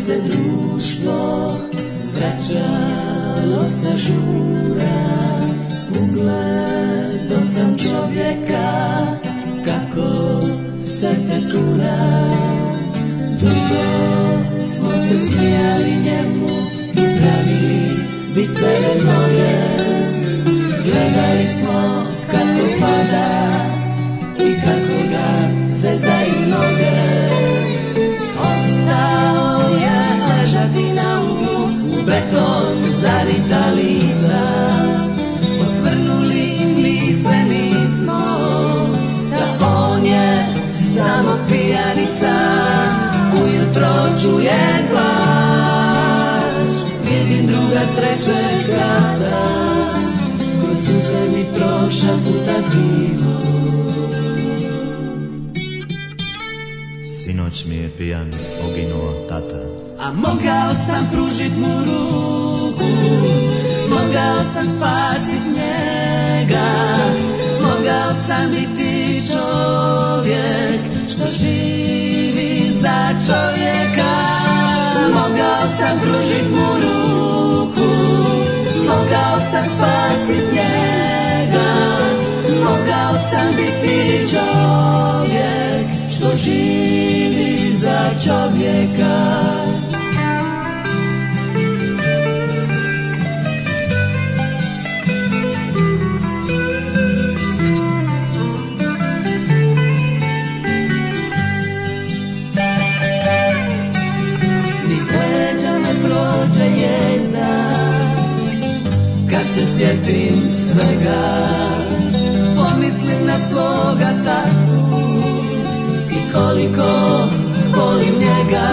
se društvo vraćalo sa žura, ugledao sam čovjeka kako se tetura. Dugo smo se smijali njemu i pravi viceve mnoge. Gledali smo kako pada i kako ga zezaju noge. Ostao je ležati na uglu, u beton zarita lica. Osvrnuli mi se nismo, da on je samo pijanica. Ujutro čujem plač, vidim druga s trećeg grada. Kroz suze mi prošaputa krivo. Sinoć mi je pijan poginuo tata. A mogao sam pružit mu ruku, mogao sam spasit njega, mogao sam biti čovjek što živi za čovjeka. Mogao sam pružit mu ruku, mogao sam spasit njega, mogao sam biti čovjek što živi za čovjeka. Prođe jeza kad se sjetim svega, pomislim na svoga tatu i koliko volim njega.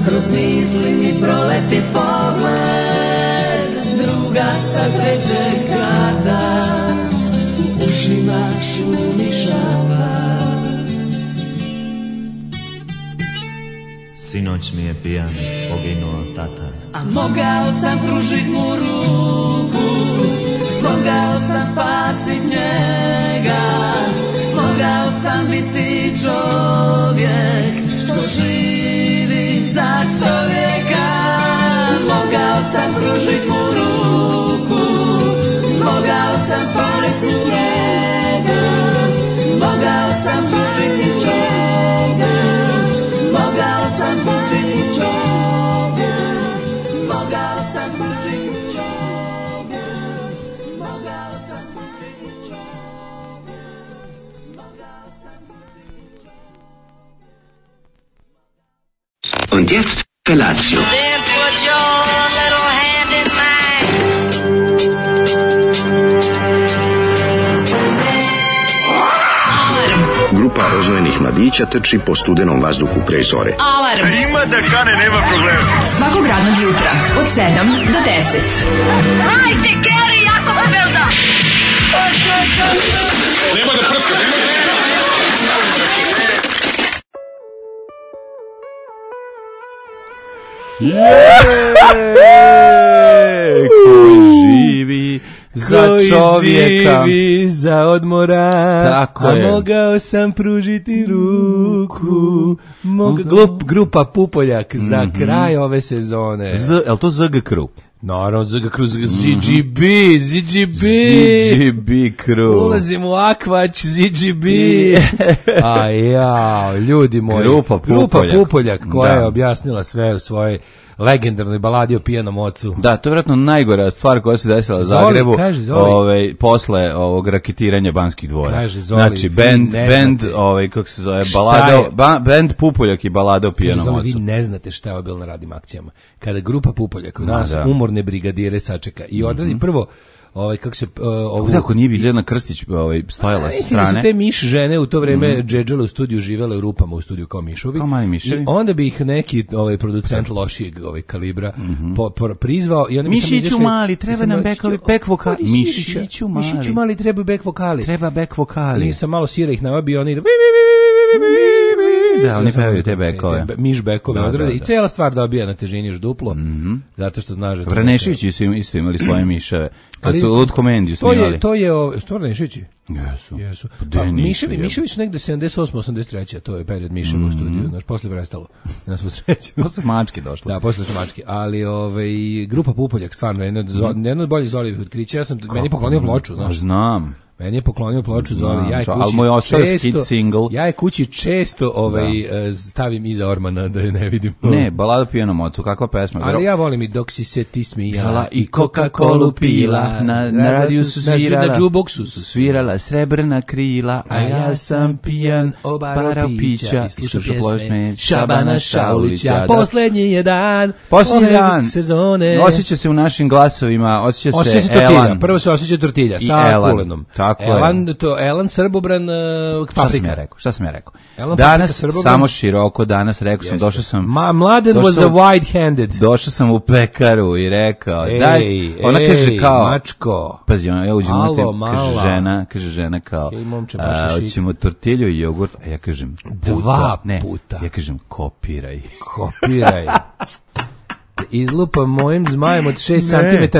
Kroz misli mi proleti pogled druga sa trećeg grada, u ušima šumi šapa. Sinoć mi je pijan poginuo tata. A mogao sam pružit mu ruku, mogao sam spasit njega, mogao sam biti čovjek što živi za čovjeka. Mogao sam pružit mu ruku, mogao sam spasit njega, mogao sam pružit čovjeka, mogao sam pružit čovjeka, mogao sam pružit čovjeka, mogao sam pružit čovjeka, mogao sam pružit čovjeka. Und jetzt Felatio. Then put your little hand in mine. Grupa rozvojenih mladića trči po studenom vazduhu pre zore. Alarm. Ima da kane, nema problema. Svakog radnog jutra od 7 do 10. Hajde, Geri, jako se velda. Nema da prska, nema da prska. Koji živi za čovjeka, živi za odmora. Tako a je. mogao sam pružiti ruku. Grupa Pupoljak za kraj ove sezone. Je li to ZG Crew? Naravno, ZGB. ZGB Crew. Ulazim u Akvač, ZGB. A ja, ljudi moji. Grupa Pupoljak koja je objasnila sve u svojoj legendarnoj baladi o pijanom ocu. Da, to je vjerojatno najgora stvar koja se desila u Zoli, Zagrebu posle ovog raketiranja Banskih dvora. Kaže, Zoli, znači, band kako se zove, band Pupoljak i balada o pijanom Zoli, ocu. vi ne znate šta je bilo na radnim akcijama. Kada grupa Pupoljak nas umorne brigadire sačeka i odradi prvo kako se ako nije Biljana Krstić stojala sa strane. Mislim da su te miš žene u to vreme džedžale u studiju, živele u rupama u studiju kao mišovi. Kao mali miševi. I onda bi ih neki producent lošijeg kalibra prizvao i onda Mišiću mali, treba nam back vokali. Mišiću mali, treba back vokali. Treba back vokali. I sam malo sira ih navabio, oni Da, oni pevaju te bekove. Miš bekove odrade i cela stvar dobija na težini još duplo, zato što znaš da... Vraneševići su isto imali svoje miševe. Kad su Lutko Mendiju snimali. To je Vraneševići? Jesu. Mišević negde 78-83, to je period Miševa u studiju, znaš, posle prestalo. Nas u sreću. Posle mačke došlo. Da, posle mačke, ali grupa Pupoljak, stvarno, jedno od boljih Zolijevih otkrića, meni je poklonio ploču, znaš. Znam. Meni je poklonio ploču Zoli, ja je kući često stavim iza ormana da je ne vidim. Ne, balada pijanom ocu, kakva pesma. Ali ja volim i dok si se ti smijala i Coca-Colu pila, na radiju su svirala, na jukeboxu su svirala srebrna krila, a ja sam pijan, obarao pića i slušao pločne Šabana Šaulića. Poslednji je dan sezone. Osjeća se u našim glasovima, osjeća se Elan. Prvo se osjeća tortilja sa kulenom. Elan Srbobran paprika. Šta sam ja rekao? Danas samo široko, danas rekao sam, došao sam... Mladen was a wide-handed. Došao sam u pekaru i rekao, ona kaže kao... Mačko. Pazi, ja uđem kaže žena kao, hoćemo tortilju i jogurt, a ja kažem, puta. Ja kažem, kopiraj. Izlupa mojim zmajem od 6 cm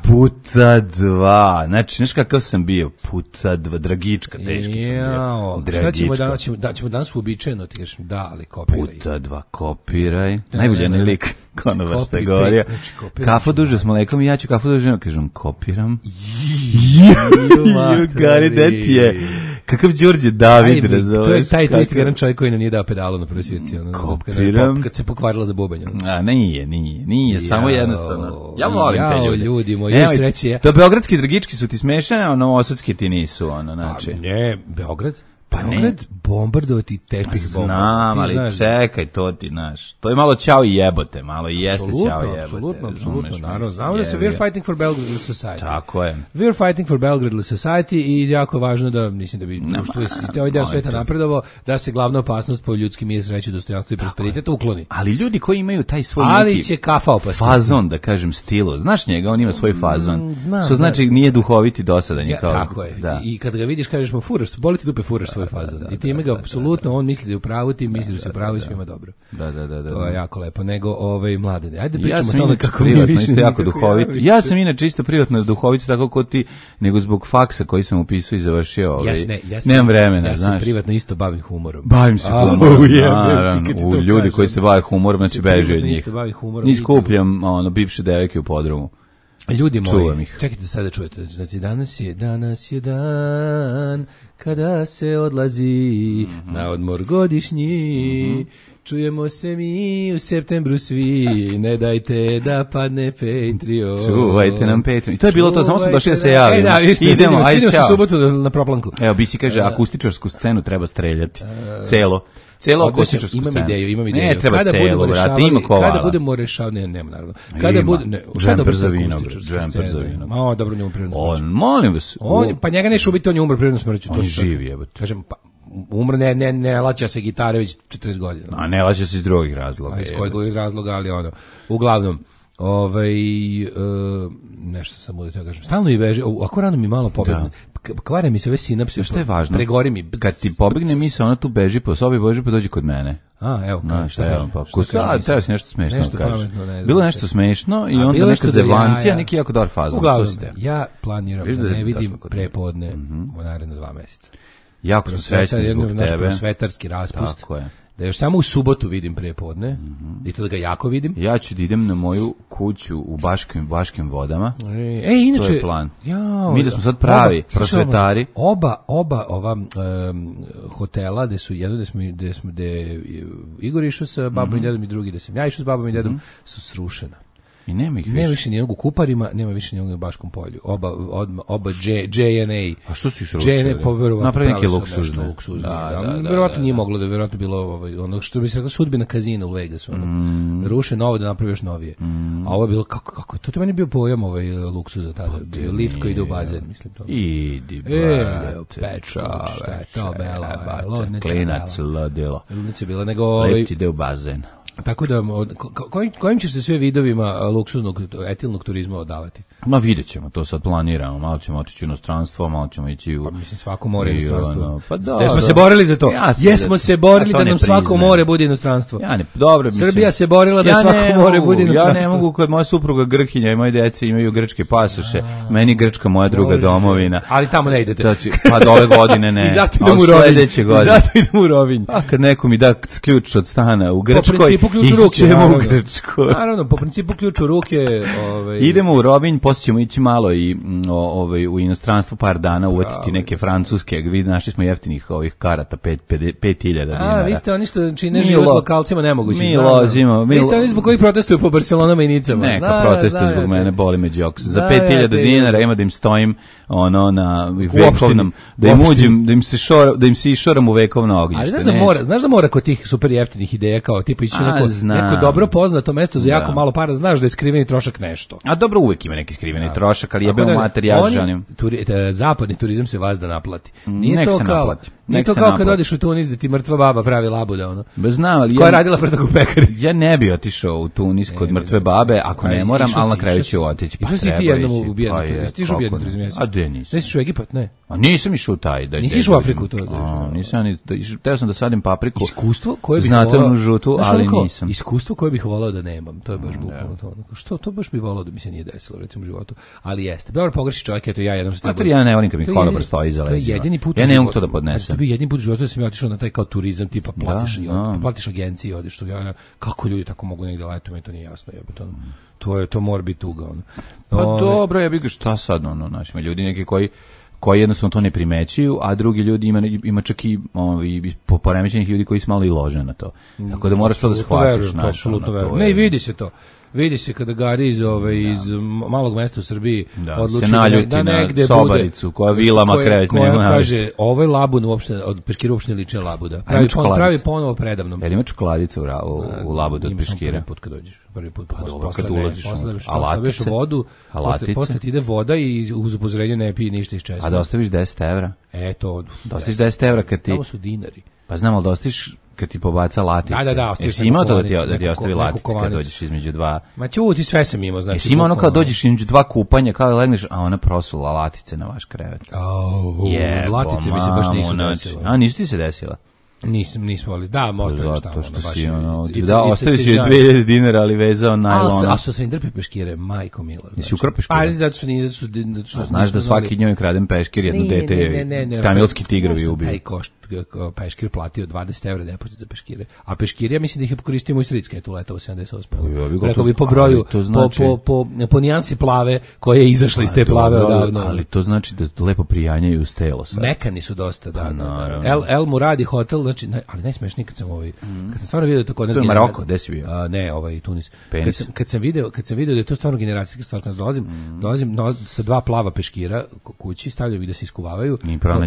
puta dva. Znači, znaš kakav sam bio? Puta dva, dragička, teški sam bio. Dragička. Šta ćemo danas uobičajeno, ti kažeš, da, ali kopiraj. Puta dva, kopiraj. Najbolji lik, konobar ste govorio. Kafu duže s mlekom i ja ću kafu duže, kažem, kopiram. Jugari, da ti je? Kakav Đorđe David, razumeš? To je taj isti jedan čovjek koji nam nije dao pedalu na prvoj svirci. Kopiram. Kad se pokvarila za bubanj. A nije, samo jednostavno. Ja volim te ljude. Ljudi moji, sreće. To beogradski dragički su ti smešane, a novosadski ti nisu, znači. Ne, Beograd? Beograd bombardovati tepih bomba. Znam, ali čekaj, to ti znaš. To je malo ćao i jebote, malo i jeste ćao i jebote. Apsolutno, naravno. Znamo da se we're fighting for Belgrade Society. Tako je. We're fighting for Belgrade Society i jako važno da, mislim da bi društvo i ovaj deo sveta napredovao, da se glavna opasnost po ljudski mir, sreću, dostojanstvo i prosperitet ukloni. Ali ljudi koji imaju taj svoj neki će kafa opasti. Fazon, da kažem, stilo. Znaš njega, on ima svoj fazon. Što znači nije duhoviti dosadan je kao. Tako je. I kad ga vidiš kažeš mu furaš, boli ti dupe, furaš svoj fazon. I time ga apsolutno, on misli da je u pravu, ti misli da se u pravu i svima dobro. Da. To je jako lepo. Nego mladene. Ajde pričamo o tome kako mi više isto jako duhovit. Ja sam inače isto privatno duhovit tako kao ti, nego zbog faksa koji sam upisao i završio. Nemam vremena, ja znaš. Ja se privatno isto bavim humorom. Bavim se humorom. Naravno, ljudi koji se bave humorom, znači beži od njih. Ni skupljam bivše devojke u podrumu. Ljudi moji, čekajte sada čujete, znači danas je dan kada se odlazi na odmor godišnji, čujemo se mi u septembru svi, ne dajte da padne Patreon. Čuvajte nam Patreon. I to je bilo to, samo smo došli da se javimo. Idemo, ajde, čao. Subotu na proplanku. Evo, Bisi kaže, akustičarsku scenu treba streljati. Celo akustičarsku scenu. Imam ideju. Ne, treba celo, brate, ima kovala. Kada budemo rešavali, nema naravno. Džemper za vinograd. Ma, dobro, njemu prirodno smrću. Molim vas. Pa njega neće ubiti, on je umro prirodno smrću. On je živi, jebote. Kažem, pa umro, ne laća se gitare već 40 godina. A ne laća se iz drugih razloga. Iz kojeg razloga, ali uglavnom, nešto sam da kažem, stalno i beži, ako rano mi malo pobegne, kvare mi se ove sinapse, što je važno, pregori mi. Kad ti pobegne mi se, ona tu beži po sobi, bože, pa dođi kod mene. Evo, teo si nešto smešno, kažeš. Bilo nešto smešno i onda neka zevancija, neki jako dobar fazon. Uglavnom, ja planiram da ne vidim prepodne u naredno 2 meseca. Jako smo srećni zbog tebe. Naš prosvetarski raspust. Tako je. Da još samo u subotu vidim prepodne, i to da ga jako vidim. Ja ću da idem na moju kuću u Baškim vodama. Inače, to je plan. Mi da smo sad pravi prosvetari. Oba ova hotela gde su jedno gde je Igor išao sa babom i dedom i drugi gde sam ja išao s babom i dedom su srušena. I nema ih više. Nema više nijednog u Kuparima, nema više nijednog u Baškom polju. Oba JNA. A što su ih srušili? Napravi neki luksuzni. Verovatno nije moglo da je verovatno bilo ono što bi se rekla sudbina kazina u Vegasu. Ruše novo da napravi još novije. A ovo je bilo kako to meni bio pojam luksuza tada. Lift koji ide u bazen, mislim to. Idi Petra, to bela. Klinac ludilo. Ludnice bila nego lift ide u bazen. Tako da, kojim ćeš se sve vidovima luksuznog etilnog turizma odavati? Ma vidjet ćemo, to sad planiramo, malo ćemo otići u inostranstvo, malo ćemo ići u... Pa mislim, svako more je inostranstvo. Pa jesmo se borili za to. Jesmo se borili da nam svako more bude inostranstvo. Dobro, mislim. Srbija se borila da svako more bude inostranstvo. Ja ne mogu, kad moja supruga Grkinja i moje dece imaju grčke pasoše, meni Grčka moja druga domovina. Ali tamo ne idete. Pa do ove godine ne. I zato idem u Rovinj. Zato idem u Rovinj. A kad neko mi da ključ od stana u Grčkoj, ićemo u Grčku. Naravno, po principu ključ u ruke. Idemo u Rovinj, ćemo ići malo i u inostranstvo par dana, uvatiti neke francuske, našli smo jeftinih ovih karata 5.000 dinara. Vi ste oni što čine život lokalcima nemogući. Mi lozimo. Vi ste oni zbog koji protestuju po Barcelonama i Nicama. Neka protestuju zbog mene, boli me džoks. Za 5.000 dinara ima da im stojim na vekovnom, da im se išoram u vekovno ognjište. Ali znaš da mora kod tih super jeftinih ideja kao tipa ići neko dobro poznato mesto za jako malo para, znaš da je skriveni trošak nešto. A dobro, uvek ima neki skriveni trošak, ali jebemo materijal žanim. Zapadni turizam se vas da naplati. Nije to kao kad odeš u Tunis da ti mrtva baba pravi labuda, ono. Znam, ali koja je radila pre toga u pekari. Ja ne bi otišao u Tunis kod mrtve babe, ako ne moram, ali na kraju ću otići. Išao si ti jednom ubijenom turizam. A gde nisam? Nisi išao u Egipat, ne? A nisam išao u taj. Nisi išao u Afriku? Nisam, teo sam da sadim papriku. Iskustvo koje bih volao, žutu, ali nisam. Iskustvo koje bih volao da nemam, to je baš bukvalno to. Što to baš bih volao da mi se nije desilo, recimo u životu. Ali jeste. Dobro pogreši čovjek, eto ja jednom se ja ne volim kad mi konobar stoji iza leđa. Ja ne mogu to da podnesem. To bi jedini put u životu da sam ja otišao na taj kao turizam, tipa platiš agenciji, odeš tu, kako ljudi tako mogu negde letu, meni to nije jasno, jebote. To mora biti tuga, ono. Pa dobro, ja bih ga šta sad, znači, ljudi neki koji jednostavno to ne primećuju, a drugi ljudi ima čak i poremećenih ljudi koji su malo i lože na to. Tako da moraš to da shvatiš. Apsolutno verujem. Ne, i vidi se to. Vidi se kada Gari iz malog mesta u Srbiji odluči da negde sobaricu koja vilama kreće. Koja kaže, ovo je labun uopšte, od Peškira uopšte ne liče labuda. Pravi ponovo predavnom. Jel ima čokoladica u labudu od Peškira? Prvi put kad dođeš. Prvi put kad ulaziš. Postaviš vodu, posle ti ide voda i uz upozorenje ne pije ništa iz česma. A da ostaviš 10 evra? Eto. Da ostaviš 10 evra kad ti... Tamo su dinari. Pa znam, ali da ostaviš kad ti pobaca latice. Da. Jesi imao to da ti ostavi latice kad dođeš između dva? Ma ćuti, sve sam imao. Znači, jesi imao ono kao dođeš između dva kupanja, kao da legneš, a ona prosula latice na vaš krevet. Latice mi se baš nisu desila. A nisu ti se desila? Nismo, ali da, ostaviš tamo. Da, ostaviš je 2000 dinara, ali vezao najlona. A što sam im drpe peškire, majko mila. Jesi ukrao peškire? Pa, zato što nije. Znaš da svaki njoj kradem peškir, jedno dete, tamilski tigrovi ubiju. Taj peškir platio 20 evra depozit za peškire. A peškir, ja mislim da ih je koristio moj stric kad je tu letao u 78. Rekao bi po broju, po nijansi plave koje je izašla iz te plave odavno. Ali to znači da lepo prijanjaju uz telo sad. Mekani su dosta, da. El Muradi hotel, znači, ali najsmešniji kad sam kad sam stvarno vidio to kod nas. To je Maroko, gde si bio? Ne, Tunis. Kad sam video da je to stvarno generacijska stvar, kad dolazim sa dva plava peškira kući, stavljam ih da se iskuvavaju.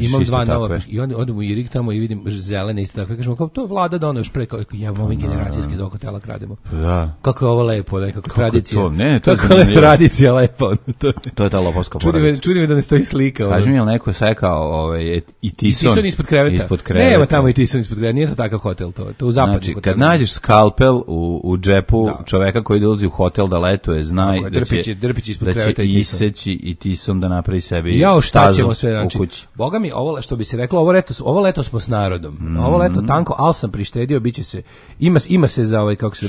Imam dva nova peškira i onda odem u Irig tamo i vidim zelene isto tako. Kažemo kao to je vlada da ono još pre kao ovi generacijski iz hotela krademo. Da. Kako je ovo lepo, nekako tradicija. Kako je tradicija lepo. To je ta lopovska porodica. Čudi me da ne stoji slika. Kaži mi, je li neko sekao i tison ispod kreveta? Nema tamo i tison ispod kreveta. Nije to takav hotel, to u zapadnom hotelu. Znači, kad nađeš skalpel u džepu čoveka koji dolazi u hotel da letuje, znaj da će iseći i tison da napravi sebi stazu u kući. Boga mi, ovo što bi se reklo, ovo leto smo s narodom. Ovo leto tanko, ali sam prištedio, biće se, ima se za ovaj, kako se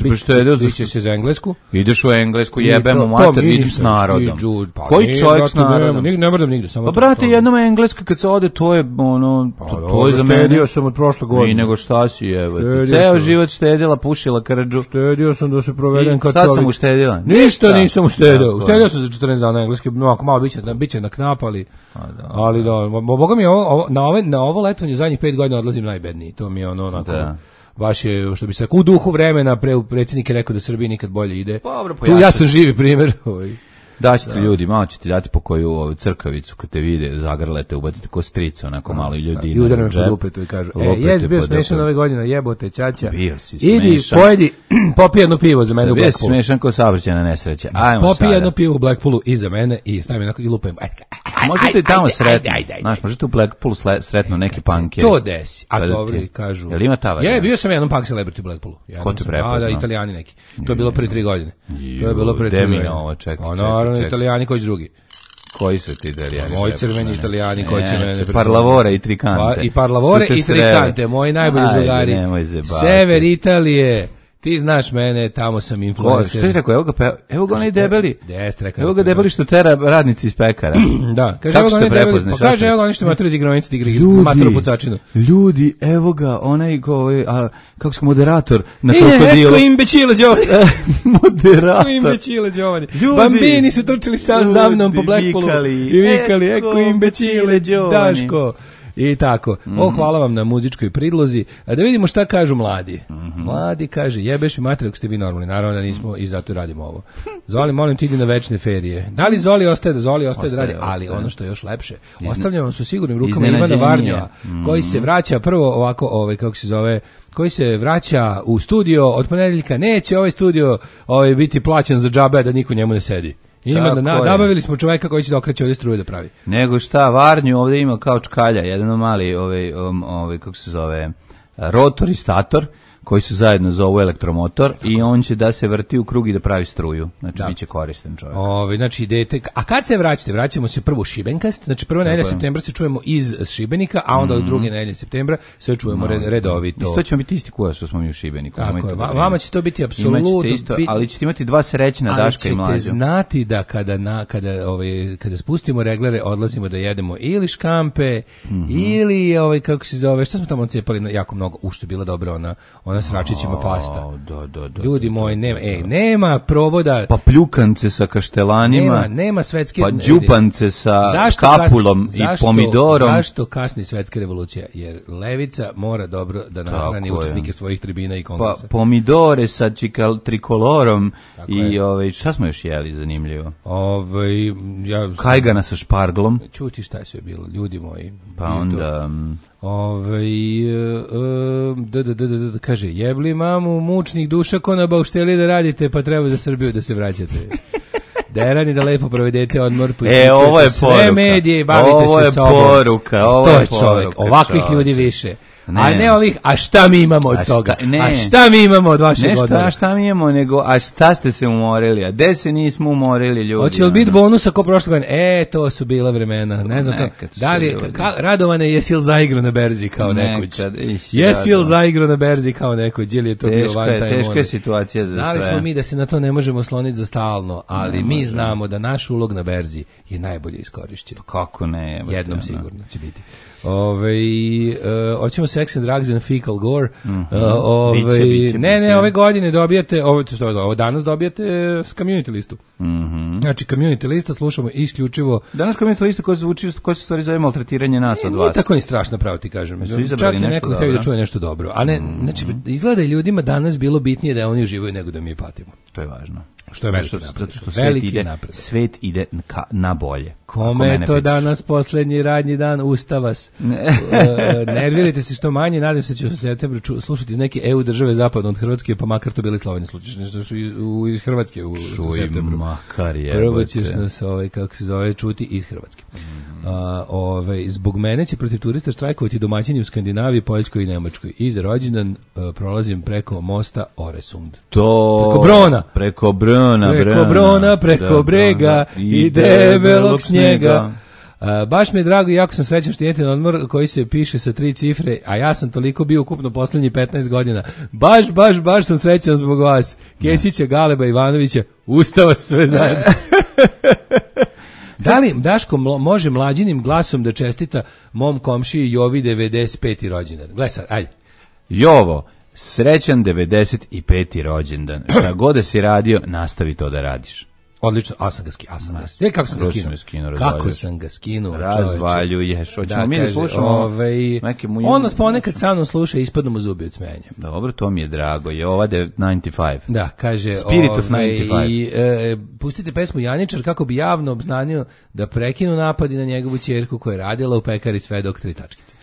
biće se za Englesku. Ideš u Englesku, jebemo mater, idem s narodom. Koji čovjek s narodom? Ne moram nigde, samo pa brate, jednom Engleska kad se ode, to je ono, to je za mene. Štedio sam od prošle godine. I nego šta si, evo. Ceo život štedila, pušila krđu. Štedio sam da se provedem kao čovjek. Šta sam uštedila? Ništa nisam uštedio. Uštedio sam za 14 dana engleski, ako malo biće na knap, ali da, boga mi na ovo letovanje zadnjih 5 godina odlazim najbedniji. To mi je ono onako. Baš je, što bi se rekao, u duhu vremena, predsjednik je rekao da Srbiji nikad bolje ide. Tu ja sam živi primjer. Daćete ljudi, malo ćete dati po koju crkavicu kad te vide, zagrlete, ubacite ko stricu, onako malo i ljudi. I udar me po dupetu i kažu, jes bio smešan ove godine, jebote, ćaća. Bio si smešan. Idi, pojedi, popij jedno pivo za mene u Blackpoolu. Bio si smešan ko saobraćajna nesreća. Popij jedno pivo u Blackpoolu i za mene i stavim onako i lupem. Možete i tamo sretno. Znaš, možete u Blackpoolu sretno neki punkeri. To desi. A dobro, kažu. Jel ima ta varijanta? Bio sam jednom punk celebrity u Blackpoolu. Ko te prepoznao? Da, Italijani neki. To je bilo pre 3 godine. To je bilo pre 3 godine. Naravno, Italijani koji drugi. Koji su ti Italijani? Moji crveni Italijani koji će mene... Parlavore i Trikante. I Parlavore i Trikante, moji najbolji drugari. Sever Italije. Ti znaš mene, tamo sam influencer. Što ti rekao? Evo ga onaj debeli. Evo ga debeli što tera radnici iz pekara. Da, kaže evo ga onaj debeli. Pa kaže evo ga onaj što matru iz igronice igra matru pucačinu. Ljudi, evo ga onaj kako se moderator na krokodilu. Eko imbecile Giovanni. Moderator. Eko imbecile Giovanni. Bambini su trčali za mnom po Blackpoolu i vikali eko imbecile Daško. I tako. Hvala vam na muzičkoj pridlozi. A da vidimo šta kažu mladi. Mladi kaže, jebeš mi mater ako ste vi normalni. Naravno da nismo i zato radimo ovo. Zoli, molim ti idi na večne ferije. Da li Zoli ostaje da radi? Ali ono što je još lepše, ostavljamo vam su sigurnim rukama Ivana Varnjeva, koji se vraća prvo ovako, kako se zove, koji se vraća u studio od ponedeljka. Neće ovaj studio biti plaćen za džabe, da niko njemu ne sedi. Nabavili smo čoveka koji će da okreće ovdje struju da pravi. Nego šta, Varnju ovdje ima kao čkalja, jedan mali kako se zove, rotor i stator, koji se zajedno zovu elektromotor i on će da se vrti u krug i da pravi struju. Znači, bit će koristan čovjek. Znači, idete... A kad se vraćate? Vraćamo se prvo u Šibenkast, znači prva nedelja septembra se čujemo iz Šibenika, a onda od druge nedelje septembra sve čujemo redovito. Isto ćemo biti isti kuda što smo mi u Šibeniku. Tako je, vama će to biti apsolutno... Ali ćete imati dva srećna Daška i Mlađa. Ali ćete znati da kada spustimo reglere, odlazimo da jedemo ili škampe, ili, kako se zove, šta smo tamo cepali jako mnogo, što je bila dobra ona s račićima pasta. Ljudi moji, nema provoda. Pa pljukance sa kaštelanima. Nema svetske... Pa đupance sa kapulom i pomidorom. Zašto kasni svetska revolucija? Jer levica mora dobro da nahrani učesnike svojih tribina i kongresa. Pa pomidore sa trikolorom i šta smo još jeli zanimljivo? Kajgana sa šparglom. Čuti šta je sve bilo, ljudi moji. Pa onda... kaže, jebli mamu mučnih duša ko na baušteli da radite, pa treba za Srbiju da se vraćate. Derani da lepo provedete odmor, ovo je poruka. Sve medije i bavite se sobom. To je čovjek, ovakvih ljudi više. A ne ovih, a šta mi imamo od toga? A šta mi imamo od vašeg odmora? Ne šta mi imamo, nego a šta ste se umorili? A gde se nismo umorili, ljudi? Hoće li biti bonusa ko prošle godine? To su bila vremena. Ne znam da li, Radovane, jesi li zaigrao na berzi kao nekoć? Jesi li zaigrao na berzi kao nekoć? Ili je to bio van taj moment? Teška je situacija za sve. Znali smo mi da se na to ne možemo sloniti za stalno, ali mi znamo da naš ulog na berzi je najbolje iskorišćen. Kako ne? Jednom sigurno će biti. Hoćemo Sex and Drugs and Fecal Gore. Ne, ove godine dobijate, danas dobijate Community listu. Znači, Community lista slušamo isključivo. Danas Community lista koja se stvari zove maltretiranje nas od vas. Nije tako ni strašno, pravo ti kažem. Čak i neko htio da čuje nešto dobro. A ne, znači, izgleda ljudima danas bilo bitnije da oni uživaju nego da mi patimo. To je važno. Što je veliki napred. Zato što svet ide na bolje. Kome je to danas posljednji radnji dan, usta vas. Nervirajte se što manje, nadam se će u septembru slušati iz neke EU države zapadno od Hrvatske, pa makar to bili Slovenije. Slučiš nešto iz Hrvatske u septembru. Makar je. Prvo ćeš nas, kako se zove, čuti iz Hrvatske. Zbog mene će protiv turista štrajkovati domaćini u Skandinaviji, Poljskoj i Nemačkoj. I za rođendan prolazim preko mosta Oresund. Preko Brona, preko brega i debelog snijega. Baš mi je drago i jako sam srećan što idete na odmor koji se piše sa 3 cifre, a ja sam toliko bio ukupno poslednjih 15 godina. Baš sam srećan zbog vas. Kesića, Galeba, Ivanovića, ustava sve zajedno. Da li Daško može mlađinim glasom da čestita mom komšiji Jovi 95. rođendan? Gledaj sad, ajde. Jovo, srećan 95. rođendan. Šta god da si radio, nastavi to da radiš. Odlično, kako sam ga skinuo. Razvaljuješ. Hoćemo mi da slušamo. On nas ponekad sa mnom sluša i ispadno mu zubi od smenja. Dobro, to mi je drago. Je ova 95. Da, kaže. Spirit of 95. Pustite pesmu Janičar kako bi javno obznanio da prekinu napadi na njegovu ćerku koja je radila u pekari sve dok 3 tačkice.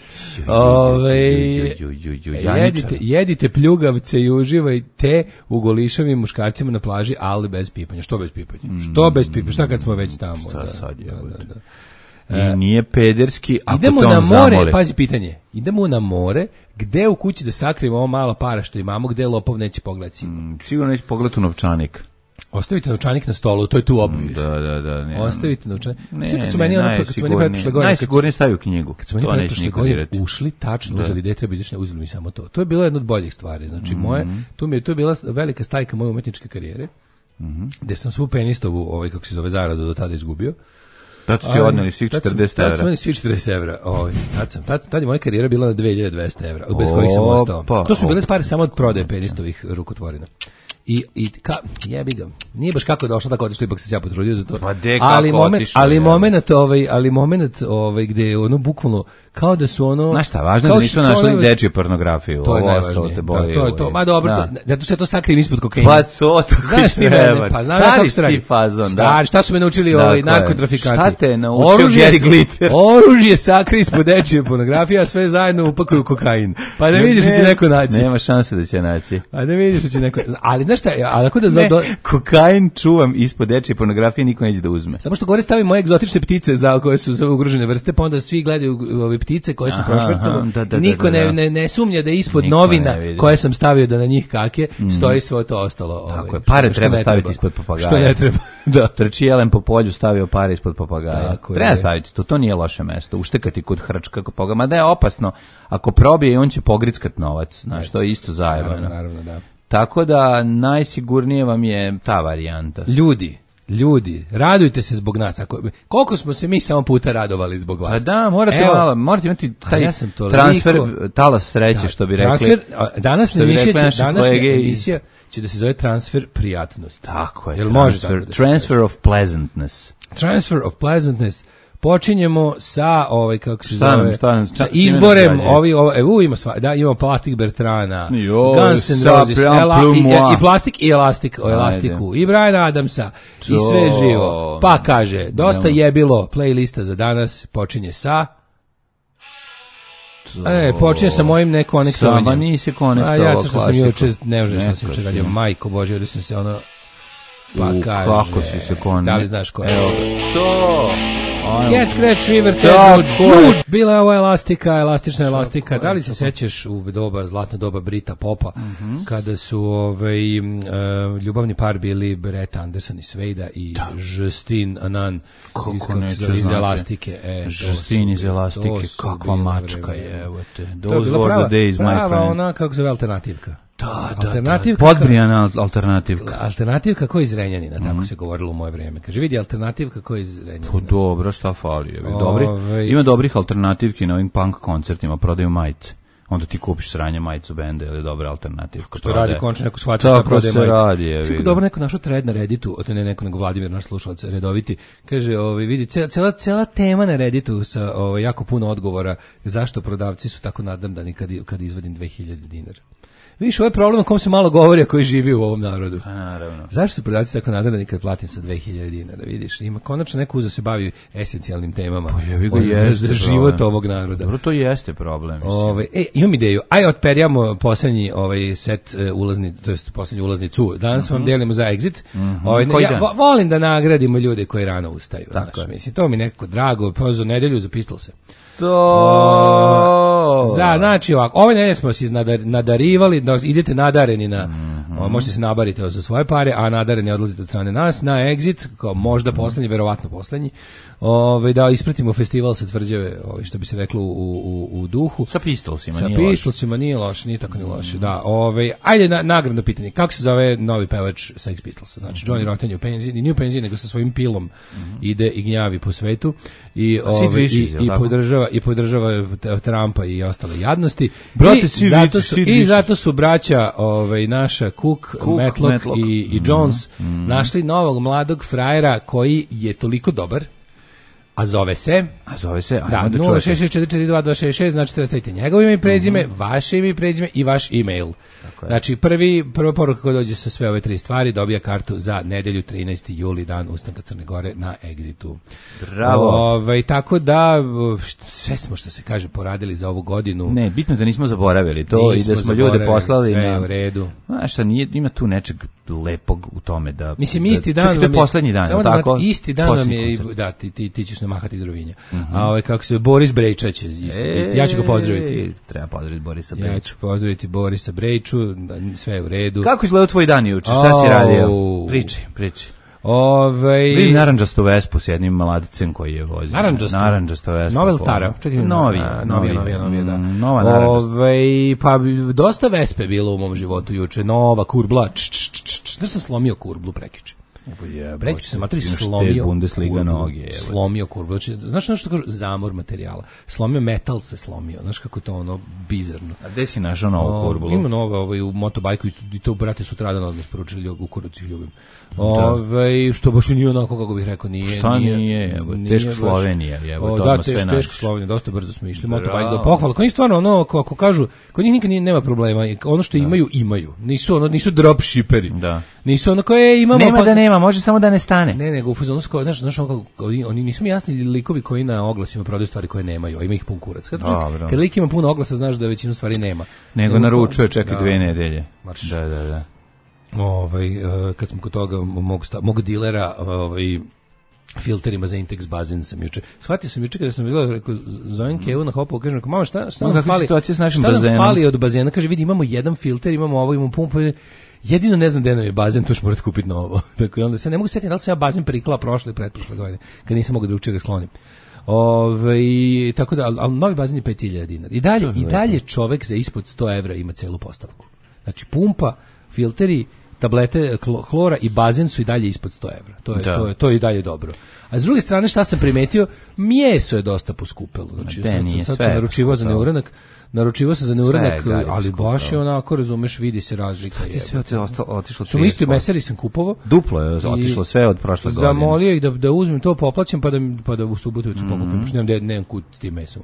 Jedite pljugavce i uživajte u golišavim muškarcima na plaži, ali bez pipanja. Što bez pipanja? Šta kad smo već tamo? Šta sad je? I nije pederski, ako idemo te on na more, zamoli. pazi pitanje, idemo na more, gde u kući da sakrijemo ovo malo para što imamo, gde lopov neće pogledati? Sigurno neće pogledati u novčanik. Ostavite novčanik na stolu, to je tu obvious. Da. Ne, Ostavite novčanik. Ne, Kad su meni najsigurnije stavi u knjigu. Kad su meni prošle godine ušli, tačno uzeli gde treba izaći, uzeli mi samo to. To je bilo jedna od boljih stvari. Znači, to je bila velika stajka moje umetničke karijere, gde sam svu penistovu, kako se zove, zaradu do tada izgubio. Tad su ti odneli svih 40 evra. Tad su meni svih 40 evra. Tad je moja karijera bila na 2200 evra, bez kojih sam ostao. To su bile pare samo od prodaje penistovih rukotvorina. I jebi ga. Nije baš kako je došlo tako otišlo, ipak sam se ja potrudio za to. Pa de kako otišlo. Ali moment gde je ono bukvalno kao da su ono... Znaš šta, važno da nisu našli dečju pornografiju. To je najvažnije. To je to. Ma dobro, zato što je to sakrijem ispod kokaina. Pa to znaš ti mene, pa znam kako se radi. Stari, šta su me naučili narkotrafikanti? Šta te naučio Gary Glitter? Oružje sakri ispod dečje pornografije, a sve zajedno upakuju kokain. Pa da vidiš da će neko naći. Nema šanse da će naći. Pa da vidiš da će neko... Ali znaš šta, ali ako da... Kokain čuvam ispod dečje pornografije, niko neće da uzme. Samo što gore stavim moje egzotične ptice za koje su ugrožene vrste, pa onda svi gledaju ove ptice koje su prošvercalo. Niko ne sumnja da ispod novina koje sam stavio da na njih kake stoji sve to ostalo. Tako je, pare treba staviti ispod papagaja. Što ne treba. Da. Trči jelen po polju, stavio pare ispod papagaja. Treba staviti to nije loše mesto. Uštekati kod hrčka papagaja, mada je opasno. Ako probije, on će pogrickat novac. Znaš, to je isto zajebano. Naravno, da. Tako da najsigurnije vam je ta varijanta. Ljudi, radujte se zbog nas. Koliko smo se mi samo puta radovali zbog vas. A da, morate imati taj transfer, talas sreće, što bi rekli. Danas emisija će da se zove transfer prijatnosti. Tako je, transfer of pleasantness. Transfer of pleasantness. Počinjemo sa kako se zove, sa izborem ima imamo Plastik Bertrana, Guns N' Roses, i Plastik i Elastiku, i Briana Adamsa, i sve živo. Pa kaže, dosta je bilo playlista za danas, počinje sa... počinje sa mojim nekonektovanjem. Sama nisi konektovao klasiku. Ja sam juče, ne znam što sam juče radio, majko Bože, ovdje sam se pa kaže... Kako si se konektovao? Da li znaš ko je? Evo, to... Cat Scratch Fever, Nude. Bila je ovo elastična elastika. Da li se sećaš u zlatno doba Brita Popa, kada su ljubavni par bili Brett Anderson i Svejda i Justin Anan iz elastike. Justin iz elastike, kakva mačka je, evo te. Those were the days, my friend. Prava ona, kako se zove, alternativka. Da. Podbrijana alternativka. Alternativka ko iz Renjanina, tako se govorilo u moje vrijeme. Kaže, vidi, alternativka ko iz Renjanina. Pa dobro, šta fali? Ima dobrih alternativki na ovim punk koncertima, prodaju majice. Onda ti kupiš sranje majicu benda ili dobra alternativka. Što radi končno neko shvatio šta prodaje majice. Tako se radi, je. Svi dobro neko našao thread na Redditu, ne neko nego Vladimir, naš slušalac redoviti, kaže, vidi, cela tema na Redditu sa jako puno odgovora zašto prodavci su tako nadamdani kad izvadim 2000 dinara. Viš, ovo je problem o kom se malo govori, a koji živi u ovom narodu. A, naravno. Zašto su prodavci tako nadrljani kad platim sa 2000 dinara, vidiš? Ima konačno neko uzeo se bavi esencijalnim temama za život ovog naroda. Dobro, to jeste problem. Imam ideju. Otperijamo poslednji set ulazni, to jest poslednju ulaznicu. Danas vam delimo za Exit. Volim da nagradimo ljude koji rano ustaju. Tako, mislim, to mi nekako drago. Pa za nedelju za Pistolse. Znači ovako, ove nedelje smo se nadarivali, idete nadareni na, možete se nabariti za svoje pare, a nadareni odlazite od strane nas na Exit, kao možda poslednji, verovatno poslednji, da ispratimo festival sa Tvrđave, što bi se reklo u duhu. Sa Pistolsima, nije loše, nije tako ni loše, da. Ajde, nagradno pitanje, kako se zove novi pevač Sex Pistolsa? Znači, Johnny Rotten je u penziji, nije u penziji, nego sa svojim pilom ide i gnjavi po svetu i podržava Trumpa i ostale jadnosti. I zato su braća naša Cook, Matlock i Jones našli novog mladog frajera koji je toliko dobar, a zove se, da, 066442266, znači treba staviti njegovo ime i prezime, vaše ime i prezime i vaš e-mail. Znači, prva poruka koja dođe sa sve ove tri stvari dobija kartu za nedelju 13. juli, dan ustanka Crne Gore na Exitu. Bravo. Tako da, sve smo, što se kaže, poradili za ovu godinu. Ne, bitno da nismo zaboravili to i da smo ljude poslali. Sve je u redu. Znaš šta, ima tu nečeg lepog u tome da... Mislim, isti dan vam je... poslednji dan, samo tako? Isti dan vam je, da, ti ćeš počne mahati iz Rovinja. A kako se Boris Brejčać isto. Ja ću ga pozdraviti. Treba pozdraviti Borisa Brejču. Ja ću pozdraviti Borisa Brejču, sve je u redu. Kako izgledao tvoj dan juče? Šta si radio? Priči. Vidim narandžastu Vespu s jednim mladicem koji je vozio. Narandžastu Vespu. Nova ili stara? Novija, da. Nova narandžasta. Pa dosta Vespe bilo u mom životu juče. Nova kurbla. Znaš sam slomio kurblu prekjuče? Prekjuče sam materi slomio Bundesliga noge. Slomio kurblu. Znaš što kažu? Zamor materijala. Slomio metal se slomio. Znaš kako to ono bizarno. A gde si našao novu kurblu? Ima nova u motobajku i to brate sutradan odnos poručili u Kurucu ljubim. Što baš nije onako kako bih rekao, nije. Šta nije? Teško Slovenija, teško Slovenija, dosta brzo smo išli. Motobajk do pohvala. Kod njih stvarno ono, kako kažu, kod njih nikad nema problema. Ono što imaju. Nisu dropshipperi. Nisu ono koje imamo. Nema da nema, može samo da ne stane. Ne, nego u fazonu znaš oni nisu mi jasni likovi koji na oglasima prodaju stvari koje nemaju, a ima ih pun kurac. Kad lik ima puno oglasa, znaš da većinu stvari nema. Nego naručuje, čeka 2 nedelje. Da. Kad smo kod toga mog dilera filterima za Intex bazen sam juče. Shvatio sam juče kada sam vidjela, rekao, zovem Kevu na hopu, kažem, mama, šta nam fali? Šta nam fali od bazena? Kaže, vidi, imamo jedan filter, imamo ovo, imamo pumpu, jedino ne znam gde nam je bazen, to ću morati kupiti novo. Dakle, onda se ne mogu setiti da li sam ja bazen priklao prošle i pretprošle godine, kad nisam mogao drugčije ga sklonim. Tako da, ali novi bazen je 5000 dinara. I dalje čovek za ispod 100 evra ima celu postavku. Znači, pumpa, filteri, tablete hlora i bazen su i dalje ispod 100 evra. To je i dalje dobro. A s druge strane, šta sam primetio, meso je dosta poskupelo. Znači, sad sam naručivao za neuranak, ali baš je onako, razumeš, vidi se razlika. Šta ti sve otišlo? Samo isto mesari sam kupovao. Duplo je otišlo sve od prošle godine. Zamolio ih da uzmem to, poplaćam, pa da u subotu pokupim, pošto nemam kut s tim mesom.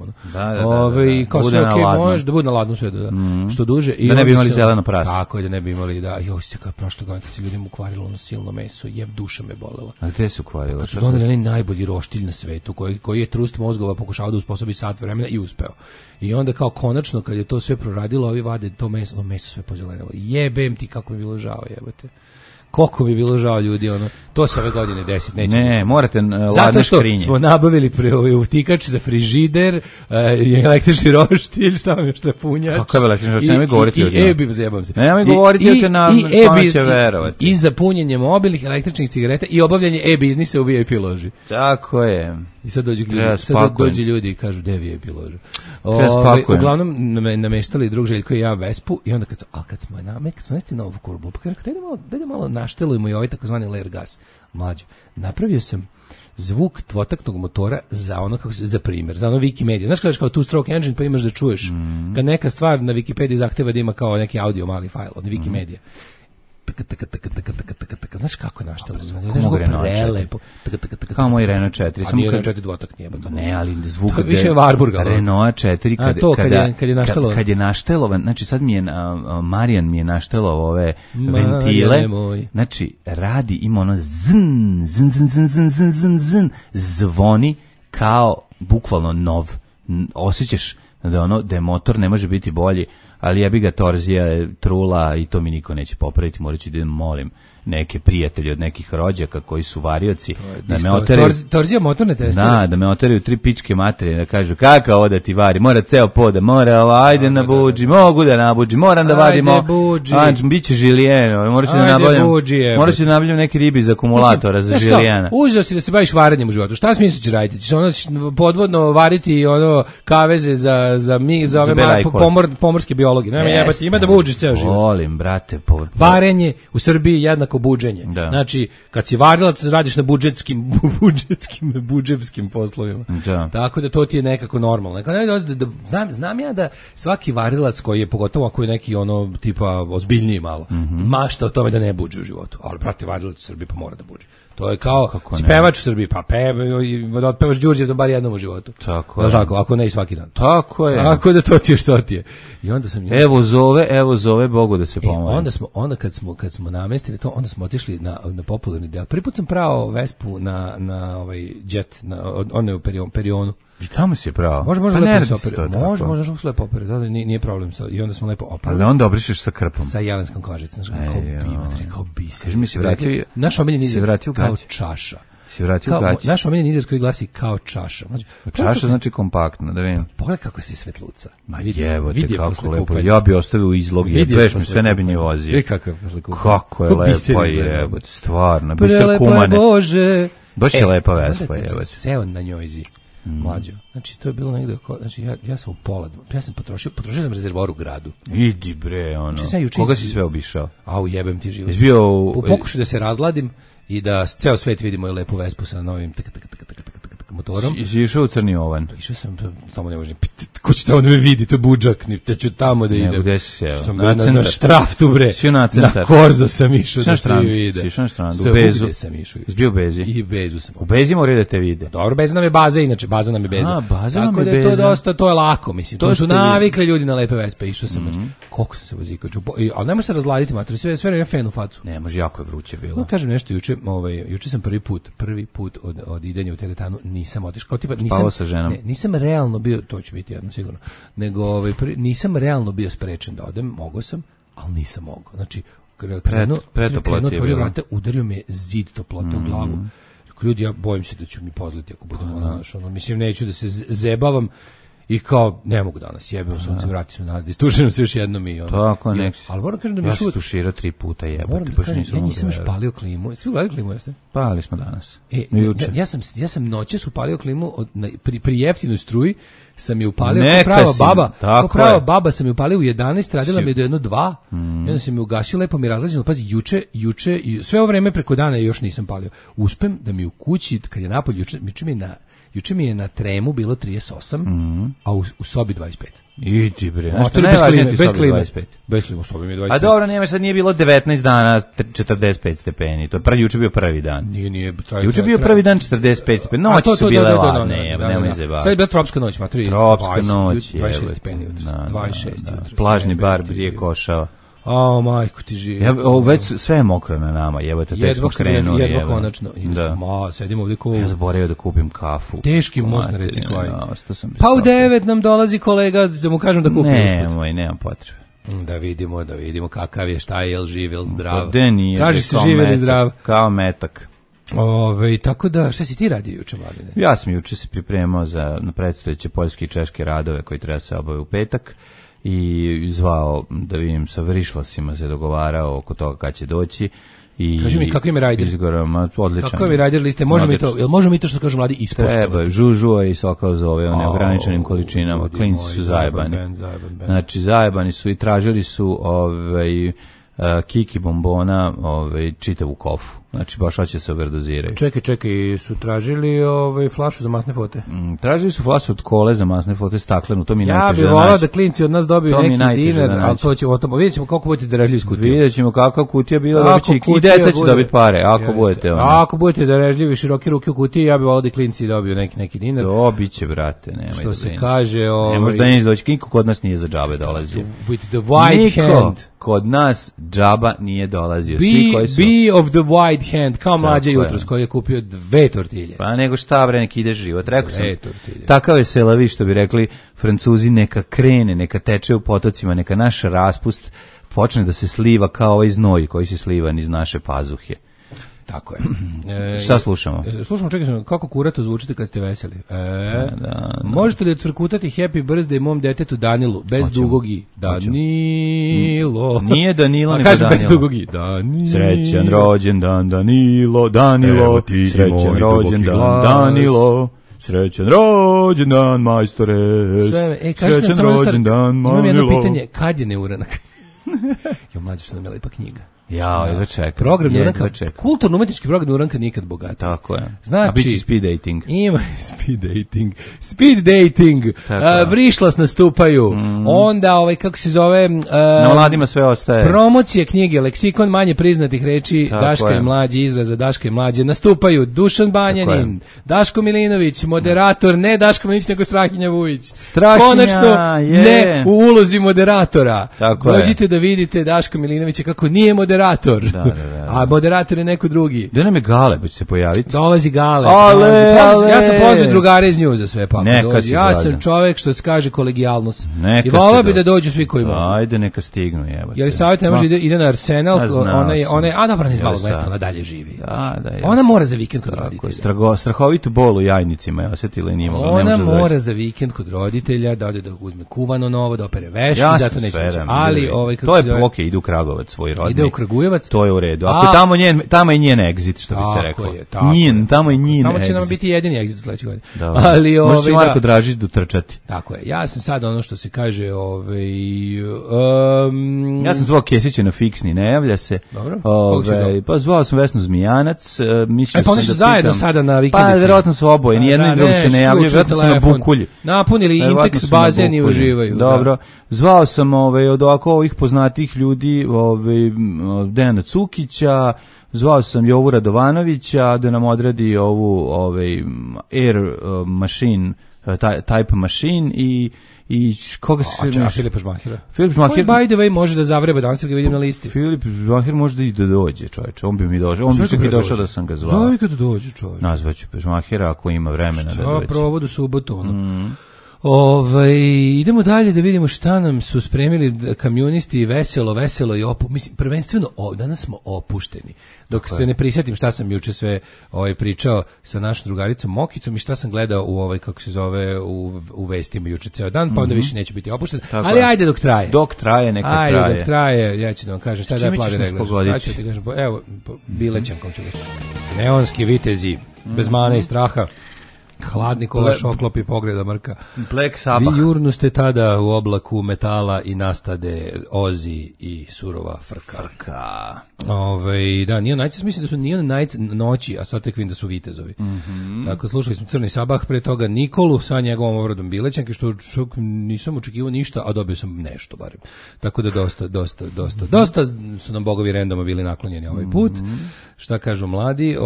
Kao sve može da bude na ladnu sve, što duže. Da ne bi imali zeleno prase. Tako je, da ne bi imali, da. Joj, se kao prošle godine, kad se ljudima ukvarilo ono silno meso, duša me bolela. A gde se ukvarilo? Kad su doneli onaj najbolji roštilj na svetu, koji je trust mozgova pokušao da usposobi sat vremena i uspeo. I onda kao konačno kad je to sve proradilo, ovi vade to meso sve pozelenilo. Jebem ti kako mi bilo žao, jebote. Koliko mi bilo žao ljudi, ono. To se ove godine desiti neće. Ne, morate ladne škrinje. Zato što smo nabavili utikač za frižider, električni roštilj, stavim još trapunjač. Kako je električni roštilj? Nemoj govoriti o njima. Zajebam se. Nemoj govoriti o te nam će verovati. I za punjenje mobilnih električnih cigareta i obavljanje e-biznisa u VIP loži. Tako je. I sad dođu ljudi i kažu, gde VIP ložu? Uglavnom nameštali drug Željko i ja Vespu i onda kad smo nesti novu kurbu, pa dajde malo naštelujemo i ovaj takozvani layer gas. Mlađo, napravio sam zvuk dvotaktnog motora za ono za primjer, za ono Wikimedia. Znaš kada kao two stroke engine pa imaš da čuješ kad neka stvar na Wikipediji zahteva da ima kao neki audio mali fajl od Wikimedia. Znaš kako je naštalo? Kao moj Renault 4. A nije Renault 4 dvotak, nije. Ne, ali zvuk je više Warburga. Renault 4 kad je naštelovan, znači sad mi je Marijan mi je naštelovao ove ventile. Znači radi, ima ono zn, zvoni kao bukvalno nov. Osjećaš da je motor ne može biti bolji. Ali ja bi ga torzija trula i to mi niko neće popraviti, morat ću da molim neke prijatelje od nekih rođaka koji su varioci da me oteraju. Torzija motorne testere? Da me oteraju 3 pičke materije, da kažu kakav ovo da ti vari, mora ceo poda, mora ajde nabuđi, mogu da nabuđi, moram da vadimo, biće žilijeno, morat ću da nabavljam neke ribi iz akumulatora za žilijana. Užao si da se baviš varanjem u životu, šta smisliš raditi? Ćeš podvodno variti kaveze za ove pomorske biologi, ima da buđiš ceo život. Volim, brate. Varenje u Srbiji jednako buđenje. Da. Znači, kad si varilac, radiš na budžetskim poslovima. Da. Tako da to ti je nekako normalno. Znam ja da svaki varilac koji je, pogotovo ako je neki ono tipa ozbiljniji malo, mašta o tome da ne buđe u životu. Ali, brate, varilac u Srbiji pa mora da buđe. To je kao pevač u Srbiji, pa otpevaš Đurđev bar jednom u životu. Tako je. Tako, ako ne i svaki dan. Tako je. Tako da to ti je što ti je. I onda sam Evo zove Bogu da se pomogne. Onda kad smo namestili to, onda smo otišli na popularni deo. Prvi put sam prao Vespu na ovaj jet, na onaj perionu. I tamo si je pravo. Može lepo se operati. Može lepo operati, nije problem. I onda smo lepo operali. Ali onda obrišeš sa krpom. Sa jelenskom kožicom, kao biser. Kaži mi se vratio. Naš omiljeni izraz kao čaša. Si vratio gaće. Naš omiljeni izraz koji glasi kao čaša. Čaša znači kompaktno, da vidim. Pogledaj kako se svetluca. Ma jebote, kako lepo. Ja bi ostavio izlog, jebeš mi, sve ne bi ni vozio. Vidi kako je posle kupanja. Kako je lepo, jebote, stvarno. Prelepa kumane. Bože. Baš je lepa Vespa, jebote. Seo na njojzi. Mlađo. Znači, to je bilo negde, znači, ja sam u pola, ja sam potrošio sam rezervoar u gradu. Idi bre, ono. Koga si sve obišao? Au, jebem ti život. Izbio u pokušaju da se razladim i da ceo svet vidi moju lepu Vespu sa novim motorom. Si išao u Crni Ovan? Išao sam, tamo ne može, ko će tamo da me vidi, to je budžak, te ću tamo da idem. Nego, gde si seo? Sam na Štraftu, bre. Sio na centar. Na Korzo sam išao da svi vide. Si išao na strandu, u Bezu. Sam išao. Izbio u Bezi? I Bezu sam. U Bezi moraju da te vide. Dobro, Beza nam je baza, inače, baza nam je Beza. Baza nam je Beza. Tako da je to dosta, to je lako, mislim. To su navikli ljudi na lepe Vespe, išao sam. Koliko sam se vozikao. Ali ne može se razladiti, mater, sve je fen u facu. Ne može, jako je vruće bilo. No, kažem nešto, juče sam prvi put od idenja u teretanu nisam otišao. Kao tipa, nisam realno bio, to će biti jedno sigurno, nego nisam realno bio sprečen da odem, mogao sam, ali nisam mogao. Znači, krenuo, otvorio vrata, udario me zid toplote u glavu. Ljudi, ja bojim se da ću mi pozliti ako budem mislim, neću da se zebavam i kao, ne mogu danas, jebimo sunce, vratim se nazad, istuširam se još jednom i tako, nek si. Ali moram kažem da mi ja se tuširao 3 puta, jebate, baš nisam. Ja nisam još palio klimu. Svi gledali klimu, jeste? Pali smo danas. Ja sam noćas upalio klimu pri jeftinoj struji, sam je upalio kao prava baba. Kao prava baba sam je upalio u 11, radila mi je do 1-2. I onda sam je ugasio, lepo mi razlađeno. Pazi, juče, sve ovo vreme preko dana još nisam palio. Uspem da mi u kući, kad je napolje, juče mi je na tremu bilo 38, a u sobi 25. Idi bre, bez klime. Bez klime, u sobi mi je 25. A dobro, nema, sad nije bilo 19 dana 45 stepeni. To je juče bio prvi dan. Nije. Juče bio prvi dan 45 stepeni. Noći su bile ladne, nemoj zebati. Sad je bila tropska noć, matri. Tropska noć, 26 stepeni jutros. 26 jutros. Plažni bar Brije Košava. A majko ti živi. Već sve je mokro na nama, jebote, tek smo krenuli. Jedva konačno. Sedim ovdje ko... Ja zaboravio da kupim kafu. Teški most na reciklaju. Pa u 9 nam dolazi kolega, da mu kažem da kupim. Nemam potrebe. Da vidimo kakav je, šta je, jel živ, jel zdrav. Traži se živ ili zdrav. Kao metak. Tako da, šta si ti radio juče, Mladine? Ja sam juče se pripremao na predstojeće poljske i češke radove koji treba se obave u petak. I zvao da vidim sa vrišlasima, se dogovarao oko toga kad će doći. Kaži mi, kako im je rajder? Odličan. Kako je rajder liste? Možemo mi to što kažu mladi ispoštovati? Treba, žužuo i sokao zove o neograničenim količinama. Klinci su zajebani. Znači, zajebani su i tražili su kiki bombona, čitavu kofu. Znači, baš hoće se overdoziraju. Čekaj, su tražili flašu za masne fote? Tražili su flašu od kole za masne fote, staklenu, to mi najteže da naći. Ja bih volao da klinci od nas dobiju neki dinar, ali to ćemo o tome. Vidjet ćemo kako budete darežljivi s kutijom. Vidjet ćemo kakva kutija bila, da će i deca će dobiti pare, ako budete darežljivi, široke ruke u kutiji, ja bih volao da klinci dobiju neki dinar. Dobit će, brate, nemoj da što se kaže... Ne može da neće doći, niko kod nas nije za džabe dolazio. With the white hand. Kod nas džaba nije dolazio. Be of the white hand, kao Mlađa jutros koji je kupio 2 tortilje. Pa nego šta bre, neki ide život. Rekao sam, takav je selavi, što bi rekli Francuzi, neka krene, neka teče u potocima, neka naš raspust počne da se sliva kao ovaj znoj koji se sliva iz naše pazuhe. Tako je. Šta slušamo? Slušamo, čekaj, kako kurato zvučite kad ste veseli. Možete li cvrkutati Happy Birthday mom detetu Danilu, bez dugog i. Danilo. Nije Danilo, nego Danilo. Bez dugog i. Danilo. Srećan rođendan Danilo, srećan rođendan Danilo. Srećan rođendan, majstore. Srećan rođendan, Manilo. Imam jedno pitanje, kad je neuranak? Jo, Mlađe, što nam je lepa knjiga. Ja čekam. Program Neuranka, kulturno-umetnički program Neuranka nikad bogat. Tako je. Znači, a biće speed dating. Ima speed dating. Vrišlas nastupaju. Onda, kako se zove... na mladima sve ostaje. Promocije knjige, leksikon manje priznatih reči, Daška i Mlađe, izraza Daška i Mlađe, nastupaju Dušan Banjanin, Daško Milinović, moderator, ne Daško Milinović, nego Strahinja Vujić. Konačno, ne u ulozi moderatora. Dođite da vidite Daška Milinovića kako nije moderator, moderator. Da. A moderator je neko drugi. Da nam je Galeb će se pojaviti. Dolazi Galeb. Ale. Ja sam pozvao drugare iz Njuza sve pa. Ja sam dođe. Čovjek što se kaže kolegijalnost. Neka I volao bi da dođu svi koji mogu. Ajde, neka stignu, jebote. Je li savjet ne može ide na Arsenal, ona je dobro iz malog sam. mesta, ona dalje živi. Da, ona mora za vikend kod roditelja. Strahovitu bol u jajnicima je osjetila i nije mogla. Ona mora za vikend kod roditelja da ode da uzme kuvano novo, da opere veški, zato neće moći. Ali to je okej, ide u Kragujevac svoj rodni. Ide u Kragujevac. To je u redu. Ako tamo je njen exit, što bi se reklo. Tamo je njen. Tamo će nam biti jedini exit sledeće godine. Ali može Marko Dražić dotrčati. Tako je. Ja sam sad ono što se kaže, ja sam zvao Kesića na fiksni, ne javlja se. Dobro. Pa zvao sam Vesnu Zmijanac, mislio sam da pitam. Zajedno sada na vikendici. Pa verovatno su oboje, ni jedno ni drugo se ne javljaju, verovatno su na Bukulji. Napunili Intex bazen i uživaju. Dobro. Zvao sam od ovih poznatih ljudi, Dejana Cukića, zvao sam Jovu Radovanovića da nam odradi ovu Air Machine, Type Machine i koga se... A Filipa Žmahira? Filip Žmahir... By the way može da zavreba, danas ga vidim na listi. Filip Žmahir može da dođe, čovječe. On bi mi došao. On bi čak i došao da sam ga zvao. Zove kad dođe, čovječe. Nazvaću Žmahira ako ima vremena da dođe. Provodu subotu, ono. Idemo dalje da vidimo šta nam su spremili kamionisti, veselo i mislim, prvenstveno danas smo opušteni. Dok se ne prisjetim šta sam juče sve pričao sa našom drugaricom Mokicom i šta sam gledao u kako se zove u vestima juče ceo dan, pa onda više neće biti opušten. Tako ali ajde dok traje. Dok traje, neka traje. Ajde dok traje, ja ću da vam kažem šta da je plavi reglaž. Šta ću ti kažem, evo, bilećankom ću ga. Neonski vitezi, bez mane i straha. Hladni kolaš oklopi pogleda mrka. Black Sabbath. Vi jurnuste tada u oblaku metala i nastade Ozi i surova frka. Da, Neon Nights, mislim da su Neon Nights noći, a sad tek vidim da su vitezovi. Tako, slušali smo Crni Sabah, pre toga Nikolu sa njegovom obradom Bilećanke, što nisam očekivao ništa, a dobio sam nešto barem. Tako da dosta su nam bogovi randoma bili naklonjeni ovaj put. Šta kažu mladi?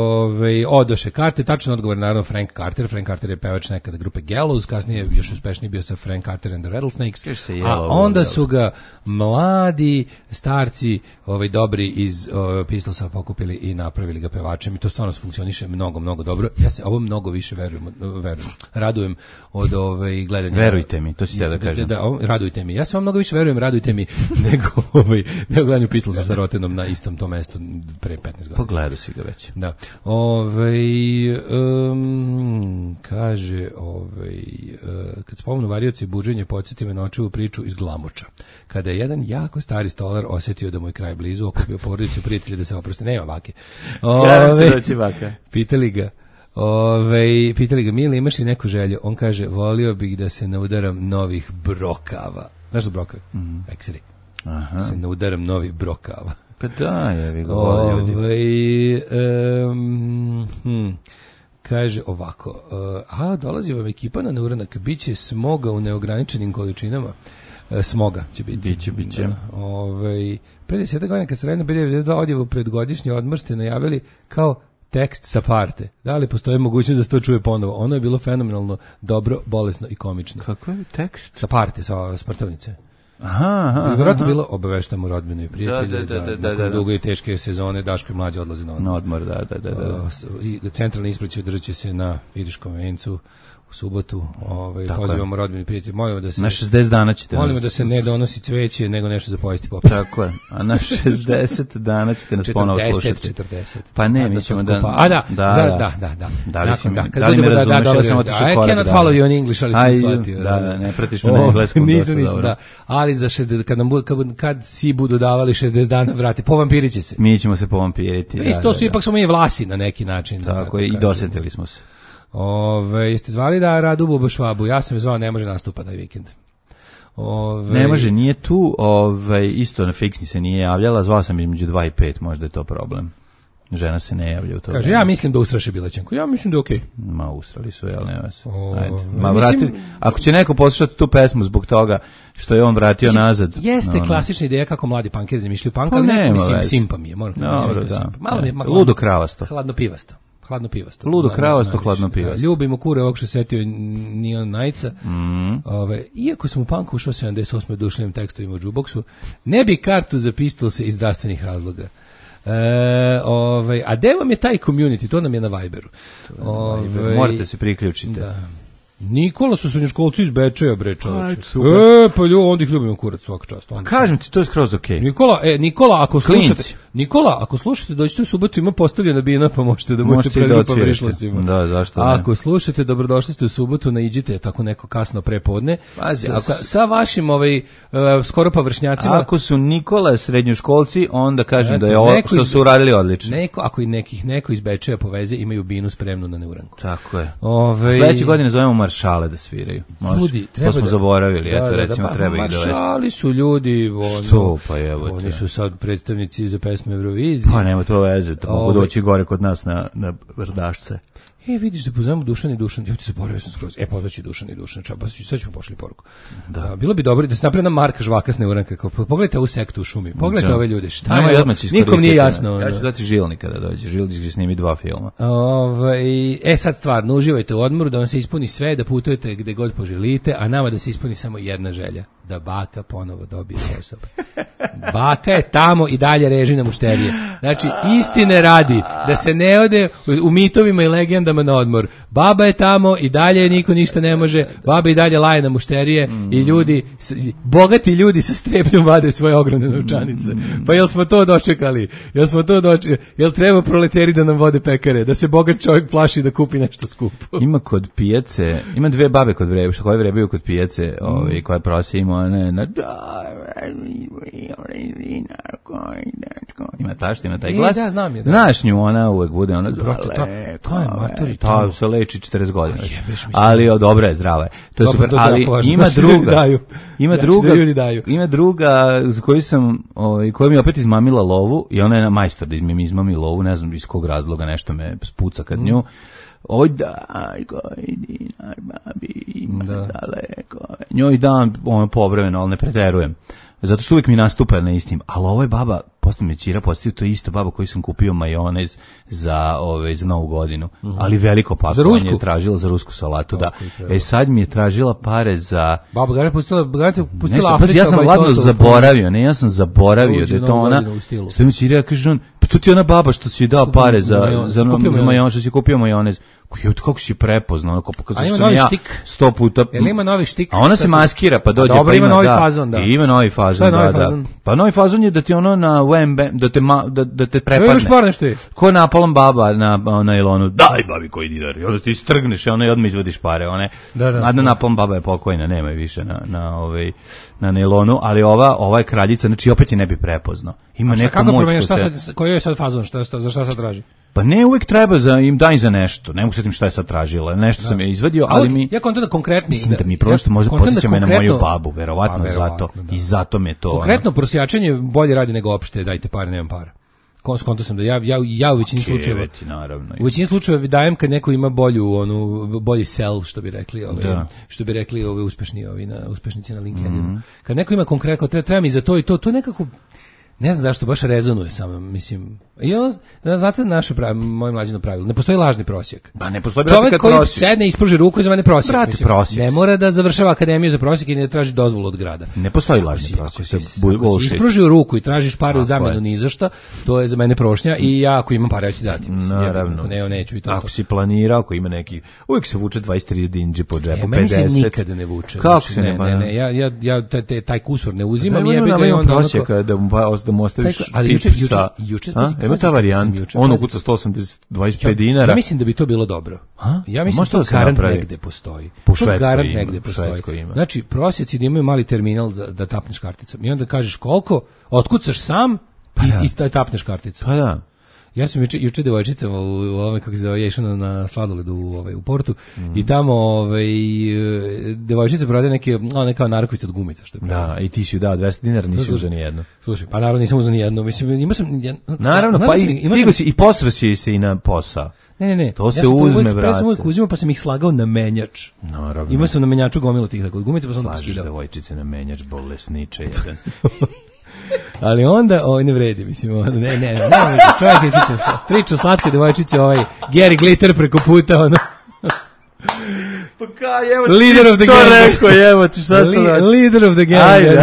Odoše karte, tačan odgovor naravno Frank Carter. Frank Carter je pevač nekada grupe Gallows, kasnije još uspešniji bio sa Frank Carter and the Rattlesnakes. A onda su ga mladi starci, dobri iz Pistolsa pokupili i napravili ga pevačem i to stvarno funkcioniše mnogo dobro. Ja se ovo mnogo više radujem od gledanja. Verujte mi, to si ja da kažem. Radujte mi. Ja se vam mnogo više verujem, radujte mi nego gledanju Pistolsa sa Rotenom na istom tom mestu pre 15 godina. Pogledao si ga već. Da. Kaže, kad spomenu varioci i buđenje, podsjeti me na očevu priču iz Glamoča. Kada je jedan jako stari stolar osjetio da mu je kraj blizu, okupio porodicu prijatelja da se oproste. Nema vake. Pitali ga, Mili, imaš li neku želju? On kaže, volio bih da se naudaram novih brokava. Znaš da brokavi? Ekseri. Se naudaram novih brokava. Pa da, je ga volio ljudi. Kaže ovako, dolazi vam ekipa na neuranak, bit će smoga u neograničenim količinama. Smoga će biti. Biće. Pre 10 godina kad ste radili na B92 odjevu pred godišnji odmor ste najavili kao tekst sa parte. Da li postoji mogućnost da se to čuje ponovo? Ono je bilo fenomenalno, dobro, bolesno i komično. Kako je tekst? Sa parte, sa sportovnice. Vjerojatno bilo obaveštamo rodbinu i prijatelje nakon dugo i teške sezone Daško i mlađe odlaze na odmor. Centralni ispred će održat će se na Iriškom vencu u subotu. Pozivamo rodbinu i prijatelje. Molimo da se na 60 dana ćete molimo da se ne donosi cveće nego nešto za pojesti popis. Tako je. A na 60 dana ćete nas ponovo slušati. 40. Pa ne, mi ćemo da. Da. Da li me razumeš, samo otišao korak. I cannot follow you in English, ali sam shvatio. Da, ne pratiš me na engleskom. Nisam, da. Ali za 60, kad si budu davali 60 dana, vrati, povampirit će se. Mi ćemo se povampiriti. Isto su ipak smo i vlasi na neki način. Tako je, i dosetili smo se. Jeste zvali da Radu Bubo Švabu? Ja sam je zvao, ne može nastupa taj vikend. Ne može, nije tu, isto na fiksni se nije javljala, zvao sam između 2 i 5, možda je to problem. Žena se ne javlja u to. Kaže, ja mislim da usraše Bilećanku. Ja mislim da je okej. Ma usrali su, jel nema se. Ajde. Ako će neko poslušati tu pesmu zbog toga što je on vratio nazad. Jeste klasična ideja kako mladi punkeri zamišljaju punk, ali ne, simpa mi je. Dobro, da. Ludo kravasto. Hladno pivasto. Ludo kravasto, hladno pivasto. Ljubimo kure ovog što setio Neon Nightsa. Iako sam u punku ušao 78. dušljivim tekstovima u jukeboxu, ne bi kartu za Pistolse iz zdravstvenih razloga. A gde vam je taj community? To nam je na Viberu. Morate se priključiti. Da. Nikola su srednjoškolci iz Bečeja, bre, čoveče. Pa onda ih ljubimo kurac svaka čast. Kažem ti, to je skroz okej. Nikola, ako slušate, dođite u subotu, ima postavljena bina, pa možete da budete predgrupa Vrišlasima. Da, zašto ne? Ako slušate, dobrodošli ste u subotu, naiđite tako neko kasno prepodne. Sa vašim skoro pa vršnjacima. Ako su Nikola srednjoškolci, onda kažem da je ovo što su uradili odlično. Ako neko iz Bečeja poveze, imaju binu spremnu na neuranku. Tako je. Sledeće godine zovemo maršale da sviraju. Ljudi, to smo zaboravili, recimo treba ih dovesti. Maršali su ljudi, što pa evo. Oni su sad predstavnici za pesmu Eurovizije. Pa nema to veze, to mogu doći gore kod nas na Vrdašce. Vidiš da pozovemo Dušan i Dušan, ja ti zaboravio sam skroz. Pozvaći Dušan i Dušan, sad ćemo pošli poruku. Da. Bilo bi dobro da se napravi na Marka Žvaka s neuranka. Pogledajte ovu sektu u šumi, pogledajte ove ljude, šta je ovo, nikom nije jasno. Ja ću dati Žilni kada dođe, Žilnić će snimi 2 filma. Sad stvarno, uživajte u odmoru, da vam se ispuni sve, da putujete gde god poželite, a nama da se ispuni samo jedna želja, da baka ponovo dobije posao. Baka je tamo i dalje reži na mušterije. Znači, istine radi, da se ne ode u mitovima i legendama na odmor. Baba je tamo i dalje niko ništa ne može, baba i dalje laje na mušterije i ljudi, bogati ljudi sa strepnjom vade svoje ogromne novčanice. Pa jel smo to dočekali? Jel treba proleteri da nam vode pekare? Da se bogat čovjek plaši da kupi nešto skupo? Ima kod pijace, ima 2 babe kod vrebu, koje vrebaju kod pijace, koje prose ima ima taj glas. Da, znam je. Znaš nju, ona uvek bude ona. To je matori. To se leči 40 godina. Ali dobra je, zdrava je. To je super, ali ima druga za koju sam, koja mi opet izmamila lovu i ona je majstor da mi izmami lovu, ne znam iz kog razloga, nešto me spuca kad nju. Oj daj, koji dinar, babi, ima daleko. Njoj dam povremeno, ali ne preterujem. Zato što uvijek mi nastupa na istim. Ali ovo je baba, posle me ćira postavio, to je isto baba koju sam kupio majonez za Novu godinu. Ali veliko pakovanje je tražila za rusku salatu, da. Sad mi je tražila pare za... Baba, ga je pustila Afrika. Ja sam ladno zaboravio, da je to ona... Sve mi ćira, kaže on, pa to ti je ona baba što si dao pare za majonez, što si kupio majonez. Kako si prepoznao, onako pokazuje što sam ja 100 puta. Jel ima novi štik? A ona se maskira, pa dođe. Dobro, ima novi fazon, da. Ima novi fazon, da. Pa novi fazon je da ti ono na WMB, da te prepadne. Ko napalom baba na nailonu, daj babi koji dinar. I onda ti strgneš i ona odmah izvadiš pare. A na napalom baba je pokojna, nema je više na nailonu, ali ova je kraljica, znači opet je ne bi prepoznao. Ima neku moć. Koji je sad fazon, za šta sad traži? Pa ne, uvijek treba im daj za nešto. Ne mogu setim šta je sad tražila. Nešto sam je izvadio, ali mi... Ja kontam da konkretni... Mislim da mi prosto možda podsjeća me na moju babu, verovatno zato. Da. I zato me to... Konkretno prosjačenje bolje radi nego opšte, dajte pare, nemam para. Konto sam da ja u većini slučajeva... U većini slučajeva dajem kad neko ima bolji sell, što bi rekli uspešnici na LinkedInu. Kad neko ima konkretno, treba mi za to i to nekako... Ne znam zašto, baš rezonuje samo, mislim. I znate moje mlađino pravilo, ne postoji lažni prosjek. Pa ne postoji čovjek koji sedne i ispruži ruku i za mene prosjek. Prosjek. Ne mora da završava akademiju za prosjek i ne traži dozvolu od grada. Ne postoji lažni prosjek. Ako si ispružio ruku i tražiš pare u zamenu ni za šta, to je za mene prošnja i ja ako imam pare ja ću dati. Naravno. Neću i to. Ako si planirao, ako ima neki, uvijek se vuče 20-30 dinđe po džepu, 50. Meni se nikada ne vuče. Kako se ne? Ja taj kusur ne uzimam i jebi ga i onda da mu ostaviš tip sa... Ima ta varijanta, on ukuca 125 dinara. Ja mislim da bi to bilo dobro. Ja mislim da to garant negde postoji. Po Švedskoj ima. Znači, prosjeci da imaju mali terminal da tapneš karticom. I onda kažeš koliko, otkucaš sam i tapneš karticom. Pa da. Ja sam juče devojčicama ja išao na sladoledu u Portu i tamo devojčica prodaje neka narukvica od gumica. Što je da, i ti si ju dao 200 dinara, nisi uzeo ni jednu. Slušaj, pa naravno nisam uzeo ni jednu. Mislim, imao sam... Naravno, pa stigo si i posrao si se i na posao. Ne. To se uzme, brate. Ja sam uvijek uzimao pa sam ih slagao na menjač. Naravno. Imao sam na menjaču gomilu tih tako od gumica pa sam slažeš devojčice na menjač, bolesniče jedan. Ali onda, ne vredi, mislim, ne, čovjek je priča slatke devojčice, Gary Glitter preko puta, Pa kaj, evo Leader of the gang. rekao, evo ti šta sam znači. Leader of the gang. Ajde.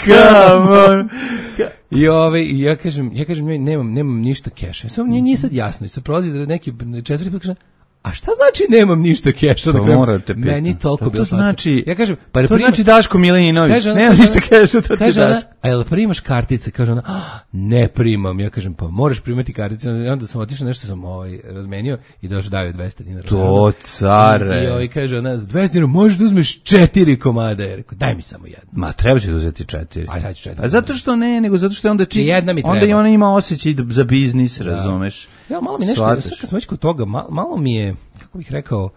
Come on. I ja kažem nemam ništa keša. Samo nije sad jasno. I sad prolazi neki četvrti put, kažem, a šta znači nemam ništa keša? To morate pitati. Meni toliko bilo znači, ja kažem, to znači Daško Milinović, nema ništa keša, to ti daš. A jel primaš kartice? Kaže ona, ne primam. Ja kažem, pa moraš primati kartice. I onda sam otišao, nešto sam razmenio i došao daju 200 dinara. To care. I kaže ona, 200 dinara možeš da uzmeš 4 komada. Ja rekao, daj mi samo jedno. Ma treba će da uzeti 4. Aj, sad ću 4. A zato što ne, nego zato što onda jedna mi treba. Onda i ona ima osjećaj za biznis, razumeš. Ja, malo mi nešto, sad kad smo već kod toga, malo mi je, kako bih rekao,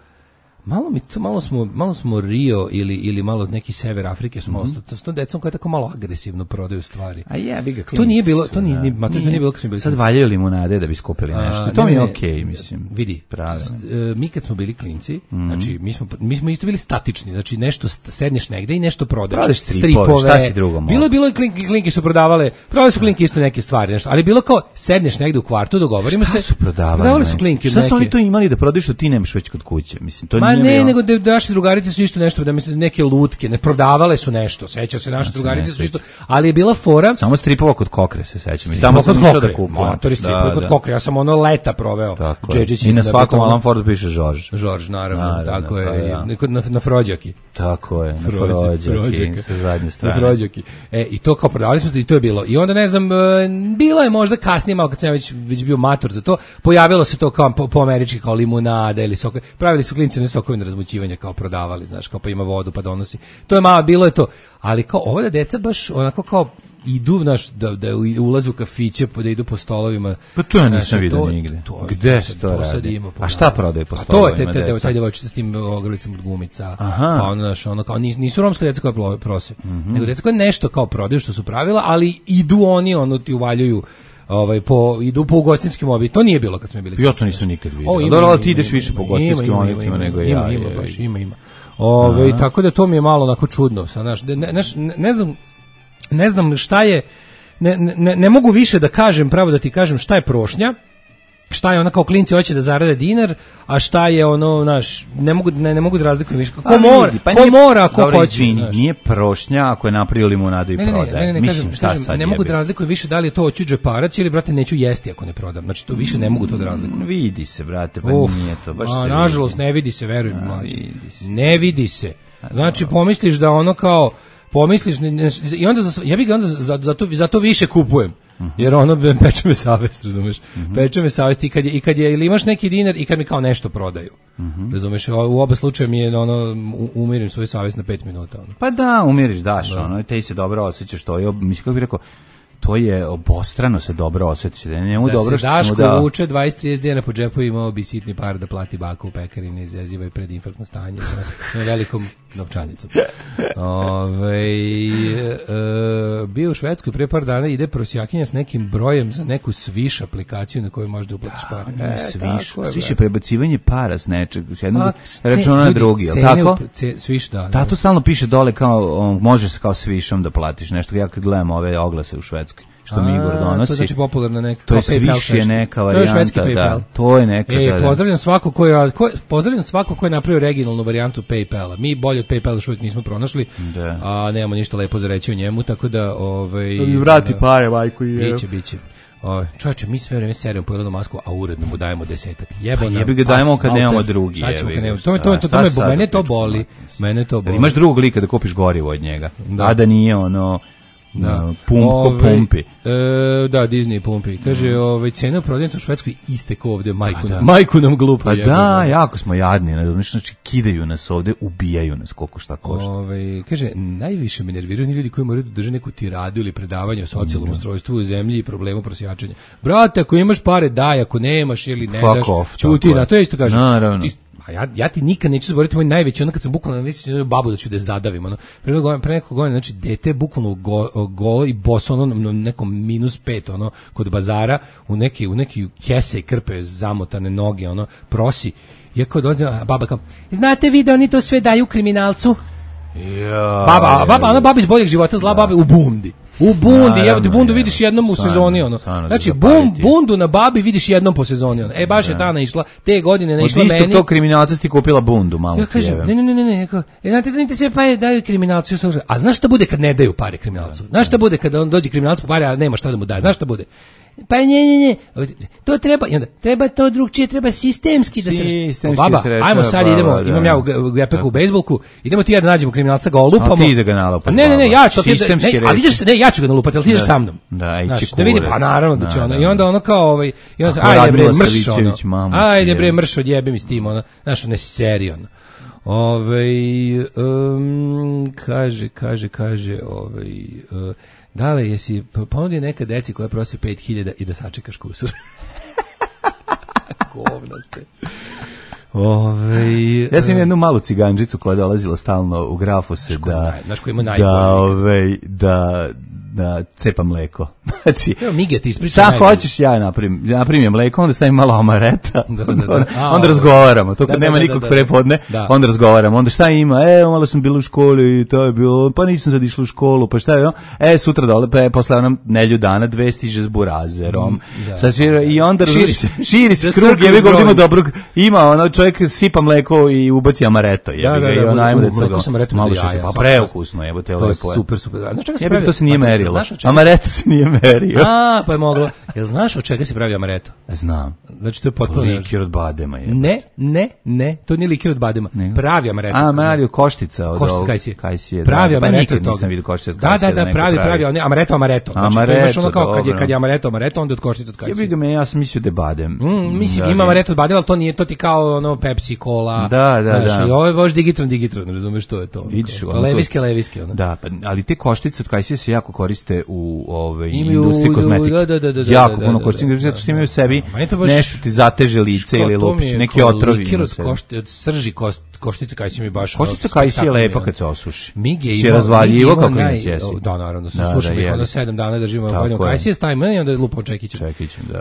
malo smo Rio ili malo neki sever Afrike smo ostali. To s tom decom koja tako malo agresivno prodaju stvari. A jebi ga, to nije bilo, to nije bilo kad smo bili. Sad valjaju limunade da bi skupili nešto. To mi je okej, mislim. Vidi, mi kad smo bili klinci, znači mi smo isto bili statični, znači nešto sedneš negde i nešto prodaješ. Stripove, šta si drugo? Bilo je klinke su prodavale su klinke isto neke stvari, nešto, ali bilo kao sedneš negde u kvartu, dogovorimo se. Šta su prodavali su klinke. Šta su oni to imali da prodaju što ti nemaš već kod kuće? Mislim, to nije bilo. Nego da naše drugarice su isto nešto, da mislim neke lutke, ne prodavale su nešto, seća se naše drugarice su isto, ali je bila fora. Samo stripova kod Kokre se sećam. Tamo sam išao da kupim. Motori stripova kod Kokre, ja sam ono leta proveo. Džedžić i na svakom Alan Fordu piše Žorž, naravno, tako je, na Frođaki. Tako je, na Frođaki, sa zadnje strane. Na Frođaki. I to kao prodavali smo se i to je bilo. I onda ne znam, bilo je možda kasnije, malo kad sam već bio mator za to, pojavilo se to kao po američki kao limunada ili sokovi. Pravili su klinci sokovi na razmućivanje kao prodavali, znaš, kao pa ima vodu pa donosi. To je malo, bilo je to. Ali kao ova deca baš onako kao idu, znaš, da ulaze u kafiće, da idu po stolovima. Pa to ja nisam vidio nigde. Gde se to radi? A šta prodaju po stolovima? To je taj devojčica s tim ogrlicom od gumica. Pa ono, znaš, ono kao, nisu romske deca koja prose, nego deca koja nešto kao prodaju što su pravila, ali idu oni, ono ti uvaljuju idu po ugostinskim objektima. To nije bilo kad smo bili. Ja to nisam nikad vidio. Dobro, ti ideš više po ugostinskim objektima nego ja. Ima. Tako da to mi je malo onako čudno. Ne znam šta je, ne mogu više da kažem, pravo da ti kažem šta je prošnja, šta je ona kao klinci hoće da zarade dinar, a šta je ono, naš, ne mogu da razlikujem više. Ko mora, ko hoće. Nije prošnja ako je napravio limunadu i prodaje. Mislim, šta sad ne mogu da razlikujem više da li je to hoću džeparac ili, brate, neću jesti ako ne prodam. Znači, to više ne mogu to da razlikujem. Vidi se, brate, pa nije to. Nažalost, ne vidi se, verujem. Ne vidi se. Znači, pomisliš da ono kao, i onda ja bih ga onda zato više kupujem. Jer ono peče me savest, razumeš? Peče me savest i kad je ili imaš neki dinar i kad mi kao nešto prodaju. Razumeš? U oba slučaja mi je ono umirim svoju savest na 5 minuta. Ono. Pa da, umiriš, daš, ono, i te se dobro osjećaš, to je, mislim, kako bih rekao, to je obostrano se dobro osjeća. Da se Daško vuče 20-30 dana po džepu, imao bi sitni par da plati baku u pekari, ne izaziva i predinfarktno stanje na velikom novčanicom. Bio u Švedskoj pre par dana, ide prosjakinja s nekim brojem za neku Swish aplikaciju na kojoj možda uplatiš par. Swish je prebacivanje para s nečeg, s jednog računa na drugi, je li tako? Swish, da. Da, to stalno piše dole kao, može se kao Swishom da platiš nešto. Ja kad gledam ove oglase u Švedskoj, što mi Igor donosi. To znači popularna neka. To je Swish je neka varijanta, da. To je neka. Pozdravljam svako ko je napravio originalnu varijantu PayPala. Mi bolje od PayPala još uvijek nismo pronašli, a nemamo ništa lepo za reći o njemu, tako da vrati pare, majku i biće. Čovječe, mi sve vreme serujemo po jednom masku, a uredno mu dajemo 10. Jebi ga dajemo kad nemamo drugi. Mene to boli. Imaš drugog lika da kupiš gorivo od njega, a da nije ono pumpi. Da, Disney pumpi. Kaže, cena u prodavnici u Švedskoj iste ko ovdje, majku nam glupa. Pa da, jako smo jadni, znači kidaju nas ovdje, ubijaju nas koliko šta košta. Kaže, najviše me nerviraju ljudi koji moraju da drže neku tiradu ili predavanje o socijalnom ustrojstvu u zemlji i problemu prosjačenja. Brate, ako imaš pare, daj, ako nemaš ili ne daš, čuti, na to je isto kaže. Naravno. Ja ti nikad neću zaboraviti moj najveći, ono kad sam bukvalno mislio babu da ću da je zadavim, ono. Pre nekog godina, znači dete bukvalno golo i boso, ono na nekom -5, ono, kod bazara, u neki kese i krpe zamotane noge, ono, prosi. Ja kao dolazim, baba kao, znate vi da oni to sve daju kriminalcu? Baba iz boljeg života, zla baba u bumdi. U Bundi, evo te Bundu vidiš jednom u sezoni, ono. Znači, Bundu na Babi vidiš jednom po sezoni, ono. Baš je Dana išla, te godine ne išla meni. Od istog tog kriminalca ti kupila Bundu, malo ja kažem, ne, znate da niti sve pare daju kriminalcu, a znaš šta bude kad ne daju pare kriminalcu? Znaš šta bude kad on dođe kriminalac po pare, a nema šta da mu daje? Znaš šta bude? Pa ne, to treba to drugčije, treba sistemski da se baba, ajmo sad idemo, imam ja u gepeku u bejsbolku, idemo ti ja da nađemo kriminalca, ga olupamo. A ti da ga nalupati. Ne, ja ću ja ću ga nalupati, ali ti ideš sa mnom. Da vidi, pa naravno da će ono, i onda ono kao ajde bre, mrš ono, ajde bre, mrš odjebe mi s tim, ono, znaš, ne serij, ono. Kaže, Dale, jesi ponudi neka deci koja prosi 5.000 i da sačekaš kusur? Govno ste. Ja sam jednu malu cigančicu koja je dolazila stalno u Grafose da cepa mleko. Znači, Mige ti ispriča. Šta hoćeš ja naprimim mleko, onda stavim malo amareta. Onda razgovaramo. To kad nema nikog prepodne, onda razgovaramo. Onda šta ima? Malo sam bila u školi i to je bilo, pa nisam sad išla u školu, pa šta je? Sutra dole, posle onom nelju dana, 2 stiže s burazerom. I onda širi se krug, je vidim ima dobrog, ima čovjek sipa mleko i ubaci amareto. Mleko sam amareto malo jaja. Pa preukusno, jebote, to je super. Znaš čega se pravi? To se nije merilo. Amareto se nije merio. Pa je moglo. Jel znaš od čega se pravi amareto? Znam. Znači to je potpuno likir od badema je. Ne, to nije likir od badema. Pravi amareto. Mario koštica od kajsije. Pravi amareto toga. Nisam vidio koštice od kajsije. Da, pravi, amareto. Znači imaš ono kao kad je amareto, onda od koštice od kajsije. Ja sam mislio da je badem. Mislim ima amareto od badema, ali to nije, to ti kao ono Pepsi, Cola. Da. I ovo je baš digitron, razumeš što je to. Leviski. Da, ali te koštice od kajsije se jako koriste u industriji kozmetike. Jako puno koriste, zato što imaju u sebi nešto ti zateže lice ili lupić, neki otrovi. Likir od srži koštice kajsije mi baš... Koštica kajsije je lepa kad se osuši. Mige si je razvaljivo kako inac jesi. Da, naravno, se sušimo ih, onda 7 dana držimo voljno kajsije, stavimo i onda lupamo čekićem.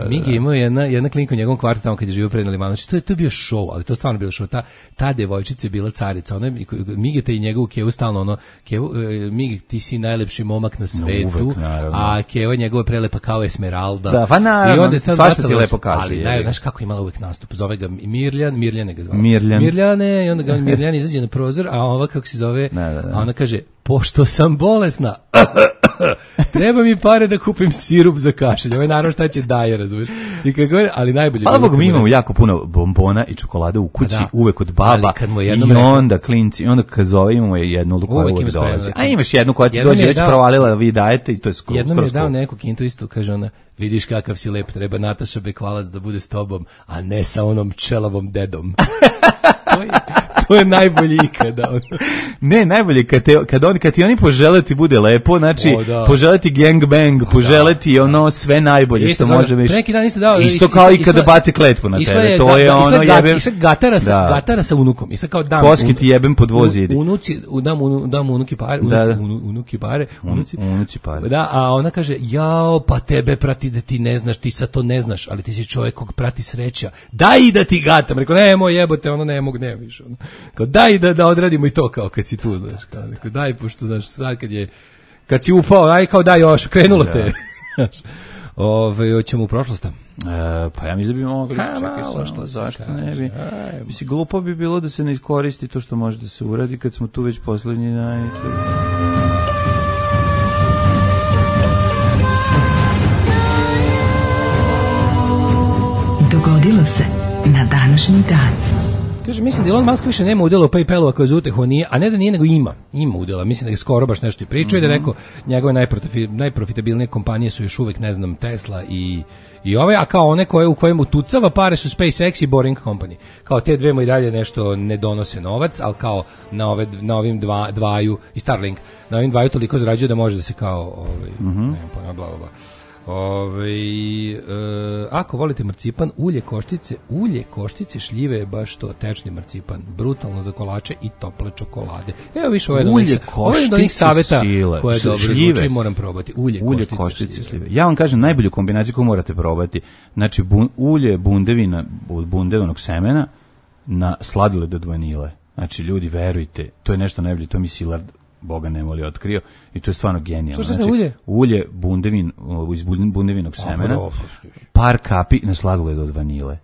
Mige imao jedna klinika u njegovom kvartu tamo kad je živio pred Limanović. To je bio show, ali to stvarno bio show. Ta devojčica je bila carica. Mige te i njegovu Kevu stalno ono, Mige, ti si najlepši momak na svetu, a Keva njegova prelepa kao Esmeralda. Da, pa naravno, svašta ti lepo kaže. Ali znaš kako imala uvek nastup, zove ga Mirljane ga zvao. Mirljane, i onda ga Mirljan izađe na prozor, a ova kako se zove, a ona kaže, pošto sam bolesna, treba mi pare da kupim sirup za kašelj. Ovo je naravno šta će daje, razumiješ? I kako je, ali najbolje. Hvala Bogu, mi imamo jako puno bombona i čokolade u kući, uvek od baba. I onda klinci, i onda kad zove imamo jednu koja uvek dolazi. A imaš jednu koja ti dođe, već provalila, vi dajete i to je skoro. Jednom je dao neku kintu isto, kaže ona, vidiš kakav si lep, treba Nataša Bekvalac da bude s tobom, a ne sa onom čelavom dedom. To je najbolje ikada. Ne, najbolje kad ti oni požele ti bude lepo, znači požele ti gangbang, požele ti ono sve najbolje što može biti. Isto kao i kada bace kletvu na tebe. To je ono jebem. Isto gatara sa unukom. Isto kao dam. Koski ti jebem po dvozidi. Dam unuki pare. Unuci pare. Da, a ona kaže, jao, pa tebe prati da ti ne znaš, ti sad to ne znaš, ali ti si čovjek kog prati sreća. Daj i da ti gatam. Rekao, nemoj jebote, ono ne mogu, ne više. Kao daj da odradimo i to kao kad si tu, znaš, kao neko, daj pošto znaš sad kad si upao, aj kao daj još, krenulo te. Hoćemo u prošlost. Pa ja mislim da bi mogli, čekaj samo, zašto ne bi? Mislim, glupo bi bilo da se ne iskoristi to što može da se uradi kad smo tu već poslednji Dogodilo se na današnji dan. Kaže, mislim da Elon Musk više nema udjela u PayPalu ako je za utehu, nije, a ne da nije, nego ima udjela. Mislim da je skoro baš nešto i pričao i da je rekao, njegove najprofitabilnije kompanije su još uvek, ne znam, Tesla i ove, a kao one u kojem utucava pare su SpaceX i Boring Company. Kao te dve mu i dalje nešto ne donose novac, ali kao na ovim dvaju, i Starlink, na ovim dvaju toliko zarađuje da može da se kao, ne znam, bla, bla, bla. Ako volite marcipan, ulje koštice, šljive je baš to, tečni marcipan, brutalno za kolače i tople čokolade. Evo više ovo je do njih saveta koje je dobro zvuči, moram probati. Ulje koštice, šljive. Ja vam kažem najbolju kombinaciju koju morate probati. Znači ulje bundevinog semena na sladoled od vanile. Znači ljudi, verujte, to je nešto najbolje, to mi Silard Boga ne voli otkrio i to je stvarno genijalno. Što znači, ulje? Ulje bundevin, iz bundevinog semena, par kapi na sladoled od vanile.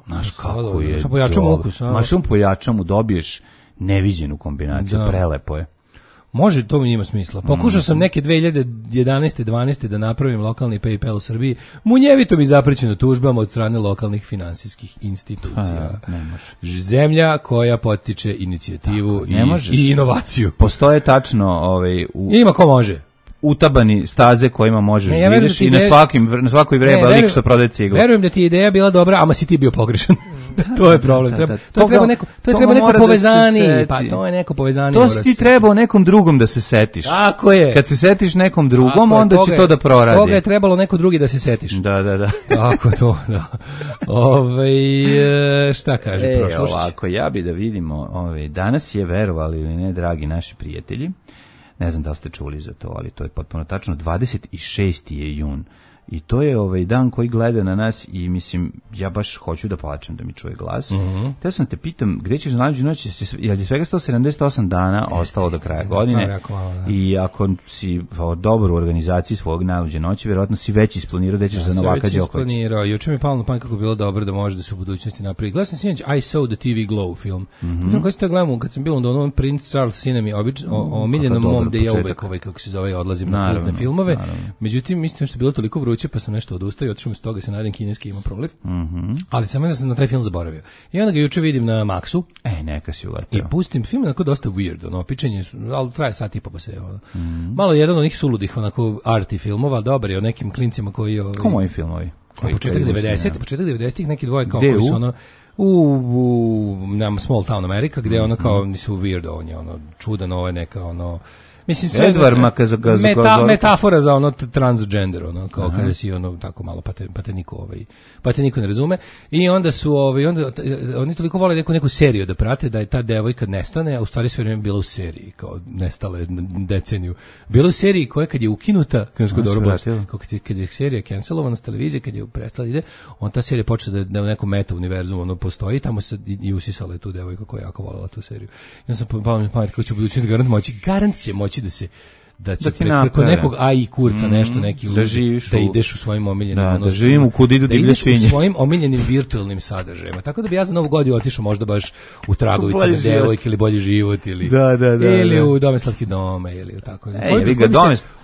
Znaš kako je. Sa pojačam ukus. Mašom pojačam dobiješ neviđenu kombinaciju, prelepo je. Može, to mi ima smisla. Pokušao sam neke 2011. 12. da napravim lokalni PayPal u Srbiji, munjevito mi zaprećeno tužbama od strane lokalnih finansijskih institucija. Ne može. Zemlja koja potiče inicijativu i inovaciju. Postoje tačno ima ko može. Utabani staze kojima možeš vidiš i na svakoj vreba lik što prodaje ciglu. Verujem da ti je ideja bila dobra, ama si ti bio pogrešan. To je problem. To treba neko povezani. Pa to je neko povezani. To si ti trebao nekom drugom da se setiš. Tako je. Kad se setiš nekom drugom, onda će to da proradi. Toga je trebalo neko drugi da se setiš. Da. Tako to, da. Šta kaže prošlošć? Ovako, ja bi da vidimo, danas je, verovali ili ne, dragi naši prijatelji, ne znam da li ste čuli za to, ali to je potpuno tačno, 26. je jun. I to je dan koji gleda na nas i mislim, ja baš hoću da plačem da mi čuje glas. Teo sam te pitam, gde ćeš nađu noć, je li svega 178 dana ostalo do kraja godine? I ako si dobro u organizaciji svog najluđe noći, vjerojatno si već isplanirao da ćeš za Novaka Đokovića. Juče mi je palo na pamet kako bi bilo dobro da može da se u budućnosti napravi. Gledam sam sinoć I Saw the TV Glow film. Film koji ste gledamo kad sam bio u Londonu, Prince Charles Cinema, omiljenom mom gde ja uvek kako se zove, odlazim na kultne filmove. Međutim, mislim što je bilo toliko vruće, pa sam nešto odustao i otišao mi s toga, se nadam kineski ima proliv. Ali samo sam na taj film zaboravio. I onda ga juče vidim na Maxu. Neka si uletio. I pustim film, onako dosta weird, pičenje, ali traje sat i po pa se malo jedan od onih suludih, onako arty filmova, dobar je o nekim klincima koji... Ko moji filmovi? Početak 90-ih, neki dvoje kao koji su u Small Town America, gde ono kao nisu weird, on je čudan, ovo je neka mislim sve metafora za transgender, kao kada si tako malo pa te niko ne razume. I onda su oni toliko vole neku seriju da prate, da je ta devojka nestane, a u stvari sve vreme bila u seriji, kao nestala deceniju. Bila u seriji koja kad je ukinuta, kad je serija cancelovana s televizije, kad je prestala ide, on ta serija počela da u nekom meta univerzumu postoji, tamo se i usisala je tu devojka koja je jako voljela tu seriju. Ja sam palo mi pamet kako će u budućnosti garant će moći da će preko nekog AI kurca nešto neki da ideš u svojim omiljenim da živim u kudidu divlje svinje, u svojim omiljenim virtualnim sadržajima. Tako da bi ja za Novu godinu otišao možda baš u Tragovice na devojke ili Bolji život ili u Dome slatki dome ili tako.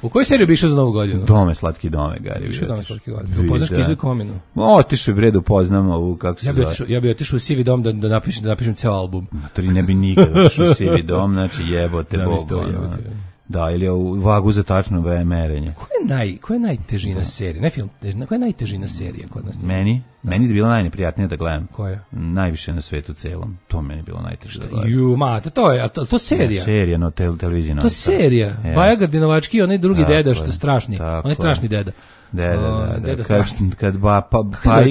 U kojoj seriji bi išao za Novu godinu? Dome slatki dome, Gari. Dome slatki dome. Upoznaš Kizu i Kominu? Otišao bi bre, upoznam ovu, kako se zove. Ja bih otišao u Sivi dom da napišem ceo album. To ne bi nikad otišao u Sivi dom, znači jebote Bog. Da, ili u vagu za tačno merenje. Koja je najtežina serija? Ne film, koja je najtežina serija kod nas? Meni je bilo najneprijatnije da gledam. Koja? Najviše na svetu celom. To meni je bilo najteže da gledam. To serija. Serija na televiziji. To serija. Baja Gardinovački, onaj drugi deda što je strašni. On je strašni deda. Deda strašni. Kad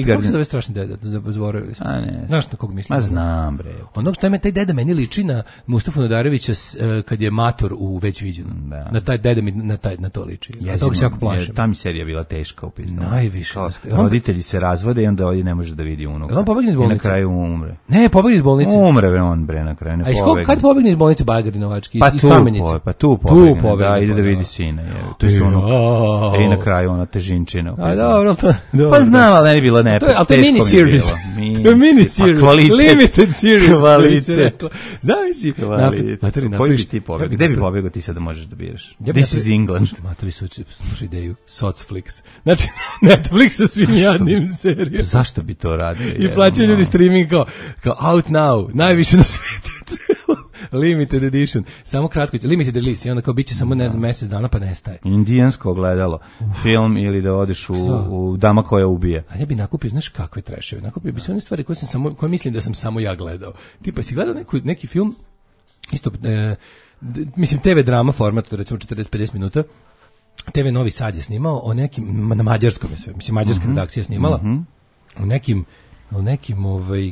kako se zove strašni deda? Zaboravili smo. Znaš na kog mislim? Ma znam, bre. Onog što je taj deda meni liči na Mustafu Nadarevića kad je mator u Već viđeno. Na taj deda mi na to liči. Ja toga se jako plašim. Ta mi serija bila teška upisno. Najviše. Roditelji se razvode i onda ovdje ne može da vidi unuka. On pobegne iz bolnice. I na kraju umre. Ne, pobegne iz bolnice. Umre on bre na kraju. Kad pobegne iz bolnice Bagar Novački iz Kamenice? Pa tu pobegne. Da, ide da vidi sina. To je ono. I na kraju ona težinčina. Dobro, pa znam, ali ne bi bilo ne. Ali to je mini series. To je mini series. Limited series. Kvalitet. Zavisi. Koji bi ti pobegao? Gde bi pobegao ti sad da možeš da biraš? This is England. Matori su slušaj ideju. Socflix. Znači, Netflix sa svim jadnim serijama. Zašto bi to radio? I plaćaju ljudi streaming kao out now. Najviše na svijetu. Limited edition. Samo kratko, limited release. I onda kao bit će samo, ne znam, mjesec dana pa nestaje. Indijansko ogledalo. Film ili da odeš u Dama koja ubije. A ja bi nakupio, znaš kakve treševe. Nakupio bi sve one stvari koje mislim da sam samo ja gledao. Tipa, si gledao neki film, isto, mislim, TV drama format, recimo 40-50 minuta, TV Novi Sad je snimao o nekim, na mađarskom je sve, mislim, mađarska redakcija je snimala, o nekim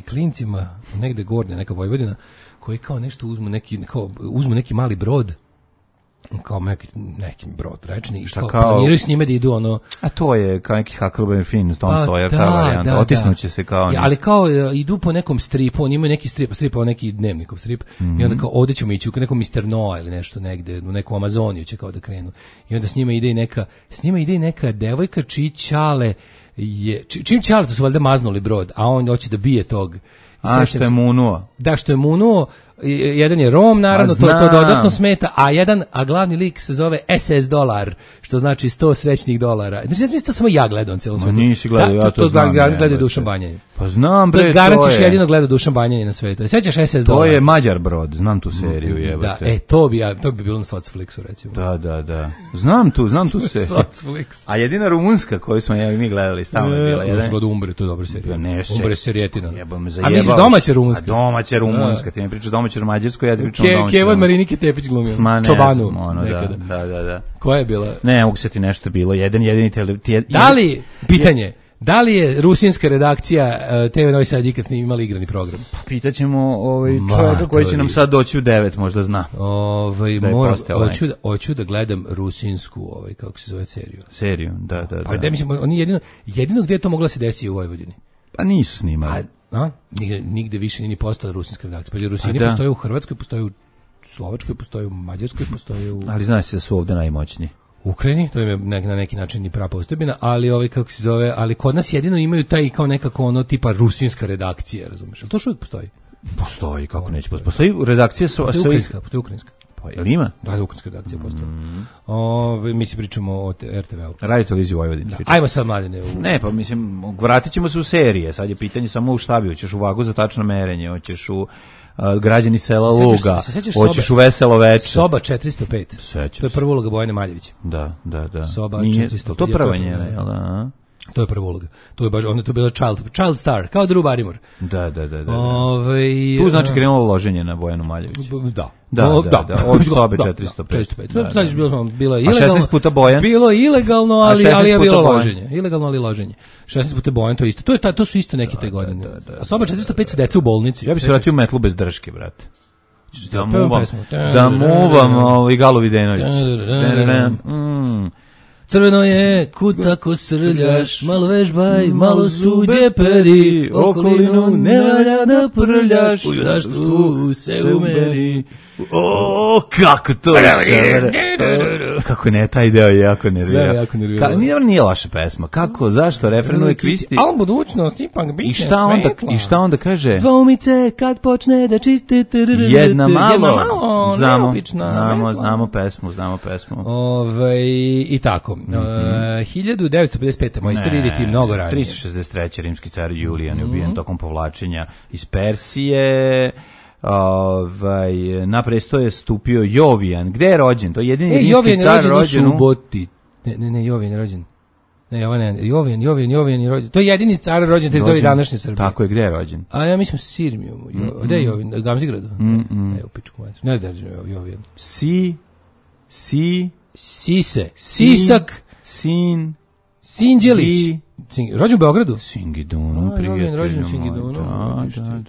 klincima, negde gornje, neka Vojvodina, koji kao nešto uzmu neki mali brod kao neki brod rečni i Šta kao planiraju s njime da idu ono... A to je kao neki Huckleberry Finn, Tom Sawyer, da, kao varijanta, otisnuće se kao... ali kao idu po nekom stripu, oni imaju neki strip, neki dnevnikov strip, i onda kao ovde ćemo ići u nekom Mr. Noah ili nešto negde, u neku Amazoniju će kao da krenu. I onda s njima ide i neka devojka čiji ćale čim ćale, to su valjda maznuli brod, a on hoće da bije tog. A što je munuo. Da, što je munuo, jedan je Rom, naravno, to dodatno smeta, a glavni lik se zove SS dolar, što znači 100 srećnih dolara. Znači, ja mislim to samo ja gledam cijelo svetu. Nisi gledao, ja to znam. Gleda Dušan Banjanin. Pa znam, bre, to je. Garantiš jedino gleda Dušan Banjanin na svetu. Sećaš SS dolar? To je Mađar brod, znam tu seriju, jebate. Da, to bi bilo na Socflixu, recimo. Da. Znam tu seriju. Socflix. A jedina rumunska koju smo mi gledali, stalno je bila. Ja sam Umbre, to je dobra serija. Umbre serijetina. A misliš domaća rumunska? Domaća rumunska, ti mi pričaš domaću mađarsku, ja ti pričam domaću. Kevan Marinike Tepić glumio. Čobanu. Da. Koja je bila? Ne, mogu se ti nešto bilo. Jedini Pitanje, da li je rusinska redakcija TV Novi Sad ikad imali igrani program? Pitaćemo čovjeka koji će nam sad doći u 9, možda zna. Hoću da gledam rusinsku, kako se zove seriju. Seriju, da. Pa da mislim, oni jedino gdje je to moglo se desiti u Vojvodini. Pa nisu snimali. Nigde više nije postala rusinska redakcija. Pa Rusini postoje u Hrvatskoj, postoje u Slovačkoj, postoje u Mađarskoj, postoje u... Ali znaš se da su ovde najmoćniji. Ukrajini, to je na neki način i prava postojbina, ali kako se zove, ali kod nas jedino imaju taj kao nekako ono tipa rusinska redakcija, razumeš? Ali to što uvijek postoji? Postoji, kako neće postoji. Postoji redakcija postoji ukrajinska. Pa jel ima? Da, ukrajinska redakcija postoji. Mi se pričamo o RTV-u. Radio televiziju Vojvodine. Ajmo sad, Mladine. Ne, pa mislim, vratit ćemo se u serije. Sad je pitanje samo u šta bi. Hoćeš u Vagu za tačno merenje, hoćeš u Građani sela Luga, hoćeš u Veselo veče. Soba 405. To je prva uloga Bojane Maljević. Da. Soba 405. To prva njena, jel da? To je prva uloga. To je baš, ona je to bila child star, kao Drew Barrymore. Da. Tu znači krenulo loženje na Bojanu Maljević. Da. Od sobe 405. Sad je bilo ilegalno. A 16 puta Bojan? Bilo ilegalno, ali je bilo loženje. Ilegalno, ali loženje. 16 puta Bojan, to je isto. To su isto neke te godine. A soba 405 su deca u bolnici. Ja bih se vratio u Metlu bez drške, brate. Da muvam i Galo Videnović. Crveno je, kud tako srljaš, malo vežbaj, malo suđe peri, okolinu ne valja da prljaš, u junaštvu se umeri. O, kako to je. Kako ne, taj deo je jako nervira. Sve jako nervira. Nije loša pesma. Kako, zašto, refren uvek isti. Al budućnost, ipak bitne svetla. I šta onda kaže? Dvoumice kad počne da čiste. Jedna malo, znamo pesmu. I tako. 1955. Moja istorija ide ti mnogo ranije. 363. rimski car Julijan je ubijen tokom povlačenja iz Persije. Na presto je stupio Jovijan. Gde je rođen? To je jedini rimski car rođen u Suboti. Ne, Jovijan je rođen. Jovijan je rođen. To je jedini car rođen teritoriji današnje Srbije. Tako je, gde je rođen? A ja mislim Sirmiju. Gde je Jovijan? Gamzigradu? Ne, u pičku mater. Ne da je Jovijan. Sise. Sisak. Sinđelić. Rođen u Beogradu? Singidunum, prijatelju. Rođen u Singidunum.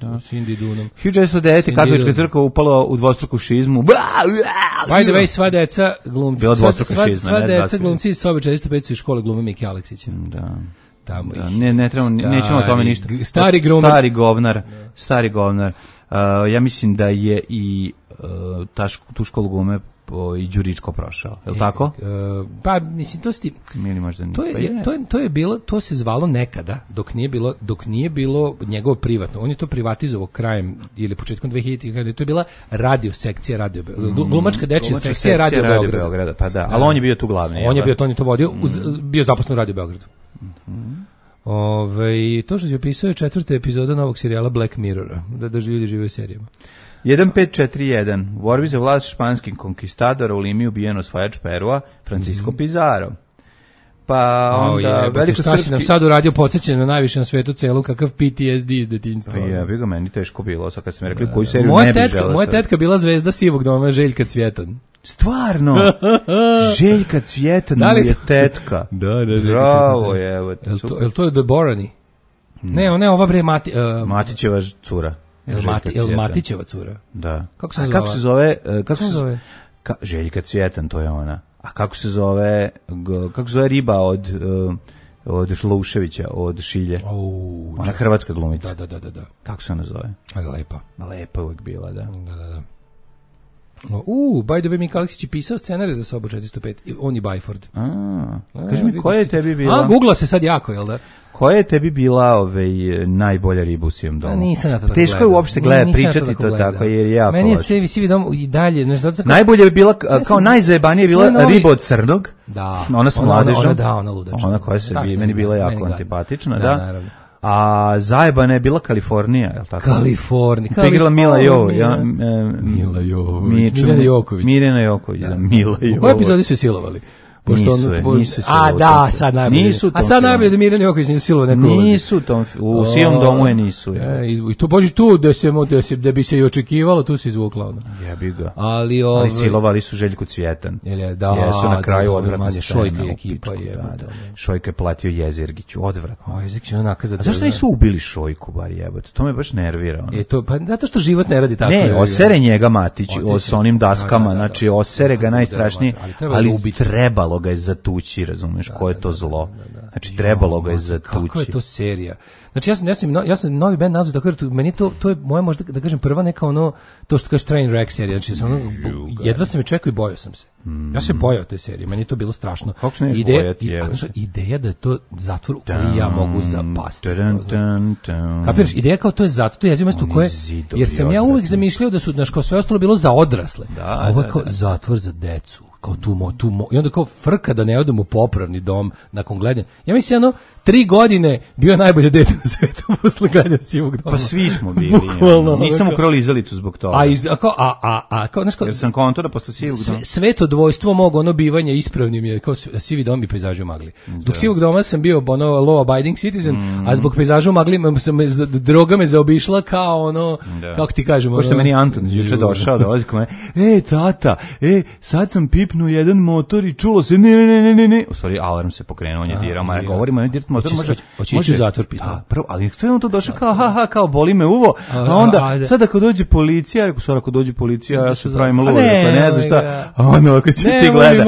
Da. Singidunum. 1909. katolička crkva upala u dvostruku šizmu. By the way, sva deca glumci. Bila dvostruka šizma. Sva deca glumci iz sobe 405 su iz škole glume Miki Aleksića. Da. Tamo ne trebamo, nećemo o tome ništa. Stari govnar. Ja mislim da je i tu školu glume i Đuričko prošao, je li tako? Pa, mislim, to sti... Ili možda nije. To je bilo, to se zvalo nekada, dok nije bilo njegovo privatno. On je to privatizovao krajem ili početkom 2000-ih, to je bila radio sekcija Radio Beograda. Glumačka dečja sekcija Radio Beograda. Pa da, ali on je bio tu glavni. On je to vodio, bio zaposlen u Radio Beogradu. To što si opisao je 4. epizoda novog serijala Black Mirrora, da ljudi žive u serijama. 1541. U borbi za vlast španskih konkistadora u Limi ubijen osvajač Perua, Francisco Pizarro. Pa onda veliko šta si nam sad uradio, podsjećanje na najviše na svetu celu, kakav PTSD iz detinjstva. Pa bi ga meni teško bilo, sad kad sam rekli koju seriju ne bi želeo. Moja tetka bila zvezda Sivog doma, Željka Cvjetan. Stvarno? Željka Cvjetan mu je tetka. Da. Bravo je, evo. Je li to je Deborani? Ne, ova bre Matićeva cura. El Matićeva cura. Da. Kako se zove? Kako se zove? Željka Cvjetan, to je ona. A kako se zove riba od Šluševića, od Šilje? Ona hrvatska glumica. Da. Kako se ona zove? Lepa. Lepa uvijek bila, da. Da. By the way, Mika Aleksić je pisao scenarij za Sobu 405. On i Byford. Kaži mi, koja je tebi bila... Googla se sad jako, jel da? Koja je tebi bila najbolja riba u sijem domu? Nisam ja to tako teško je uopšte pričati to tako, jer je jako meni je Sivi dom i dalje. Najbolje je bila, kao najzajebanije je bila riba od Crnog. Da. Ona s mladežom. Ona ludača. Ona koja se meni bila jako antipatična, da. Naravno. A zajebana je bila Kalifornija, je li tako? Kalifornija. Igrala Mila Jovović. Mirjana Joković. Mirjana Joković, da. Mila Jovović. U kojoj epizodi su silovali? Nisu silovali. Da, sad najbolje. A sad najbolje da Mirjana Joković nije silovali neko ulozi. Nisu u sivom domu je nisu. I to boži tu da bi se i očekivalo, tu se izvukla ona. Jebi ga. Ali silovali su Željku Cvjetan. Jesu na kraju odvratna scena. Šojka je ekipa. Šojka je platio Jezergiću, odvratno. Jezergić je onaka. A zašto nisu ubili Šojku, bar jebote? To me baš nervira. Pa zato što život ne radi tako. Ne, osere njega Matić s onim daskama, znači osere ga najstrašnije, ali trebalo ga je zatući, razumeš, ko je to zlo. Znači, trebalo ga je zatući. Kako je to serija? Znači, ja sam novi band nazvao tako, jer meni to je moja, možda da kažem, prva neka ono, to što kaže Train Wreck serija, znači, jedva sam je čekao i bojao sam se. Ja se bojao te serije, meni je to bilo strašno. Kako se neš bojati? Ideja da je to zatvor u koji ja mogu zapasti. Kapiraš, ideja kao to je zatvor, to je jezivo mesto u koje, jer sam ja uvek zamišljao da su, znaš, kao sve ostalo bilo za odrasle, a ovo je kao zatvor za decu. Kao i onda kao frka da ne odem u popravni dom nakon gledanja. Ja mislim, 3 godine bio najbolje dete na svetu posle gledanja Sivog doma. Pa svi smo bili. Nisam ukrao lizalicu zbog toga. Jer sam kontora posle Sivog doma. Sveto dvojstvo mog bivanja ispravnim je kao Sivi dom i pejzaži u magli. Zbog Sivog doma sam bio law abiding citizen, a zbog pejzaža u magli droga me zaobišla kao kako ti kažem. Ko što meni Anton juče došao, dolazi kod mene, tata, sad sam pipnuo jedan motor i čulo se ne. U stvari, alarm se pokrenuo, on je dirao, ja govorimo, on je dirao motor, može u zatvor pitao. Da, prvo, ali sve on to došao kao boli me uvo, a onda, sad ako dođe policija, ako dođe policija, ja se pravim lud, ne znam šta, ako će ti gleda.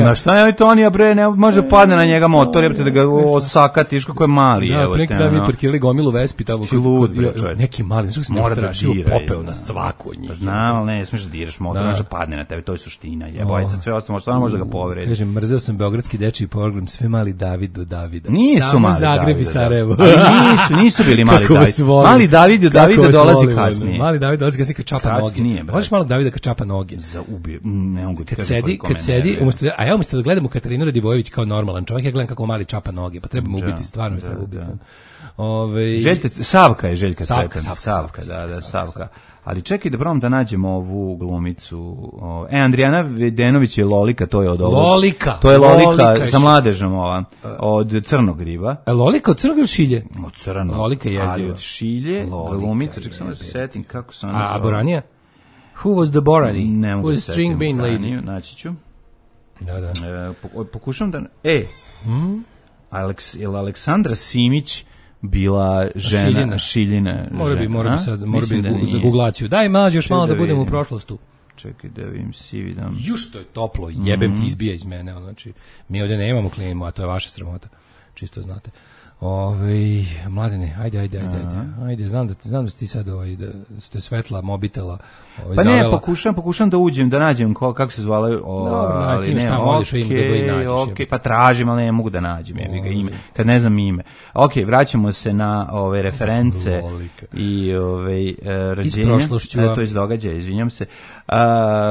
Na šta je Tonija, bre, ne može padne na njega motor, jebate da ga osakatiš kako je mali. Da, neki dan mi parkirali gomilu Vespi tamo. Neki mali, znači se ne strašio, popeo na svaku od njih. Znam, ali ne smiješ da diraš motor, može padne na tebe, to je suština, jebojca, sve ostalo, može da ga povredi. Kažem, mrzeo sam beogradski dečiji program, sve mali David do Davida. Nisu mali Zagreb i Sarajevo. Nisu bili mali David. Mali David do Davida dolazi kasnije. Mali David dolazi kasnije kad čapa noge. Voliš malo Davida kad čapa noge? Za ubije, ne mogu ti kad sedi, a ja umjesto da gledam u Katarinu Radivojević kao normalan čovjek, ja gledam kako mali čapa noge, pa treba me ubiti, stvarno treba ubiti. Savka je Željka Cvjetan. Savka. Ali čekaj da probam da nađemo ovu glumicu. Andrijana Vedenović je Lolika, to je od ovog. Lolika. To je Lolika sa mladežom ova, od Crnog riba. Lolika od Crnog ili Šilje? Od Crnog. Lolika je jeziva. Ali od Šilje, glumica, čekaj samo da se setim kako se ona zove. A Boranija? Who was the Borani? Ne mogu da setim. String bean lady. Naći ću. Da. Pokušam da... Aleksandra Simić bila žena Šiljina. Mora bi za googlaciju. Daj mađe još malo da budemo u prošlostu. Čekaj da vidim Sivi dom. Što je toplo, jebem ti izbija iz mene. Znači, mi ovdje nemamo klimu, a to je vaša sramota. Čisto znate. Mladene, ajde, znam da ti sad da ste svetla mobitela. Pa ne, pokušam da uđem, da nađem kako se zvale, ali ne, okej, pa tražim, ali ne mogu da nađem, ime, kad ne znam ime. Okej, vraćamo se na ove reference i rođenja, to je iz događaja, izvinjam se.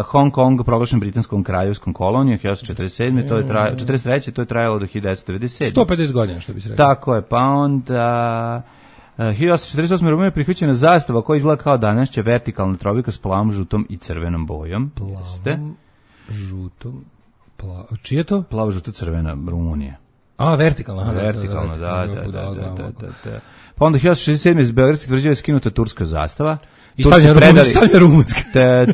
Hong Kong proglašen britanskom kraljevskom kolonijom 1947. 43. To je trajalo do 1997. 150 godina, što bi se rekao. Tako je, pa onda 1848. Rumunija je prihvaćena zastava koja izgleda kao današnja vertikalna trobika s plavom, žutom i crvenom bojom. Plavom, žutom, čije je to? Plavo, žuto, crvena Rumunija. Vertikalna. Da. Pa onda 1967. iz Beogradskih tvrđava je skinuta turska zastava. I stavlja rumunska.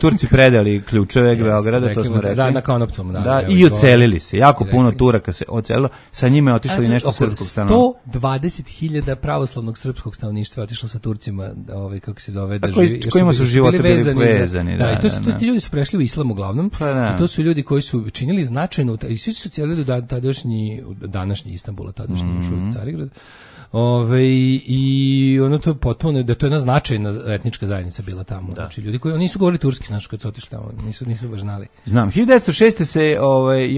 Turci predali ključeve Beograda, to smo rekli. Da, na Konopcom, da. I ocelili se. Jako puno Turaka se ocelilo. Sa njima je otišlo i nešto srpskog stanovništva. 120.000 pravoslavnog srpskog stanovništva otišlo sa Turcima, kako se zove, da živi. Kojima su živote bili vezani. Da, i ti ljudi su prešli u islam uglavnom. I to su ljudi koji su činili značajno, i svi su celili do današnji Istanbul, tadašnji još uvijek Carigrad. I ono to je potpuno, da to je jedna značajna etnička zajednica bila tamo. Znači ljudi koji nisu govorili turski, znači kad su otišli tamo, nisu baš znali. Znam, 1906. se je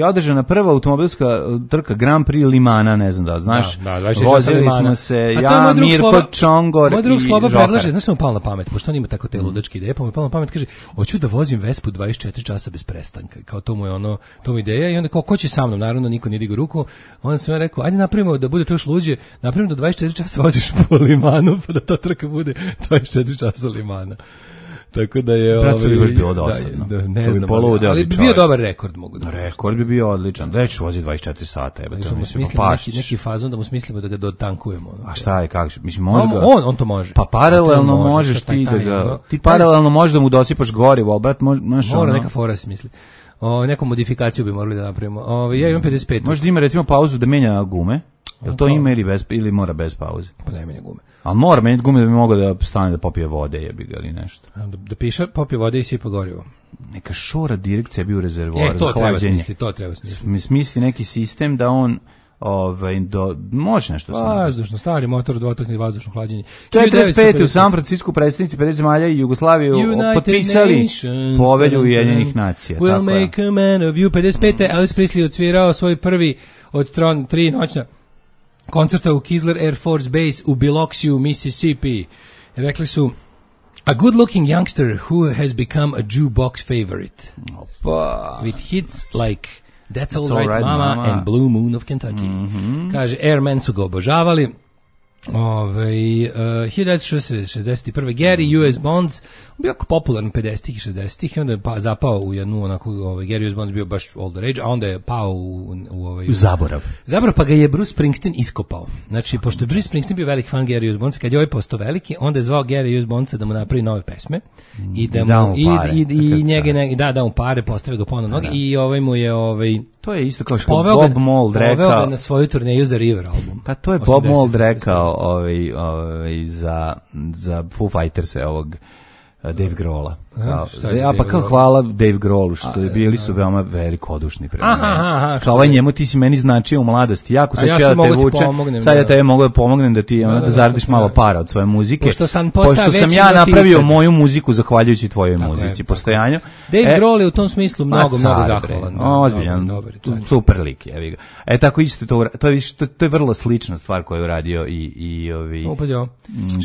održana prva automobilska trka Grand Prix Limana, ne znam da znaš. Vozili smo se, ja, Mirko Čongor i moj drug Sloba predlaže, znaš što mu palo na pamet, pošto on ima tako te ludačke ideje, pa mu je palo na pamet, kaže, hoću da vozim Vespu 24 časa bez prestanka. Kao to mu je ono, to mu ideja i onda kao, ko će sa mnom, naravno niko nije digao ruku. Onda sam ja rekao, ajde napravimo da bude to još luđe, napravimo da 24 časa voziš po Limanu, pa da ta trka bude 24 časa Limana. Tako da je... Brat, bi baš bilo dosadno. Ne znam, ali bi bio dobar rekord, mogu da. Rekord bi bio odličan. Već vozi 24 sata. Neki fazon da mu smislimo da ga dotankujemo. A šta je, kako? Mislim, može ga... On to može. Pa paralelno možeš ti da ga... Ti paralelno možeš da mu dosipaš gorivo, ali brat, mora neka fora se misli. Neku modifikaciju bi morali da napravimo. Ja imam 55. Može da ima recimo pauzu da menja gume. Jel to ima ili mora bez pauze? Pa ne menja gume. Ali mora menjati gume da bi mogao da stane da popije vode, jebi ga ili nešto. Da piše popije vode i sipa gorivo. Neka šora direkcija bi u rezervoar. To treba smisliti, Smisli neki sistem da on može nešto sam. Vazdušno, stari motor, dvotakni vazdušno hlađenje. 45. u San Francisku predstavnici 50 zemalja i Jugoslaviju potpisali povelju Ujedinjenih nacija. We'll make a man of you. 55. Elvis Presley odsvirao svoj prvi od 3 noćna koncerta u Kisler Air Force Base u Biloxiju, Mississippi. Rekli su, a good-looking youngster who has become a jukebox favorite. With hits like That's All Right, Mama and Blue Moon of Kentucky. Kaže, Airmen su ga obožavali. 1961. Gary U.S. Bonds bio jako popularan 50-ih i 60-ih i onda je zapao u jednu onako, Gary U.S. Bonds bio baš all the rage, a onda je pao u zaborav, pa ga je Bruce Springsteen iskopao. Znači, pošto je Bruce Springsteen bio velik fan Gary U.S. Bonds, kad je ovaj postao veliki, onda je zvao Gary U.S. Bondsa da mu napravi nove pesme i da mu da mu pare, postavio ga ponovno noge i ovaj mu je to je isto kao što Bob Mould rekao. Poveo ga na svoju turneju za River album. Pa to je Bob Mould rekao za Foo Fighters ovog Dave Grohla. Kao hvala Dave Grohlu što je bili su veoma velikodušni prema meni. Kao njemu ti si meni značio u mladosti. Jako sad ću ja da te vučem. Sad ja tebe mogu da pomognem da ti da zaradiš malo para od svoje muzike. Pošto sam ja napravio moju muziku zahvaljujući tvojoj muzici, postojanju. Dave Grohl je u tom smislu mnogo zahvalan. Ozbiljan, super lik, jevi ga. Tako isto to je vrlo slična stvar koju je uradio i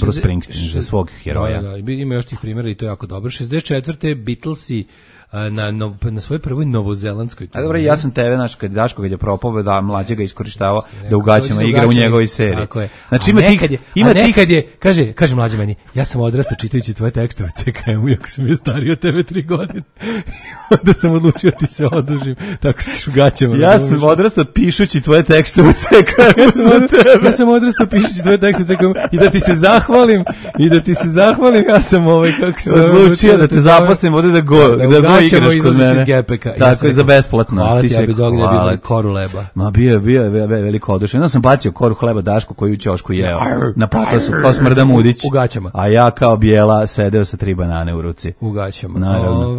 Bruce Springsteen za svog heroja. Ima još tih primjera i to je jako dobro. 64. Beatlesi na svojoj prvoj novozelandskoj turneji. Dobro, ja sam tebe, kad Daško kad je propao da mlađe ga iskorištavao da u gaćama igra u njegovoj seriji. Tako je. Znači nekad je, kaže mlađe meni, ja sam odrastao čitajući tvoje tekstove CKM-u, iako sam bio stariji od tebe 3 godine. Onda sam odlučio ti se odužim, tako što ću u gaćama. Ja sam odrastao pišući tvoje tekstove CKM-u za tebe. Ja sam odrastao pišući tvoje tekstove CKM-u i da ti se zahvalim, ja sam kako se odlučio da te zaposlim ovde da igraš kod mene. Tako je, za besplatno. Hvala ti, ja bez ognja bilo koru leba. Ma bio je veliko odušen. Ja sam bacio koru hleba Daško koju u ćošku jeo. Na patosu, kao Smrda Mudić. U gaćama. A ja kao bijela sedeo sa 3 banane u ruci. U gaćama. Naravno.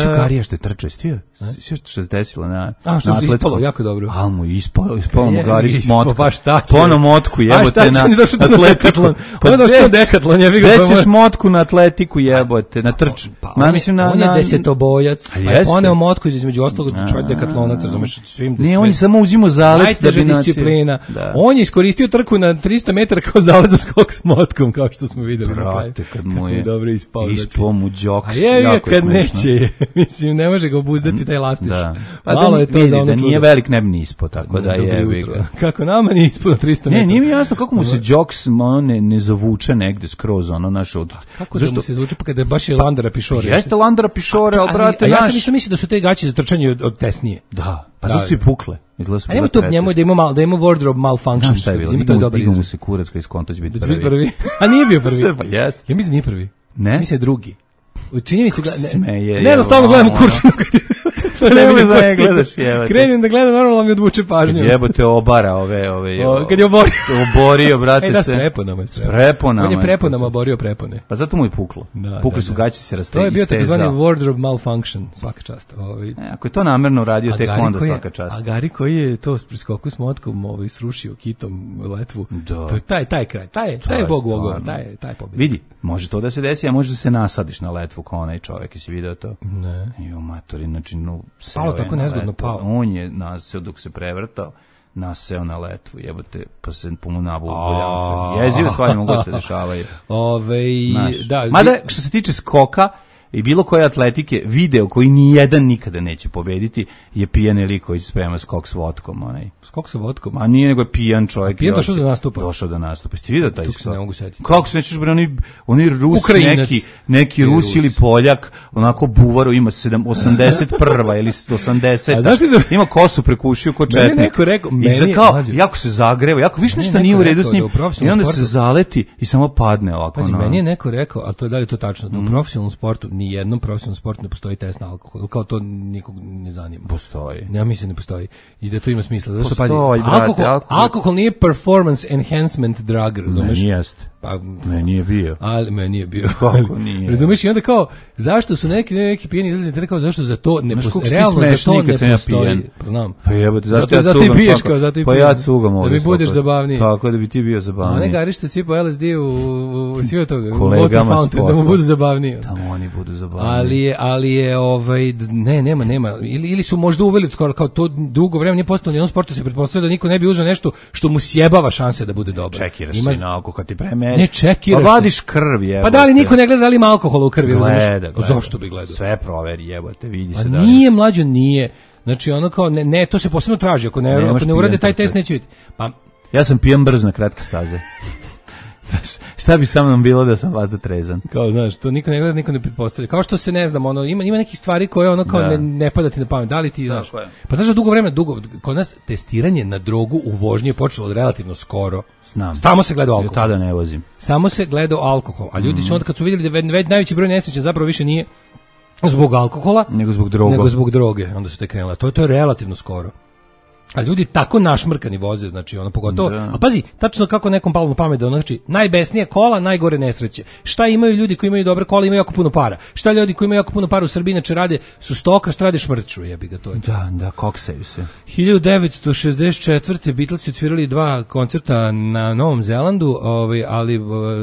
Šukarija što je trčao, stio? Što se desilo na atletsko? A, što se ispalo, jako dobro. A mu ispalo mu gari motku. Pa šta će? Pono motku jebote na atletiku. Onda što dekatlon, ja bih ga pomoći. Većeš motku na atletiku jebote, na trč. On je desetobojac. Poneo motku između ostalog čovjek dekatlonac, razumeš, svim. Ne, on je samo uzimao zalet da bi disciplina. On je iskoristio trku na 300 metara kao zalet za skok s motkom, kao što smo videli na kraju. Kad mu je dobro ispao. Ispao mu džoks. A je kad neće, mislim, ne može ga obuzdati taj lastiš. Malo je to za ono čudo. Da nije velik, ne bi ni ispao, tako da je. Kako nama nije ispao na 300 metara. Ne, nije mi jasno kako mu se džoks ne zavuče negde skroz, ono naš od... Kako da mu se zavuče, pa kada je baš je Landara Pišore. Jeste Landara Pišore, ali brate, ja sam isto mislio da su te gaće za trčanje od tesnije. Da, pa zato su i pukle. A nema tu njemu da ima wardrobe malfunction. Šta je bilo? Digao mu se kurac koji skonto će biti prvi. A nije bio prvi. Pa jest. Ja mislim da nije prvi. Ne? Mislim drugi. Čini mi se Smeje. Ne, da stalno gledam u Kurčinu. Ne možeš da ne gledaš, jebate. Krenem da gledam, normalno mi odvuče pažnju. Jebote obara ove kad je oborio. Oborio, brate, da, se. S preponama. S preponama. On je preponama oborio prepone. Pa zato mu je puklo. Pukli su gaći se To je bio takozvani wardrobe malfunction, svaka čast. Ako je to namerno radio, tek onda svaka čast. A Gari koji je to s priskoku s motkom srušio kitom letvu. To je taj kraj. Taj je bog bogova, taj pobjeda. Vidi, može to da se desi, a može da se nasadiš na letvu kao onaj čovjek, jesi video to? Ne. Jo, matori, znači, pao tako nezgodno pao. On je naseo dok se prevrtao, naseo na letvu, jebote, pa se po mu nabuljao. Jezive stvari mogu se dešavaju. Da. Mada, što se tiče skoka i bilo koje atletike, video koji nijedan nikada neće pobediti je pijani lik koji se sprema skok s vodkom. Skok sa vodkom? A nije, nego je pijan čovjek. Pijan došao do nastupa. Ste vidio taj skok? Se ne mogu setiti. Kako se nećeš, oni Rus, neki Rus ili Poljak, onako buvaru, ima 81. ili 80. Ima kosu prekušio ko četnik. I kao, jako se zagreva, jako više nešto nije u redu s njim. I onda se zaleti i samo padne ovako. Pazi, meni je neko rekao, a to je da li to tačno, da u profesionalnom sportu, ni jednom profesionalnom sportu ne postoji test na alkohol. Kao to nikog ne zanima. Postoji. Ja mislim ne postoji. I da to ima smisla. Zašto pazi, alkohol nije performance enhancement drug, razumeš? Meni jest. Pa meni je bio. Ali meni je bio. Kako nije? Razumeš? I onda kao zašto su neki pijeni izlazi, kao zašto za to ne postoji? Realno za to ne postoji. Pa znam. Pa jebote, zašto ja cugam? Piješ kao zato i pa ja cugam ovdje. Da bi budeš zabavniji. Tako da bi ti bio zabavniji. A ne Gari što sipao LSD u sve toga. Kolegama da mu budu zabavniji. Tamo oni budu zabavniji. Ali je nema. Ili su možda uveli skoro kao to dugo vremena nije postalo ni on sportu se pretpostavlja da niko ne bi uzeo nešto što mu sjebava šanse da bude dobar. Čekiraš se na alkohol kad ti premeri. Ne čekiraš. Pa vadiš krv, jebote. Pa da li niko ne gleda da li ima alkohola u krvi, gleda. Zašto bi gledao? Sve proveri, jebote, vidi pa se da li. Nije mlađo, nije. Znači ono kao ne, to se posebno traži, ako ne urade taj test neće vidjeti. Pa ja sam pijan brz na kratke staze. Šta bi sa mnom bilo da sam vazda trezan? Kao, znaš, to niko ne gleda, niko ne pretpostavlja. Kao što se ne znam, ima nekih stvari koje ono kao ne pada ti na pamet. Da li ti, znaš? Pa znaš da dugo vremena, kod nas testiranje na drogu u vožnji je počelo relativno skoro. Znam. Samo se gleda alkohol. Tada ne vozim. Samo se gleda alkohol. A ljudi su onda kad su vidjeli da najveći broj nesreća zapravo više nije zbog alkohola, nego zbog droge. Onda su te krenule. To je relativno skoro. A ljudi tako našmrkani voze, znači ono pogotovo. A pazi, tačno kako nekom palo na pamet da znači najbesnije kola, najgore nesreće. Šta imaju ljudi koji imaju dobre kola, imaju jako puno para. Šta ljudi koji imaju jako puno para u Srbiji inače rade su stoka, šta rade šmrču, jebi ga to je. Da, koksaju se. 1964. Beatlesi odsvirali 2 koncerta na Novom Zelandu, ali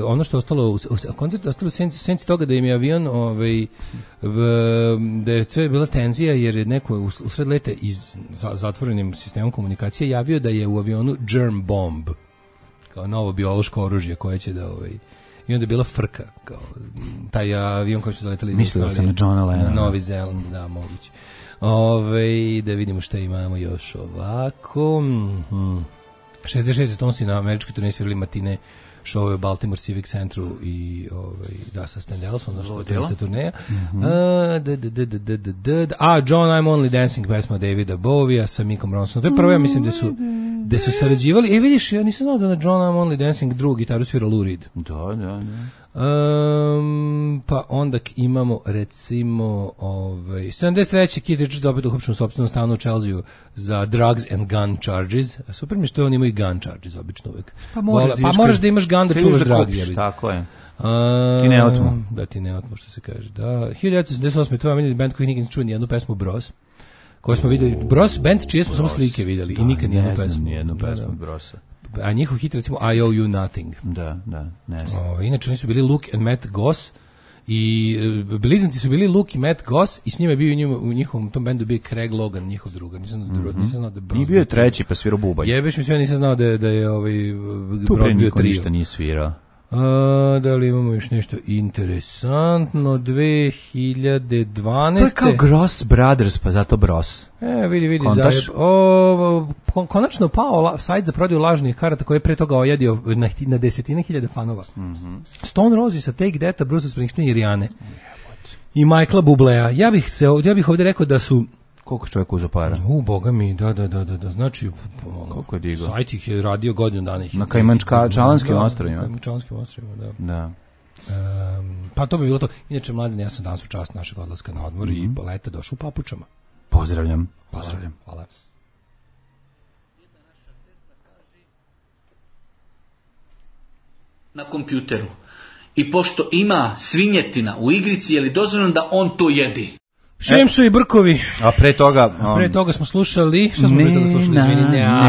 ono što je ostalo koncert ostalo u senci toga da im je avion da je sve bila tenzija jer je neko usred leta zatvorenim sistemom komunikacije javio da je u avionu germ bomb, kao novo biološko oružje koje će da i onda je bila frka, kao taj avion koji su zaletali iz Mislio sam na Johna Lennona. Na Novi Zeland, da, moguće. Da vidimo šta imamo još ovako. 66 Stonesi na američkoj turneji svirali matine show u Baltimore Civic Centru i sa Stan Delson, znači to je turneja. John I'm Only Dancing, pesma Davida Bowie sa Mickom Ronsonom. To je prvo, ja mislim da su sarađivali. Vidiš, ja nisam znao da na John I'm Only Dancing drugu gitaru svira Lou Reed. Da. Pa onda imamo recimo 73. Keith Richards opet uhapšen u sopstvenom stanu u Chelsea za drugs and gun charges. Super mi što on ima i gun charges obično uvijek. Pa moraš da imaš gun da čuvaš drugs. Tako je. Ti ne otmu. Da, ti ne otmu, što se kaže. Da, 1978. to je omiljeni band koji nikad ne čuo nijednu pesmu Bros. Koju smo vidjeli. Bros band čije smo samo slike vidjeli i nikad nijednu pesmu Brosa. A njihov hit recimo I Owe You Nothing. Da, ne znam. Inače oni su bili Luke and Matt Goss i blizanci su bili Luke i Matt Goss i s njima je bio u njihovom tom bendu bio Craig Logan, njihov drugar. Nisam znao da Bros. Nije bio treći pa svirao bubanj. Jebeš mi sve, nisam znao da je Bros bio trio. Ništa nije svirao. Da li imamo još nešto interesantno? 2012. To je kao Gross Brothers, pa zato Bros. Vidi, konačno pao sajt za prodaju lažnih karata koji je pre toga ojadio na desetine hiljada fanova. Stone Roses sa Take That, Bruce Springsteen i Rihanna. I Michaela Bublea. Ja bih ovdje rekao da su koliko čovjek uzeo para? Boga mi, da. Znači, koliko je digao? Sajt ih je radio godinu dana. Na Kajmančalanskim ostrovima. Kajmančalanskim ostrovima, da. Pa to bi bilo to. Inače, Mladen, ja sam danas u čast našeg odlaska na odmor i leta došao u papučama. Pozdravljam. Hvala. Na kompjuteru. I pošto ima svinjetina u igrici, je li dozvoljeno da on to jedi? Šemsu i Brkovi. A pre toga smo slušali, šta smo pre toga slušali?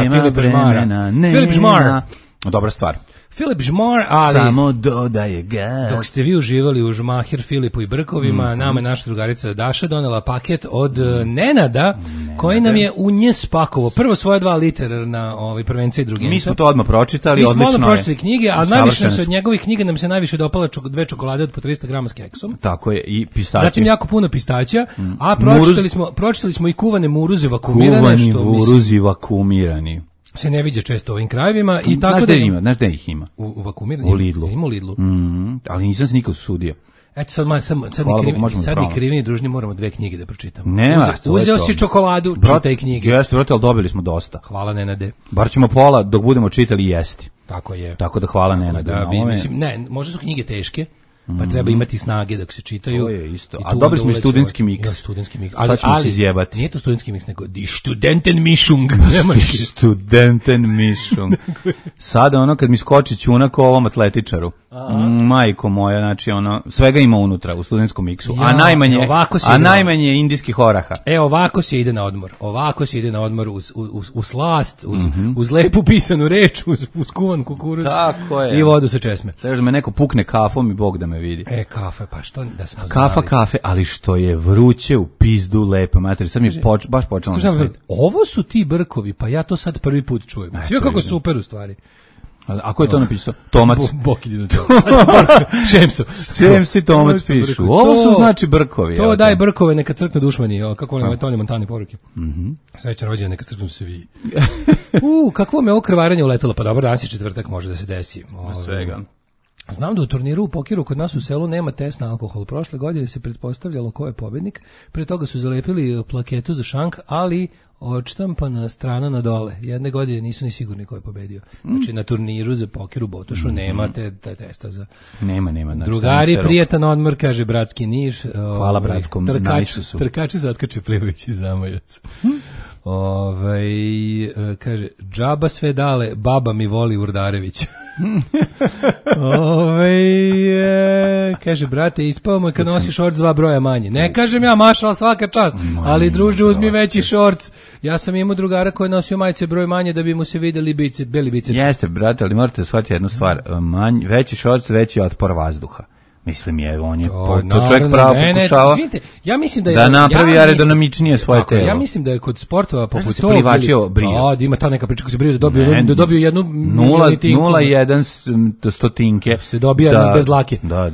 Filip Žmara. Filip Žmar. Dobra stvar. Filip Žmar, ali... Samo dodaje gas. Dok ste vi uživali u Žmahir, Filipu i Brkovima, nama je naša drugarica Daša donela paket od Nenada, koji nam je u nje spakovo. Prvo svoje 2 literarna prvenca i druginca. Mi smo to odmah pročitali, odlično je. Mi smo odmah pročitali knjige, a najviše se od njegovih knjiga nam se najviše dopala 2 čokolade od po 300 grama s keksom. Tako je, i pistaće. Zatim jako puno pistaća, a pročitali smo i kuvane muruze vakumirane. Kuvani muruzi vakumirani. Se ne viđe često u ovim krajevima i tako znaš da ih ima? U vakumirani? U Lidlu. Ima u Lidlu. Ali nisam se nikad sudio. Eto sad ni krivi ni dužni moramo 2 knjige da pročitamo. Uzeo si čokoladu, čitaj knjige. Jeste, brate, ali dobili smo dosta. Hvala, Nenade. Bar ćemo pola dok budemo čitali jesti. Tako je. Tako da hvala, Nenade. Možda su knjige teške, pa treba imati snage dok se čitaju. To je isto. A dobili smo i studentski miks. Sad ćemo se izjebati. Nije to studentski miks, nego die Studentenmischung. Studentenmischung. Sada kad mi skoči ćunak o ovom atletičaru. Majko moja, znači svega ima unutra u studentskom miksu. A najmanje indijskih oraha. Ovako se ide na odmor. Ovako se ide na odmor uz slast, uz lepu pisanu reč, uz kuvan kukuruz. Tako je. I vodu sa česme. Treba da me neko pukne kafom i Bog da me vidi. Kafe, pa što da smo znali. Kafe, ali što je vruće u pizdu, lepa mater. Sad mi je baš počelo na sve. Ovo su ti Brkovi, pa ja to sad prvi put čujem. Sve kako super u stvari. A ko je to napisao? Tomac. Šemsu i Tomac pišu. Ovo su znači Brkovi. To daj Brkove, neka crknu dušmani. Kako volim Tonje Montane poruke. Srećan rođendan, neka crknu se vi. Kako vam je ovo krvarenje uletelo? Pa dobro, danas je četvrtak, može da se desi. Svega. Znam da u turniru u pokeru kod nas u selu nema test na alkohol. Prošle godine se pretpostavljalo ko je pobednik. Pre toga su zalepili plaketu za šank, ali odštampana strana na dole. Jedne godine nisu ni sigurni ko je pobedio. Znači na turniru za poker u Botošu nema te testa za... Nema. Znači, drugari, prijetan odmor, kaže bratski Niš. Hvala bratskom Nišu. Trkači zatkače plivajući zamajac. Kaže, džaba sve dale, baba mi voli Urdarević. Kaže, brate, ispao mu kad nosi šorc 2 broja manje. Ne kažem ja, mašala svaka čast, ali druže, uzmi veći šorc. Ja sam imao drugara koji nosio majice broj manje da bi mu se videli beli biceps. Jeste, brate, ali morate shvatiti jednu stvar. Veći šorc, veći otpor vazduha. Mislim on je to čovjek pravo pokušava ja mislim da napravi aerodinamičnije svoje telo. Ja mislim da je kod sportova poput tog plivačio brio. Da ima ta neka priča kako se brio da dobiju jednu 0,1 stotinke se dobija bez dlake. Da.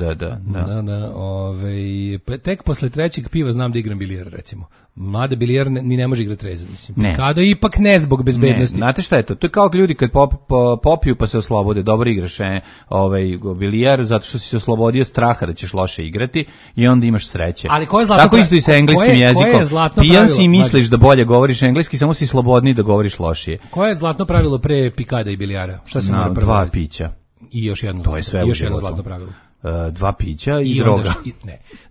Tek posle 3. piva znam da igram bilijar, recimo. Mlade bilijar ni ne može igrati trezan, mislim. Kada ipak ne zbog bezbednosti. Znate šta je to? To je kao ljudi kad popiju pa se oslobode. Dobro igraš bilijar zato što si se oslobodio straha da ćeš loše igrati i onda imaš sreće. Ali koje je zlatno tako isto i sa engleskim jezikom. Pijan si i misliš da bolje govoriš engleski, samo si slobodniji da govoriš lošije. Koje je zlatno pravilo pre pikada i bilijara? Šta se mora prvo? 2 pića. I još jedno. To je sve još jedno zlatno pravilo. 2 pića i droga.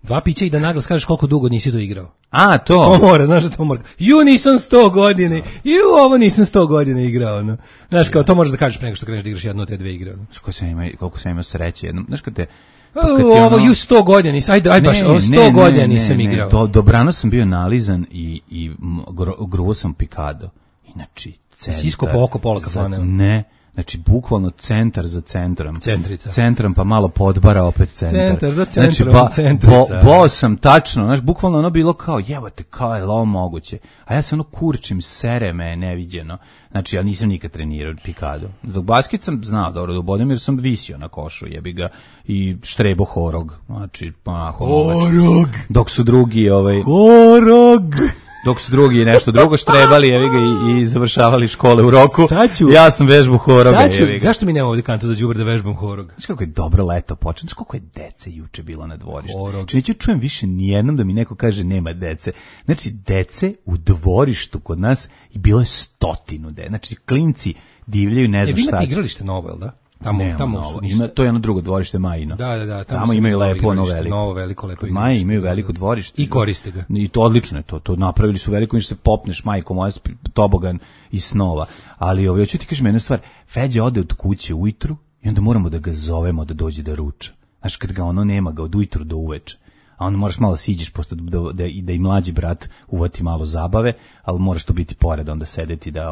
2 pića i da naglas kažeš koliko dugo nisi to igrao. A, to. To mora, znaš da to mora. Nisam 100 godina. Ovo nisam 100 godina igrao. No. Znaš, kao to možeš da kažeš pre nego što kreneš da igraš jednu od te 2 igre. No. Koliko sam imao sreće jednom. Znaš kad te... Ovo 100 godina nisam, ajde baš, 100 godina nisam igrao. Dobrano sam bio nalizan i gruo sam pikado. Inači, centar. Sisko po oko pola kafana. Ne. Znači, bukvalno centar za centrom. Centrica. Centrom pa malo podbara, opet centar. Centar za centrom, centrica. Bo sam tačno, znaš, bukvalno bilo kao, jebate, kao je ovo moguće. A ja se kurčim, sere me, neviđeno. Znači, ja nisam nikad trenirao pikado. Za basket sam znao dobro da ubodem jer sam visio na košu, jebi ga, i štrebo horog. Znači, onako... Horog! Dok su drugi, Horog! Dok su drugi nešto drugo štrebali, jevi ga, i završavali škole u roku. Ja sam vežbu horoga, jevi ga. Zašto mi nema ovdje kantu za đubre da vežbam horog? Znaš kako je dobro leto počeo, znaš koliko je dece juče bilo na dvorištu. Znači neću čujem više nijednom da mi neko kaže nema dece. Znači dece u dvorištu kod nas i bilo je 100 dece. Znači klinci divljaju, ne znam šta. Vi imate igralište novo, jel da? Tamo su ništa. To je ono drugo dvorište Majino. Da. Tamo imaju lepo ono veliko. Novo veliko lepo. Maji imaju veliko dvorište. I koriste ga. I to odlično je to napravili su veliko, niš se popneš, majko moja, tobogan iz snova. Ali hoću ti kažem jednu stvar, Feđa ode od kuće ujutru i onda moramo da ga zovemo da dođe da ruča. Znaš, kad ga ono nema ga od ujutru do uveče. A onda moraš malo siđeš posto da i mlađi brat uvati malo zabave, ali moraš to biti pored, onda sedeti da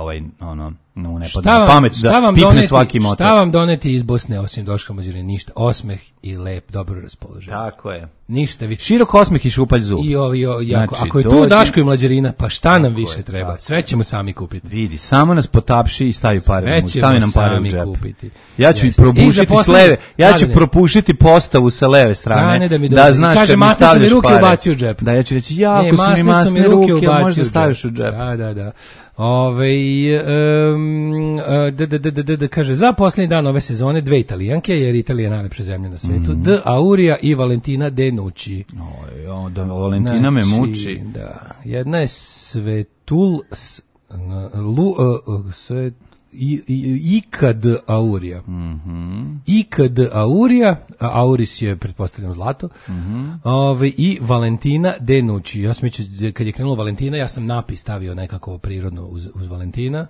no ne pada na pamet da pipne svaki motor. Šta vam doneti iz Bosne osim Doška Mađure? Ništa. Osmeh i lep, dobro raspoloženje. Tako je. Ništa više. Širok osmeh i šupalj zub. Znači, ako je tu Daško i Mlađarina, pa šta nam više treba? Sve ćemo sami kupiti. Vidi, samo nas potapši i stavi pare. Stavi nam pare u džep. Kupiti. Ja ću i probušiti s leve. Ja ću propušiti postavu sa leve strane. Da znaš kad mi stavljaš pare. Da, ja ću reći, jako su mi masne ruke, možda staviš u džep. Da. Kaže, za posljednji dan ove sezone 2 Italijanke, jer Italija je najlepša zemlja na svetu, D. Auria i Valentina De Nucci. Da Valentina me muči. Da. Jedna je Ikad Auria. Ikad Auria, Auris je, pretpostavljam, zlato. I Valentina De Nucci. Ja sam mislio, kad je krenulo Valentina, ja sam napis stavio nekako prirodno uz Valentina.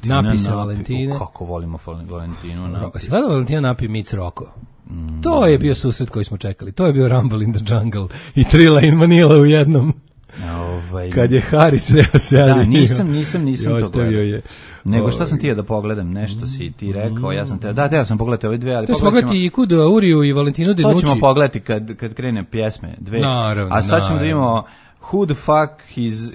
Napise Valentine. Kako volimo Valentinu. Si gledao Valentina napi Mic Rocco? To je bio susret koji smo čekali. To je bio Rumble in the Jungle i Trilla in Manila u jednom. Kad je Harry sreo se. Da, nisam to gledao. Nego šta sam ti da pogledam, nešto si ti rekao, ja sam teo sam pogledati ove dve, ali to ćemo pogledati i Kudu Auriju i Valentinu De Nucci. To ćemo pogledati kad krene pjesme, dve. Naravno, a sad ćemo da imamo Who the fuck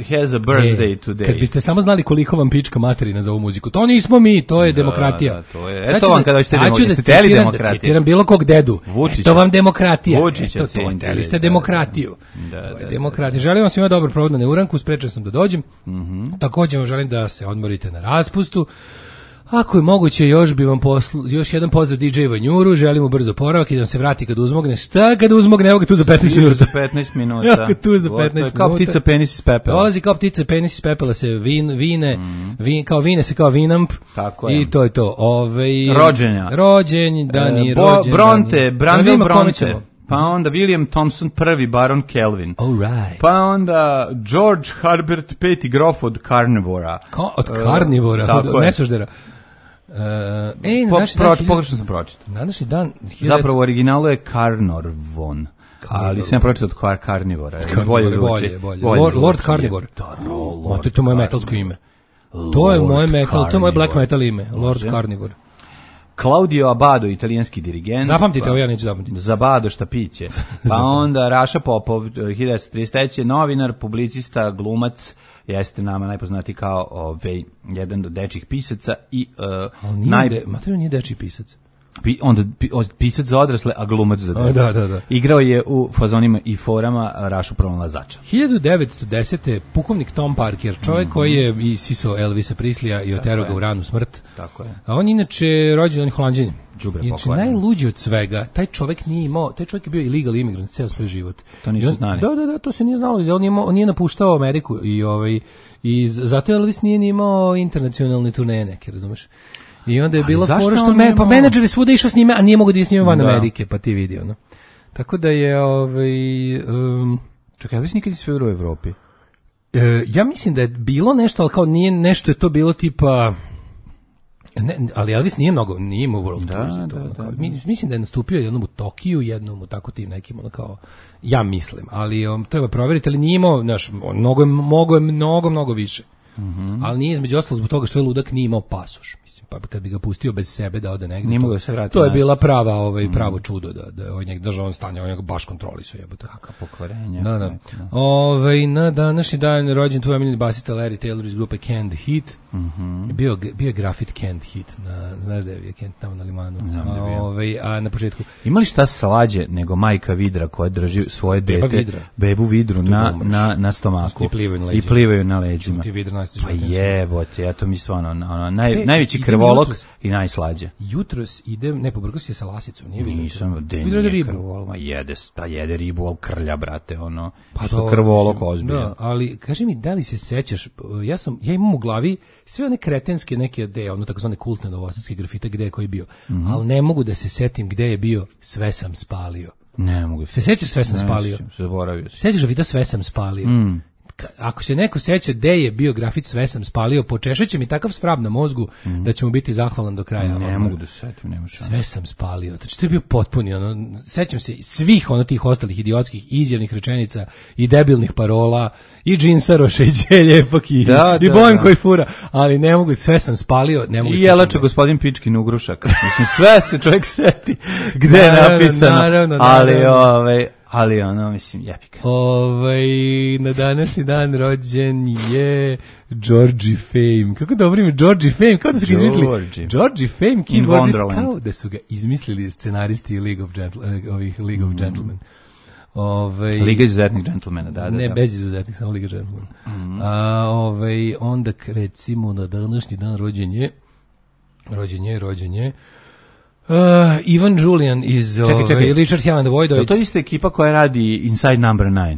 has a birthday today? Kad biste samo znali koliko vam pička materina za ovu muziku. To nismo mi, to je demokratija. Da, to je. Eto vam kada ćete demokratiju. Da citiram bilo kog dedu. Vučića. Eto vam demokratija. Vučića. Hteli ste demokratiju. To je demokratija. Želim vam svima dobar provod na Neuranku, sprečan sam da dođem. Također vam želim da se odmorite na raspustu. Ako je moguće, još jedan pozdrav DJ Vanjuru, želimo brzo oporavak i da nam se vrati kad uzmogne. Šta kad uzmogne? Evo ga tu za 15 minuta. Za 15 minuta. Evo ga tu za 15 minuta. Kao ptica penis iz pepela. Dolazi kao ptica penis iz pepela se kao vine se kao Vinamp. Tako je. I to je to. Rođenja. Dani, Brandon Bronte. Pa onda William Thompson, prvi baron Kelvin. Right. Pa onda George Herbert, peti grof od Karnivora. Od Karnivora, od Nesoždera. Pogrešno sam pročitao. Na današnji dan... Zapravo u originalu je Karnorvon. Ali sam pročitao od Karnivora. Bolje. Lord Carnivore. To je moje metalsko ime. To je moje black metal ime. Lord Carnivore. Claudio Abbado, italijanski dirigent. Zapamtite, ovo ja neću zapamtiti. Zabado šta piće. Pa onda Raša Popov, 1933. novinar, publicista, glumac, jeste nama najpoznatiji kao jedan od dečjih pisaca i Mateo nije dečji pisac. Pisac za odrasle, a glumac za decu. Da. Igrao je u fazonima i forama Rašu pronalazača. 1910. pukovnik Tom Parker, čovjek koji je isisao Elvisa Prislija i oterao ga u ranu smrt. Tako je. A on inače rođen Holanđanin. Znači najluđi od svega, taj čovjek je bio illegal imigrant ceo svoj život. To nisu znali. Da, to se nije znalo. On nije napuštao Ameriku i zato Elvis nije imao internacionalne turneje neke, razumeš? I onda je bila fora što menadžeri svuda išao s njime, a nije mogu da je s njime van Amerike, pa ti vidi ono. Tako da je čekaj, Elvis nikad je svirao u Evropi? Ja mislim da je bilo nešto, ali kao nije nešto, je to bilo tipa... ali Elvis nije imao world tours. Mislim da je nastupio jednom u Tokiju, jednom u tako tim nekim, ono kao, ja mislim, ali treba provjeriti, ali nije imao, znaš, mnogo više. Ali nije između ostalo zbog toga što je ludak nije imao pasoš. Pa kad bi ga pustio bez sebe da ode negdje, to je bila pravo čudo da je njeg držao on stanje, on njega baš kontrolisao, jebote. Kaka pokvarenja. Da. Na današnji dan rođen tvoj omiljeni basista Larry Taylor iz grupe Canned Heat. Bio je grafit Canned Heat, znaš da je bio Canned tamo na limanu. A na početku imali šta slađe nego majka vidra koja drži svoje dete, bebu vidru na stomaku i plivaju na leđima. masti Pa životinjsko. jebote, ja to mi stvarno najveći krvolok i najslađe. Jutros idem, ne, pobrkao si je sa lasicom, nije vidio. Nisam, Vidio da ribu. krvolok, jede ribu, al krlja, brate, ono, Pa što dobro, krvolok mislim, ozbiljno. Da, ali kaži mi, da li se sećaš, ja imam u glavi sve one kretenske neke ono takozvane kultne novosadske grafite gde je koji bio, ali ne mogu da se setim gde je bio Sve sam spalio. Ne mogu. Se sećaš Sve sam spalio? Zaboravio sam. Sećaš grafita Sve sam spalio? Ako se neko seća gde je bio grafit Sve sam spalio, počešeće mi takav svrab na mozgu da će mu biti zahvalan do kraja. Ne mogu da se setim, nema šanse. Sve sam spalio. Znači, to je bio potpuni, sećam se svih tih ostalih idiotskih izjavnih rečenica i debilnih parola i džinsaroša i đeljepak i bojem koji fura, ali ne mogu, sve sam spalio, ne mogu. I jelača gospodin Pičkin ugrušak. Mislim, sve se čovjek seti gde je napisano, ali ono, mislim, jebika. Na današnji dan rođen je Georgie Fame. Kako dobro ime Georgie Fame, kao da su ga izmislili. Georgie Fame, keyboardist, kao da su ga izmislili scenaristi League of Gentlemen. Liga izuzetnih džentlmena, da. Ne, bez izuzetnih, samo Liga džentlmena. Onda recimo na današnji dan rođen je Ivan Julian iz Richard Hell and the Void. Je to ista ekipa koja radi Inside Number 9?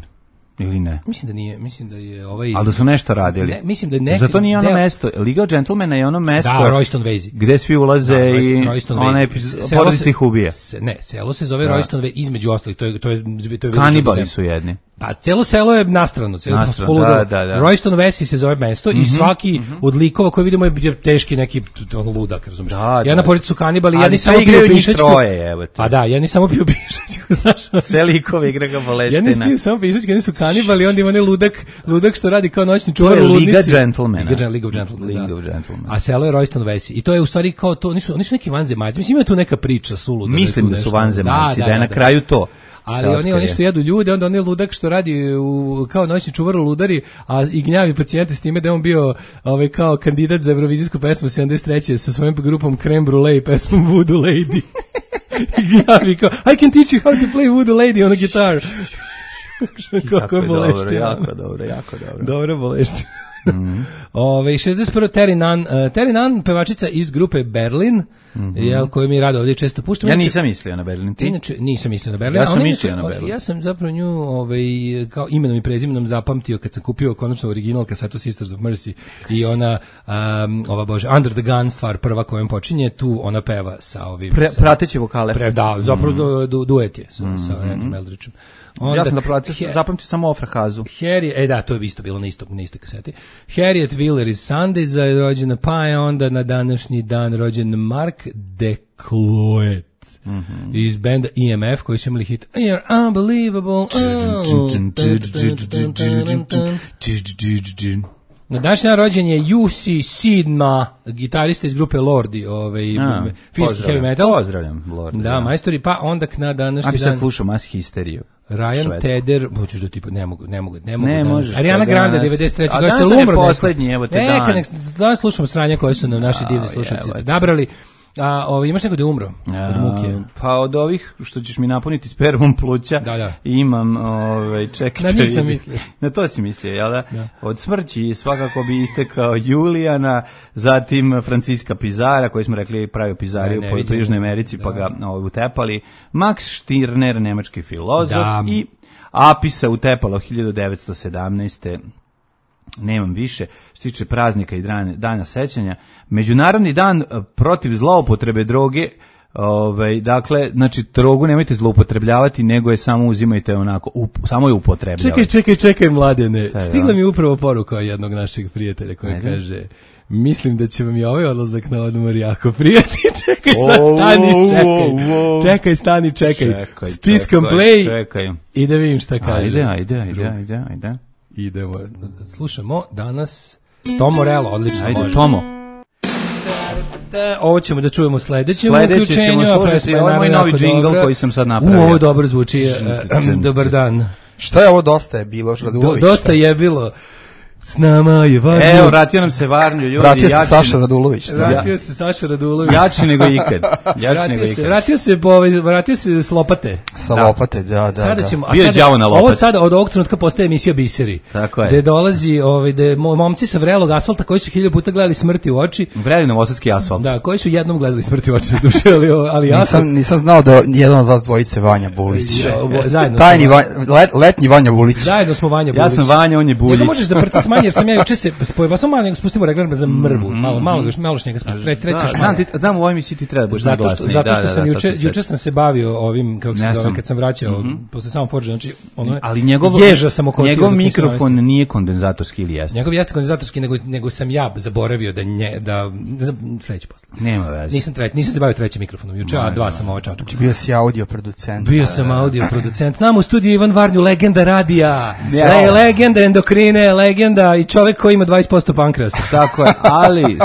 Ili ne? Mislim da nije, mislim da je Ali da su nešto radili. Ne, mislim da je neki. Zato nije ono mesto. Liga of Gentlemana je ono mesto. Da, Royston Vasey. Gde svi ulaze i ona porodica ih ubija. Ne, selo se zove Royston Vasey, između ostalih, to je kanibali su jedni. Pa celo selo je nastrano, Royston Vasey se zove mesto i svaki od likova koji vidimo je teški neki ludak, razumiješ. Jedna porodica su kanibali, jedni samo piju pišačku. Pa da, jedni samo piju pišačku, znaš. Sve likove igra ga boleština. Jedni piju samo pišačku, jedni su kanibali, onda ima ne ludak što radi kao noćni čuvar u ludnici. Liga Gentlemana. League of Gentlemen. A selo je Royston Vasey. I to je u stvari kao to, oni su neki vanzemaljci. Mislim, ima tu neka priča suluda. Mislim da su vanzemaljci, da je na kraju to. Ali oni što jedu ljude, onda on je ludak što radi kao noćni čuvar u ludari, a i gnjavi pacijente s time da je on bio kao kandidat za Eurovizijsku pesmu 73. sa svojom grupom Creme Brulee i pesmom Voodoo Lady. I gnjavi kao, I can teach you how to play Voodoo Lady on a guitar. Kako je boleština. Jako dobro. Dobro boleština. 61. Terry Nunn, pevačica iz grupe Berlin, koju mi rado ovdje često puštamo. Ja nisam mislio na Berlin, ti? Inače, nisam mislio na Berlin. Ja sam mislio na Berlin. Ja sam zapravo nju kao imenom i prezimenom zapamtio kad sam kupio konačno original kasetu Sisters of Mercy i ona, Under the Gun stvar prva kojom počinje, tu ona peva sa ovim... Prateći vokale. Da, zapravo duet je sa Randy Meldrichom. Ja sam zapamtio samo Ofrahazu. Da, to je isto bilo na istoj kaseti. Harriet Wheeler iz Sundaysa je rođena, pa je onda na današnji dan rođen Mark DeCloet iz benda EMF koji su imali hit You're Unbelievable. Na današnji dan rođen je UC Sidma, gitarista iz grupe Lordi, finski heavy metal. Pozdravljam Lordi. Da, majstori, pa onda na današnji dan... Ako sad slušao Mass Hysteriju. Ryan Tedder, hoćeš da tipa, ne mogu. Ne možeš. Ariana Grande 93. A danas je poslednji, evo te dan. Danas slušamo sranja koje su nam naši divni slušalci nabrali. Imaš neko da je umro od muke? Pa od ovih što ćeš mi napuniti spermom pluća, imam, čekaj. Na njih sam mislio. Na to si mislio, jel da? Od smrći svakako bi istekao Julijana, zatim Franciska Pizara, koji smo rekli pravio pizariju po Južnoj Americi, pa ga utepali. Max Stirner, nemački filozof, i Apisa utepalo 1917. Nemam više, što tiče praznika i dana sećanja. Međunarodni dan protiv zloupotrebe droge, dakle, znači, drogu nemojte zloupotrebljavati, nego je samo uzimajte onako, samo je upotrebljavate. Čekaj, mladene, stigla mi upravo poruka jednog našeg prijatelja koji kaže... Mislim da će vam i ovaj odlazak na odmor jako prijati. Čekaj, stani, čekaj. Stiskom play i da vidim šta kaže. Ajde. Idemo. Slušamo danas Tom Morello, odlično. Ajde, Tomo. Ovo ćemo da čujemo sledećem uključenju. Ćemo slušati, ovo je moj novi džingl koji sam sad napravio. Ovo dobro zvuči. Dobar dan. Šta je ovo dosta je bilo? Dosta je bilo. S nama je Varnju. Evo, vratio nam se Varnju, ljudi. Vratio se Saša Radulović. Vratio se Saša Radulović. Jači nego ikad. Vratio se s lopate. Sa lopate, da. Sada ćemo, Bio je đavo na lopati. Ovo sada od ovog trenutka postaje emisija Biseri. Tako je. Gde dolazi, gde momci sa vrelog asfalta koji su 1000 puta gledali smrti u oči. Vreli novosadski asfalt. Da, koji su jednom gledali smrti u oči za duše, ali ja nisam znao da jedan od vas dvojice Vanja Bulić. Zajedno. Tajni letnji Vanja Bulić. Zajedno smo Vanja Bulić. Ja sam Vanja, on je Buljić. Ja možeš zaprcati manje jer sam ja juče se spojio, samo malo spustimo regler za mrvu, malo što njega spustimo. Znam u ovoj emisiji ti treba budeš naglasniji. Zato što sam juče sam se bavio ovim, kako se zove, kad sam vraćao posle samo Forge, znači ono, ali ježa sam okotio. Njegov mikrofon nije kondenzatorski ili jeste? Njegov jeste kondenzatorski, nego sam ja zaboravio da sledeći posle. Nema veze. Nisam se bavio trećim mikrofonom juče, a dva sam čačku. Bio si audio producent. Bio sam audio producent. Znam u studiju Ivan Varnju, legenda radija, legenda endokrine, legenda i čovek koji ima 20% pankrasa. Tako je, ali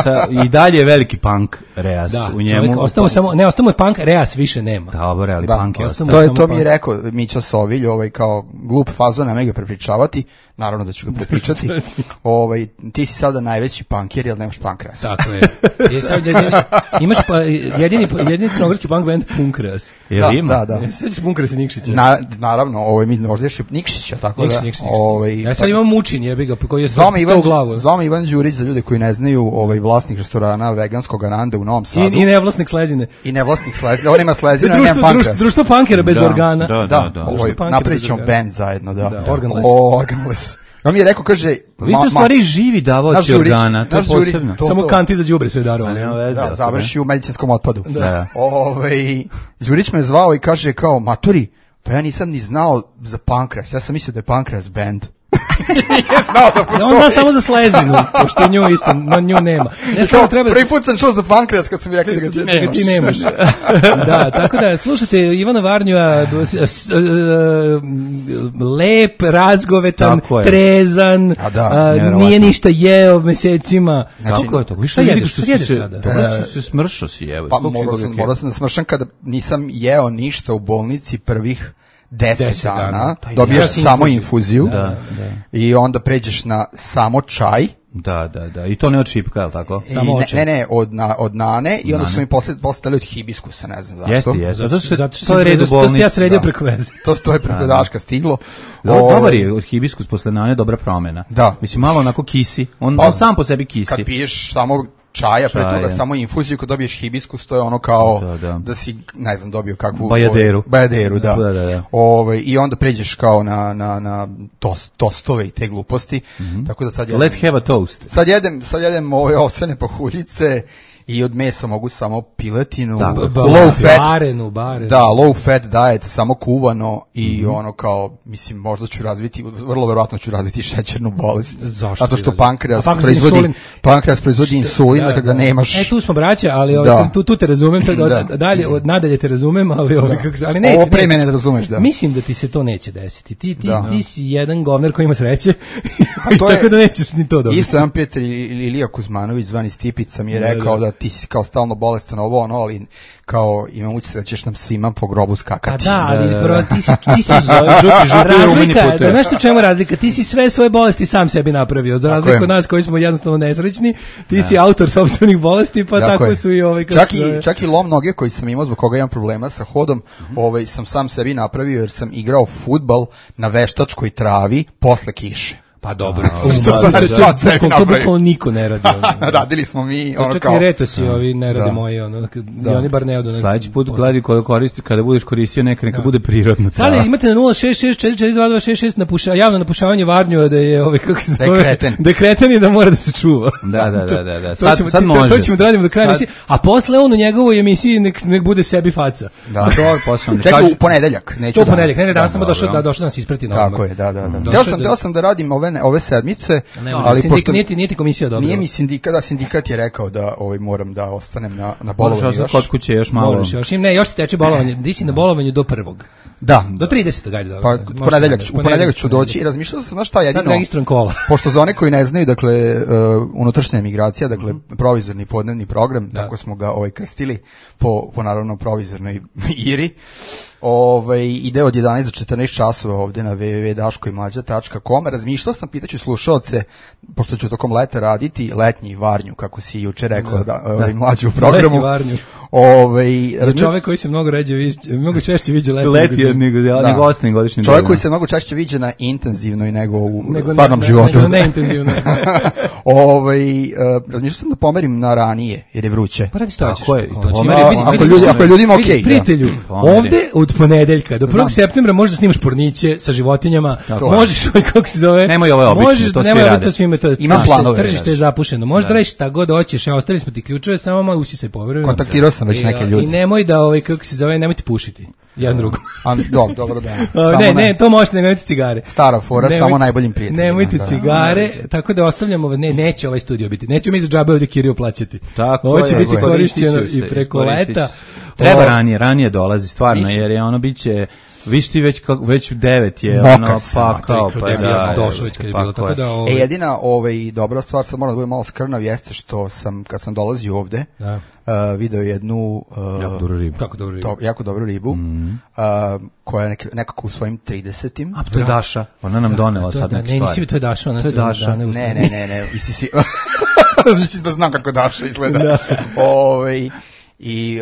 i dalje je veliki punk reas u njemu. Ostamo je punk, reas više nema. Dobro, ali punk je. To mi je rekao Mića Sovilj, kao glup fazon, nema ga prepričavati. Naravno da ću ga prepričati. Ti si sada najveći punker, jer nemaš pankras. Tako je. Imaš jedini crnogorski punk band Punkras. Jel ima? Da. Sveći Punkras i Nikšića. Naravno, mi možda još Nikšića, tako da. Ja sad imam Mučin, jebi ga, koji je stao u glavu. Zvamo Ivan Đurić, za ljude koji ne znaju, vlasnik restorana veganskog Anande u Novom Sadu. I nevlasnik Slezine. On ima Slezina, nema pankras. Društvo punkera bez organa. Da. Napravit ćemo band zajedno, da. Organless. On mi je rekao, kaže... Vi ste u stvari živi davaoci organa, to je posebno. Samo kanti za đubre sve darovali. Da, završi u medicinskom otpadu. Đurić me zvao i kaže kao, maturi, pa ja nisam ni znao za pankras, ja sam mislio da je pankras band. Nije znao da postoji. On zna samo za Slezinu, pošto nju isto, nju nema. Prvi put sam čuo za pankras kad su mi rekli da ga ti nemaš. Da, tako da, slušajte Ivana Varnjua, lep, razgovetan, trezan, nije ništa jeo mesecima. Tako je to. Šta jedeš sada? Se smršao si, evo. Pa morao sam da smršam kada nisam jeo ništa u bolnici prvih 10 dana, dobiješ samo infuziju i onda pređeš na samo čaj. Da. I to ne od šipka, je li tako? Ne, od nane i onda su mi postali od hibiskusa, ne znam zašto. Jeste. Zato što je red u bolnici. To ja sredio preko veze. To je preko daška stiglo. Dobar je od hibiskus posle nane, dobra promena. Da. Mislim, malo onako kisi. On sam po sebi kisi. Kad piješ samo čaja, pre toga samo infuziju, kad dobiješ hibiskus, to je ono kao da si, ne znam, dobio kakvu... Bajaderu, da. I onda pređeš kao na tostove i te gluposti. Tako da sad jedem... Let's have a toast. Sad jedem ove ovsene pahuljice i od mesa mogu samo piletinu, low fat diet, samo kuvano i ono kao, mislim, možda ću razviti, vrlo verovatno ću razviti šećernu bolest. Zašto? Zato što pankreas proizvodi insulin, da ga nemaš. Tu smo braća, ali tu te razumem, nadalje te razumem, ali neće. Ovo pre mene da razumeš, da. Mislim da ti se to neće desiti. Ti si jedan govner koji ima sreće, tako da nećeš ni to dobiti. Isto jedan prijatelj Ilija Kuzmanović, zvani Stipica, mi je rekao da ti si kao stalno bolestan ali kao imam utisak da ćeš nam svima po grobu skakati. Ali ti si razlika, znaš što čemu razlika? Ti si sve svoje bolesti sam sebi napravio, za razliku od nas koji smo jednostavno nesrećni, ti si autor sopstvenih bolesti, pa tako su i ovi... Čak i lom noge koji sam imao, zbog koga imam problema sa hodom, sam sam sebi napravio jer sam igrao fudbal na veštačkoj travi posle kiše. Pa dobro. Što sam sad sebi napravio. To niko ne radi. Radili smo mi. Čak i retosi ovi ne rade moji. Oni bar ne odu. Sljedeći put gledaj kada budeš koristio neka bude prirodno. Sada imate na 066442266 javno napušavanje Varnju da je kako se zove. Dekreten i da mora da se čuva. Da. Sad može. To ćemo da radimo do kraja emisije. A posle on u njegovoj emisiji nek bude sebi faca. Da. Čekaj, u ponedeljak. To ponedeljak. Ne, danas samo došao da nas isprati na odmor. Tako je, da. Htio sam da radim ove sedmice, ali pošto nije ti komisija dobro. Nije mi sindikat je rekao da moram da ostanem na bolovanju još. Kod kuće još malo. Još ti teče bolovanje. Di si na bolovanju do 1. Da. Do 30. ajde. Pa u ponedeljak ću doći i razmišljao sam na šta jedino. Registrujem kola. Pošto za one koji ne znaju, dakle unutrašnja emigracija, dakle provizorni podnevni program, tako smo ga krstili po naravno provizornoj IRI. ide od 11 do 14 časova ovde na www.daškoimađa.com. Razmišljao sam, pitaću slušaoce, pošto ću tokom leta raditi letnji Varnju, kako si juče rekao, mlađi u programu. Letnji Varnju. Čovjek koji se mnogo češće viđe leti nego ostalim godišnjim. Čovjek koji se mnogo češće viđe na intenzivnoj nego u stvarnom životu. Nego neintenzivno. Razmišljao sam da pomerim na ranije, jer je vruće. Pa radi šta hoćeš. Ako je ljudima okej. Prijatelju, ovde od ponedeljka do 1. septembra možeš da snimaš porniće sa životinjama, možeš, kako se zove, nemoj ove obične, to svi rade. Imam planove. Tržište je zapušeno, možeš da radiš šta god hoćeš, ostavili smo ti ključeve, samo malo usisaj povremeno. Kontaktirao sam već neke ljude. I nemoj da, kako se zove, nemojte pušiti. Jedan drugo. Dobro da. Ne, to možete, nemojte cigare. Stara fora, samo najboljim prijateljima. Nemojte cigare, tako da ostavljamo, neće ovaj studio biti. Nećemo mi za džabe ovdje Kiriju plaćati. Ovo će biti korišćeno i preko leta. Treba ranije dolazi stvarno, jer je ono biće, viš ti već u 9 je ono pakao, pa da. Došao već kad je bilo, tako da. Jedina dobra stvar, sad moram da budem malo skrnav, jeste što sam, kad sam dolazio ovde, video jednu jako dobru ribu, koja je nekako u svojim 30-im. A to je Daša, ona nam donela sad neke stvari. Ne, nisi to je Daša. Ne, mislim da znam kako Daša izgleda. I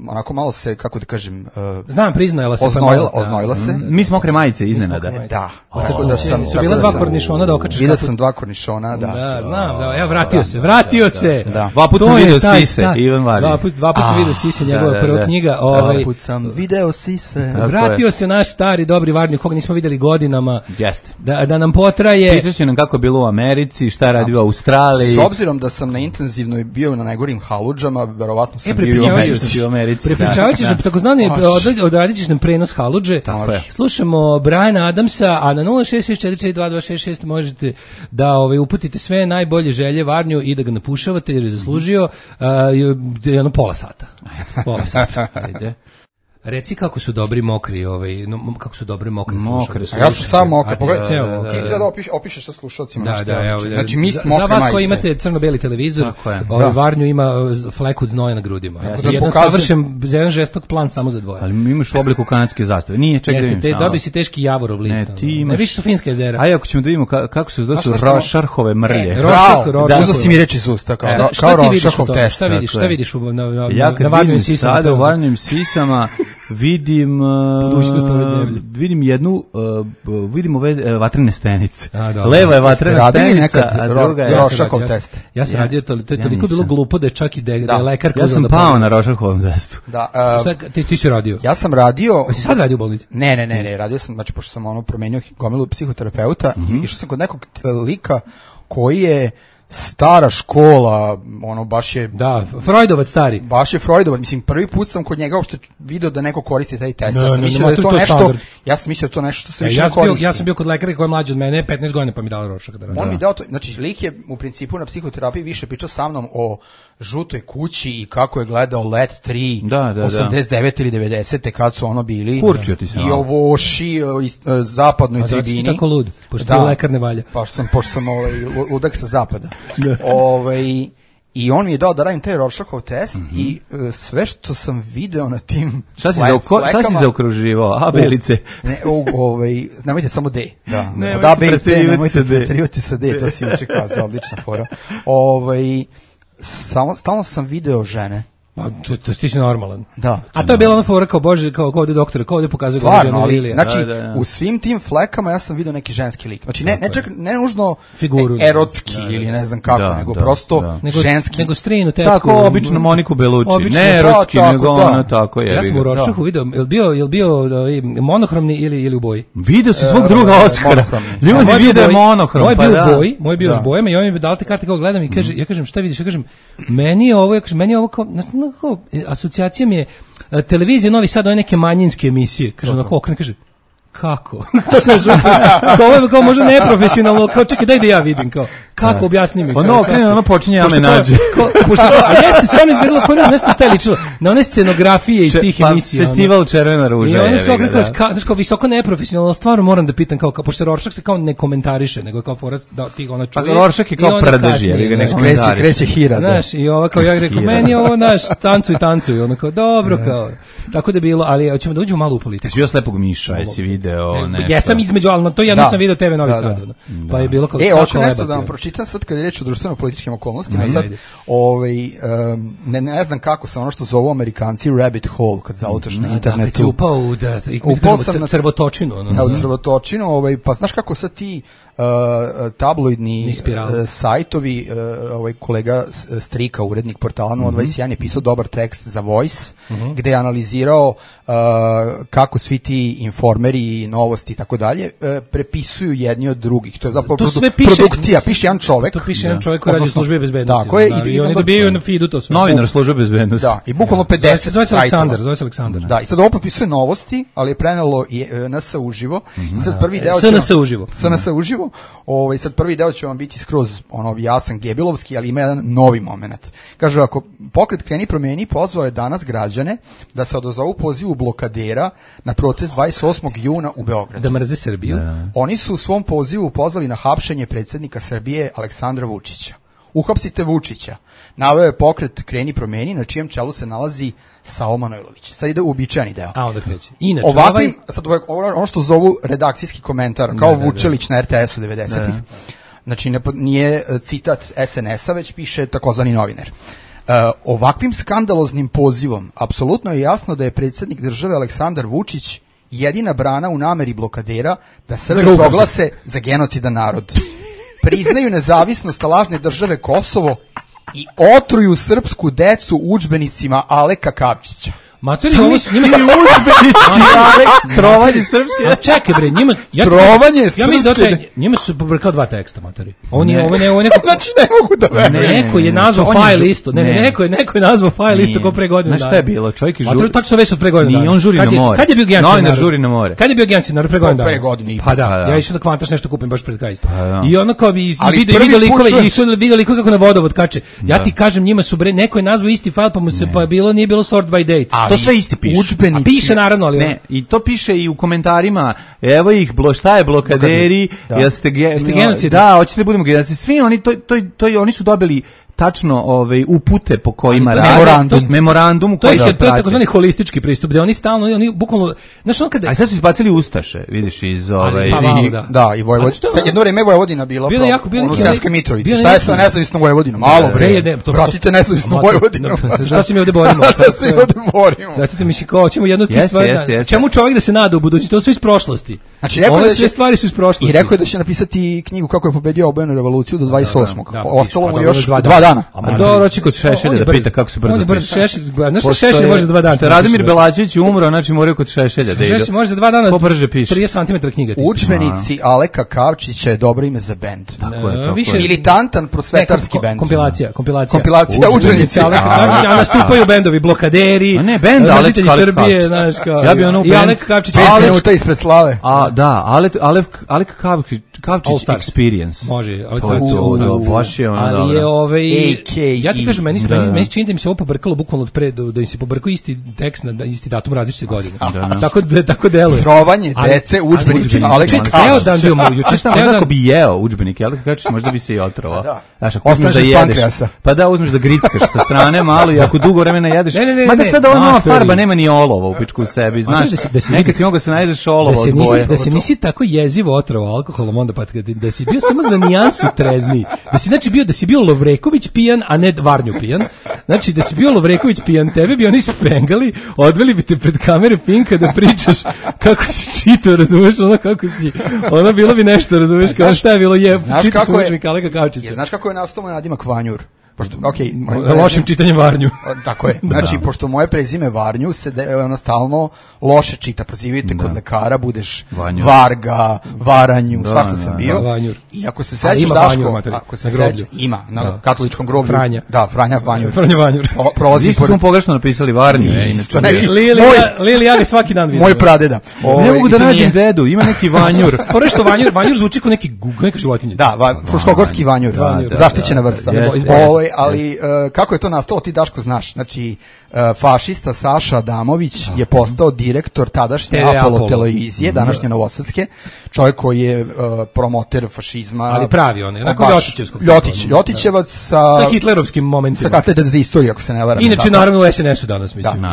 onako malo se, kako da kažem, znam, priznajela se, oznojila se. Mi smo mokre majice iznenada. Da. Tako da sam, su bila dva kornišona da okačeš. Vidio sam 2 kornišona, da. Da, znam, da, vratio se. Dva puta sam vidio Sise, Ivan Varin. Dva puta sam vidio Sise, njegova prva knjiga. Dva puta sam video Sise. Vratio se naš stari dobri Varnju, koga nismo videli godinama. Jeste. Da nam potraje. Pitaš nam kako je bilo u Americi, šta je radio u Australiji. S obzirom da sam na intenzivnoj bio na najgorim haludžama, verovatno sam bio u Americi. Prepričavat ćeš nam, takozvani, odradit ćeš nam prenos haludže. Slušamo Briana Adamsa, a na 066442266 možete da uputite sve najbolje želje Varnju i da ga napušavate, jer je zaslužio jedno pola sata. Ajde. Reci kako su dobri mokri, kako su dobri mokri slušalci. Ja sam sam mokri, pogledaj. Ti treba da opišeš sa slušalcima. Da, znači mi smo mokre majice. Za vas koji imate crno-beli televizor, Varnju ima fleku od znoja na grudima. Jedan savršen, jedan žestok plan samo za dvoje. Ali imaš u obliku kanadske zastave. Nije, čekaj da vidim. Dobri si teški Javorov list. Ne, više su finska jezera. Ajde, ako ćemo da vidimo kako su Rošarhove mrlje. Uzao si mi reći iz usta, kao Rošarhov test. Šta vidiš na Varnjim sisama? Sada u Varnjim sisama vidim vidim ove vatrene stenice. Leva je vatrena stenica, a druga je Rošakov test. Ja sam radio, to je toliko bilo glupo da je čak i da je lekar... Ja sam pao na Rošakovom testu. Ti si radio? Ja sam radio... Si sad radio u bolnici? Ne, radio sam, znači, pošto sam promenio gomilu psihoterapeuta, išao sam kod nekog lika koji je stara škola, baš je... Da, Freudovac stari. Baš je Freudovac, mislim, prvi put sam kod njega uopšte video da neko koristi taj test. Ja sam mislio da je to nešto, što se više ne koristi. Ja sam bio kod lekara koji je mlađi od mene, 15 godina, pa mi dao Rošak. On mi dao to, znači, lik je u principu na psihoterapiji više pričao sa mnom o žutoj kući i kako je gledao Let 3, 89 ili 90. kad su bili. Kurčio ti se. I o Voši, zapadnoj tribini. A zato si tako lud, pošto ti lekar ne valja. Pošto sam ludak sa zapada. I on mi je dao da radim taj Rorschachov test i sve što sam video na tim šta si zaokruživao? A, B ili C? Nemojte samo D. Od A, B i C, nemojte preterivati sa D, to si uče kazao, odlična fora. Stalno sam video žene. To ti si normalan. Da. A to je bila ona fora kao Bože, kao ovdje doktora, kao ovdje pokazuje kako žena Lilija. Znači, u svim tim flekama ja sam vidio neki ženski lik. Znači, ne nužno figuru, erotski ili ne znam kako, nego prosto ženski. Nego strinu, tetku. Tako, obično Moniku Belucci. Ne erotski, nego ona tako je. Ja sam u Rošahu video, je li bio monohromni ili u boji? Video si svog druga Oskara. Ljudi vide monohrom. Moj bio s bojama i on mi dao te karte kao gledam i kaže, ja kažem šta vidiš, ja kažem meni je ovo kao asocijacija mi je televizija Novi Sad, ove neke manjinske emisije, kaže onako okren, kaže kako? Kao možda neprofesionalno, kao čekaj, daj da ja vidim, kao, kako objasni mi? Ono počinje jame nađe. A jeste stvarno izgledalo, kao nešto šta je ličilo, na one scenografije iz tih emisija. Festival Červena ruža. I ono je kao visoko neprofesionalno, stvarno moram da pitam, kao, pošto Rorschach se kao ne komentariše, nego kao forac da ti ona čuje. Pa Rorschach je kao prdež, kreće hira. Znaš, i ova kao ja rekao, meni je ovo, naš, tancuj, ono kao, dobro, kao, tako da je bilo, ali hoćemo da uđemo malo u politiku. Jesi bio Slepog miša, jesi video nešto? Jesam između, ali to jedno sam video TV Novi Sad. Pa je bilo kao hoću nešto da vam pročitam sad kad je reč o društveno-političkim okolnostima. Sad, ne znam kako sam ono što zovu Amerikanci rabbit hole kad zautaš na internetu. Upao sam na crvotočinu. U crvotočinu, pa znaš kako sad ti tabloidni sajtovi, kolega Strika, urednik portala 021 je pisao dobar tekst za Voice, gde je analizirao kako svi ti informeri, novosti i tako dalje prepisuju jedni od drugih. To je produkcija, piše jedan čovek. To piše jedan čovek koji radi u službi bezbednosti. Tako je. I oni dobijaju na feedu to sve. Novinar službe bezbednosti. Da, i bukvalno 50 zove se Aleksandar. Da, i sad ovo popisuje novosti, ali je prenelo i NS uživo. I sad prvi deo SNS uživo. Sad prvi deo će vam biti skroz jasan gebilovski, ali ima jedan novi moment. Kaže, ako pokret Kreni promeni pozvao je danas građane da se odazovu pozivu blokadera na protest 28. juna u Beogradu. Da mrze Srbiju. Oni su u svom pozivu pozvali na hapšenje predsjednika Srbije Aleksandra Vučića. Uhapsite Vučića. Naveo je pokret Kreni promeni, na čijem čelu se nalazi Sao Manojlović. Sad ide uobičajeni deo. Onda kreće. Inače, ovakvim, sad ono što zovu redakcijski komentar, kao Vučelić na RTS-u 90-ih. Znači, nije citat SNS-a, već piše takozvani novinar. Ovakvim skandaloznim pozivom apsolutno je jasno da je predsjednik države Aleksandar Vučić jedina brana u nameri blokadera da Srbi proglase za genocidan narod. Priznaju nezavisnost lažne države Kosovo i otruju srpsku decu udžbenicima Aleka Kavčića. Materi, ovo njima se udžbenici, trovanje srpske. Čekaj bre, njima trovanje srpske. Ja mislim da njima su pobrkao dva teksta, materi. Ovo neko. Znači ne mogu da verujem. Neko je nazvao file listu. Neko je nazvao file listu kao pre godinu dana. Šta je bilo? Čovjek je žuri. Materi, tačno već od pre godinu dana. Ni on žuri na more. Kad je bio Genci? Novinar žuri na more. Kad je bio Genci na pre godinu dana? Pre godine. Pa da, ja išao da kvantaš nešto kupim baš pred kraj isto. I ono kao bi video likove kako na vodovod kače. Ja ti kažem, njima su bre, neko je nazvao isti file, pa mu se nije bilo sort by date. To sve isti piše. A piše naravno, ali ne, i to piše i u komentarima. Evo ih, šta je blokaderi? Jeste genocid? Da, hoćete da budemo genocid. Svi oni oni su dobili tačno upute po kojima rade, memorandum to je takozvani holistički pristup, gde oni stalno, oni bukvalno, znaš, on kada... A sad su izbacili Ustaše, vidiš, iz Da, i Vojvodina. Sad jedno vreme Vojvodina bila u Sremskoj Mitrovici. Šta je sa nezavisnom Vojvodinom? Malo bre, vratite nezavisnu Vojvodinu. Šta se mi ovde borimo? Šta se mi ovde borimo? Zatite mi kao, ćemo jednu od tih stvari, čemu čovjek da se nada u budućnosti, to su iz prošlosti. Znači, ove sve stvari su iz prošlosti. I rekao je da će napisati knjigu kako je pobedio obojenu revoluciju do 28. Ostalo mu još 2 dana. A dobro, će kod Šešelja da pita kako se brzo piše. Nešto Šešelj može za 2 dana. Što Radomir Belačević umro, znači moraju kod Šešelja da idu. Šešelj može za 2 dana. Ko brže piše. 30 cm knjiga. Udžbenici Aleka Kavčića je dobro ime za bend. Više militantan prosvetarski bend. Kompilacija udžbenici Aleka Kavčića, a nastupaju bendovi blokaderi. A ne, bend Alek Srbije, znaš kao. Ja bih ono i Alek Kavčić 5 minuta ispred slave. A da, Alek Kavčić Experience. Može, baš je ono. Ali je ja ti kažem, meni se čini da mi se ovo pobrkalo bukvalno od pre, da im se pobrkao isti tekst na isti datum različite godine. Tako deluje. Trovanje dece udžbenicima Aleka Kavčića. Ceo dan bio mu, juče ceo dan. Ako bi jeo udžbenike Aleka Kavčića, možda bi se i otrovao. Znaš, ako uzmeš da jedeš, pa da uzmeš da grickaš sa strane malo i ako dugo vremena jedeš, mada sad ova nova farba nema ni olova u pičku u sebi, znaš, nekad si mogo se najedeš olova od boje. Da se nisi tako jezivo otrovao alkoholom, onda pa da si bio samo za nijansu trezniji, da si bio Lovreković pijan, a ne Varnju pijan, znači da si bio Lovreković pijan, tebe bi oni spengali, odveli bi te pred kamere Pinka da pričaš kako si čitao, razumeš, ono kako si, ono bilo bi nešto, razumeš, kao šta je bilo čitao sam učenik Aleka Kavčića. Znaš kako je nastao moj nadimak Vanjur? lošim čitanjem Varnju. Tako je. Znači, pošto moje prezime Varnju se stalno loše čita. Prozivite kod lekara, budeš Varga, Varanju, svašta sam bio. I ako se sećaš, Daško, ako se sećaš, ima, na katoličkom groblju. Franja. Da, Franja Vanjur. Franja Vanjur. Ništa smo pogrešno napisali Varnju. Lili, ja ga svaki dan vidim. Moj pradeda. Ne mogu da nađem dedu, ima neki Vanjur. Što Vanjur zvuči kao neka životinja. Da, fruškogorski Vanjur. Zaštićena vrsta. Ali kako je to nastalo, ti Daško znaš. Znači, fašista Saša Adamović je postao direktor tadašnje Apollo televizije, današnje Novosadske, čovjek koji je promoter fašizma. Ali pravi on, onako Ljotićevac sa hitlerovskim momentima. Sa katedre za istoriju, ako se ne varam. Inače, naravno, u SNS-u danas, mislim.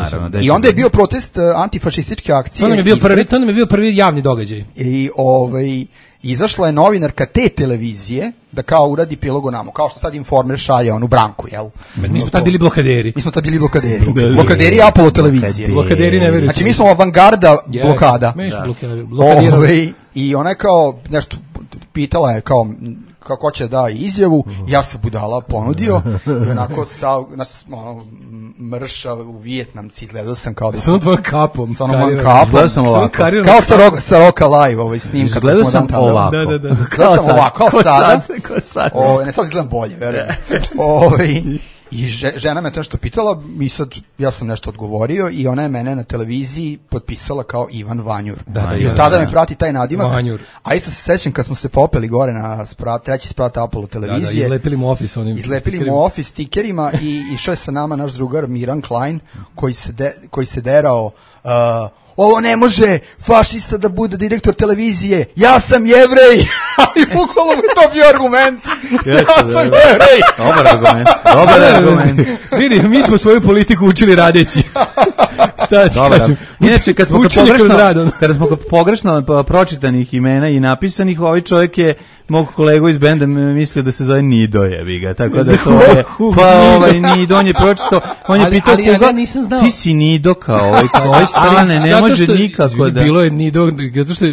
I onda je bio protest antifašističke akcije. To nam je bio prvi javni događaj. I izašla je novinarka te televizije da kao uradi prilog o nama, kao što sad Informer šalje onu Branku, jel? Mi smo tad bili blokaderi. Blokaderi Apollo televizije. Blokaderi ne veruju. Znači mi smo avangarda blokada. Mi smo blokaderi. I ona je kao nešto pitala je kao kako će da izjavu, ja se budala ponudio i onako mrša u Vijetnamci, izgledao sam kao da sam tvojom kapom. Sa onom kapom. Kao sa Roka Live snimka. Izgledao sam ovako. Kao sada. Ne sad izgledam bolje, verujem. I žena me to nešto pitala i sad ja sam nešto odgovorio i ona je mene na televiziji potpisala kao Ivan Vanjur. I od tada me prati taj nadimak. Vanjur. A isto se sećam kad smo se popeli gore na treći sprat Apollo televizije. Izlepili mu office stikerima i išao je sa nama naš drugar Miran Klein koji se derao ovo ne može fašista da bude direktor televizije, ja sam Jevrej. Ali bukvalno mi to bio argument. Ja sam Jevrej. Dobar argument. Vidi, mi smo svoju politiku učili radeći. Šta ti kažem? Inače, kad smo pogrešno pročitanih imena i napisanih, ovaj čovjek je mog kolegu iz benda mislio da se zove Nido, jebi ga, tako da to je, Nido, on je pročitao, on je pitao koga, ti si Nido kao ovaj strane, ne može nikako da... Bilo je Nido,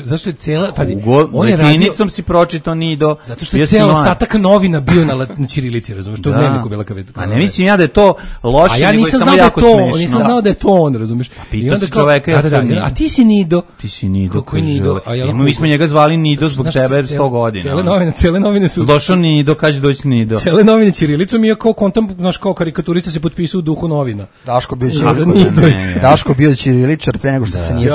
zašto je cijela, pazi, on je radio... si pročitao Nido. Zato što je cijel ostatak novina bio na ćirilici, razumiješ, to u dnevniku bila kao... A ne mislim ja da je to loše, nego je samo jako smešno. Nisam znao da je to on, razumiješ. Pitao si čoveka, a ti si Nido. Ti si Nido, kaže. Mi smo njega zvali Nido zbog tebe 100 godina. Cele novine su... Došao Nido, kad će doći Nido. Cele novine ćirilicom i kao kontam, znaš, kao karikaturista se potpisao u duhu novina. Daško bio ćiriličar pre nego što se nije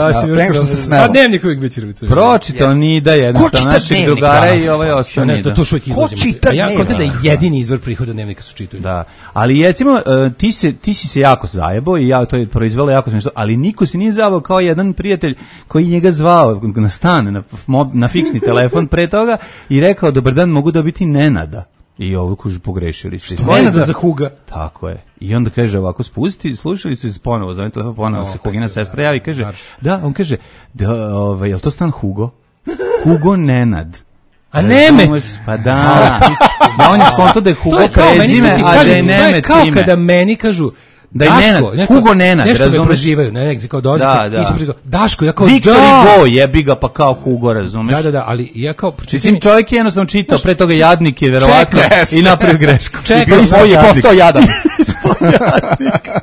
smelo. A dnevnik uvijek bio ćiriličar. Pročitao Nida jednostavno naših drugara i ovaj ostao Nida. To šuvijek izlazimo. Ja kontam da je jedini izvor prihoda dnevnika su čitaju. Da, ali recimo, ti si se jako zajebao i to je proizvelo jako smiješno, ali niko se nije zavao kao jedan prijatelj koji njega zvao na stan, na fiksni telefon pre toga i rekao, dobar dan, mogu dobiti Nenada. I ovo kužu pogrešili ste. Nenada za Huga. Tako je. I onda kaže ovako, spusti slušalicu i ponovo zove telefon, ponovo se Hugina sestra javi i kaže, da, on kaže, je li to stan Hugo? Hugo Nenad. A Nemet? Pa da. On je skonto da je Hugo prezime, a da je Nemet ime. Kao kada meni kažu, da je Nenad, Hugo Nenad, nešto razumeš? Me prozivaju, kao dolazi, Daško, ja kao Viktor Hugo, jebi ga pa kao Hugo, razumeš? Da, ali ja kao... Mislim, čovjek je jednostavno čitao, pre toga jadnik je, verovatno, i napravio grešku. Čekaj, je postao jadan.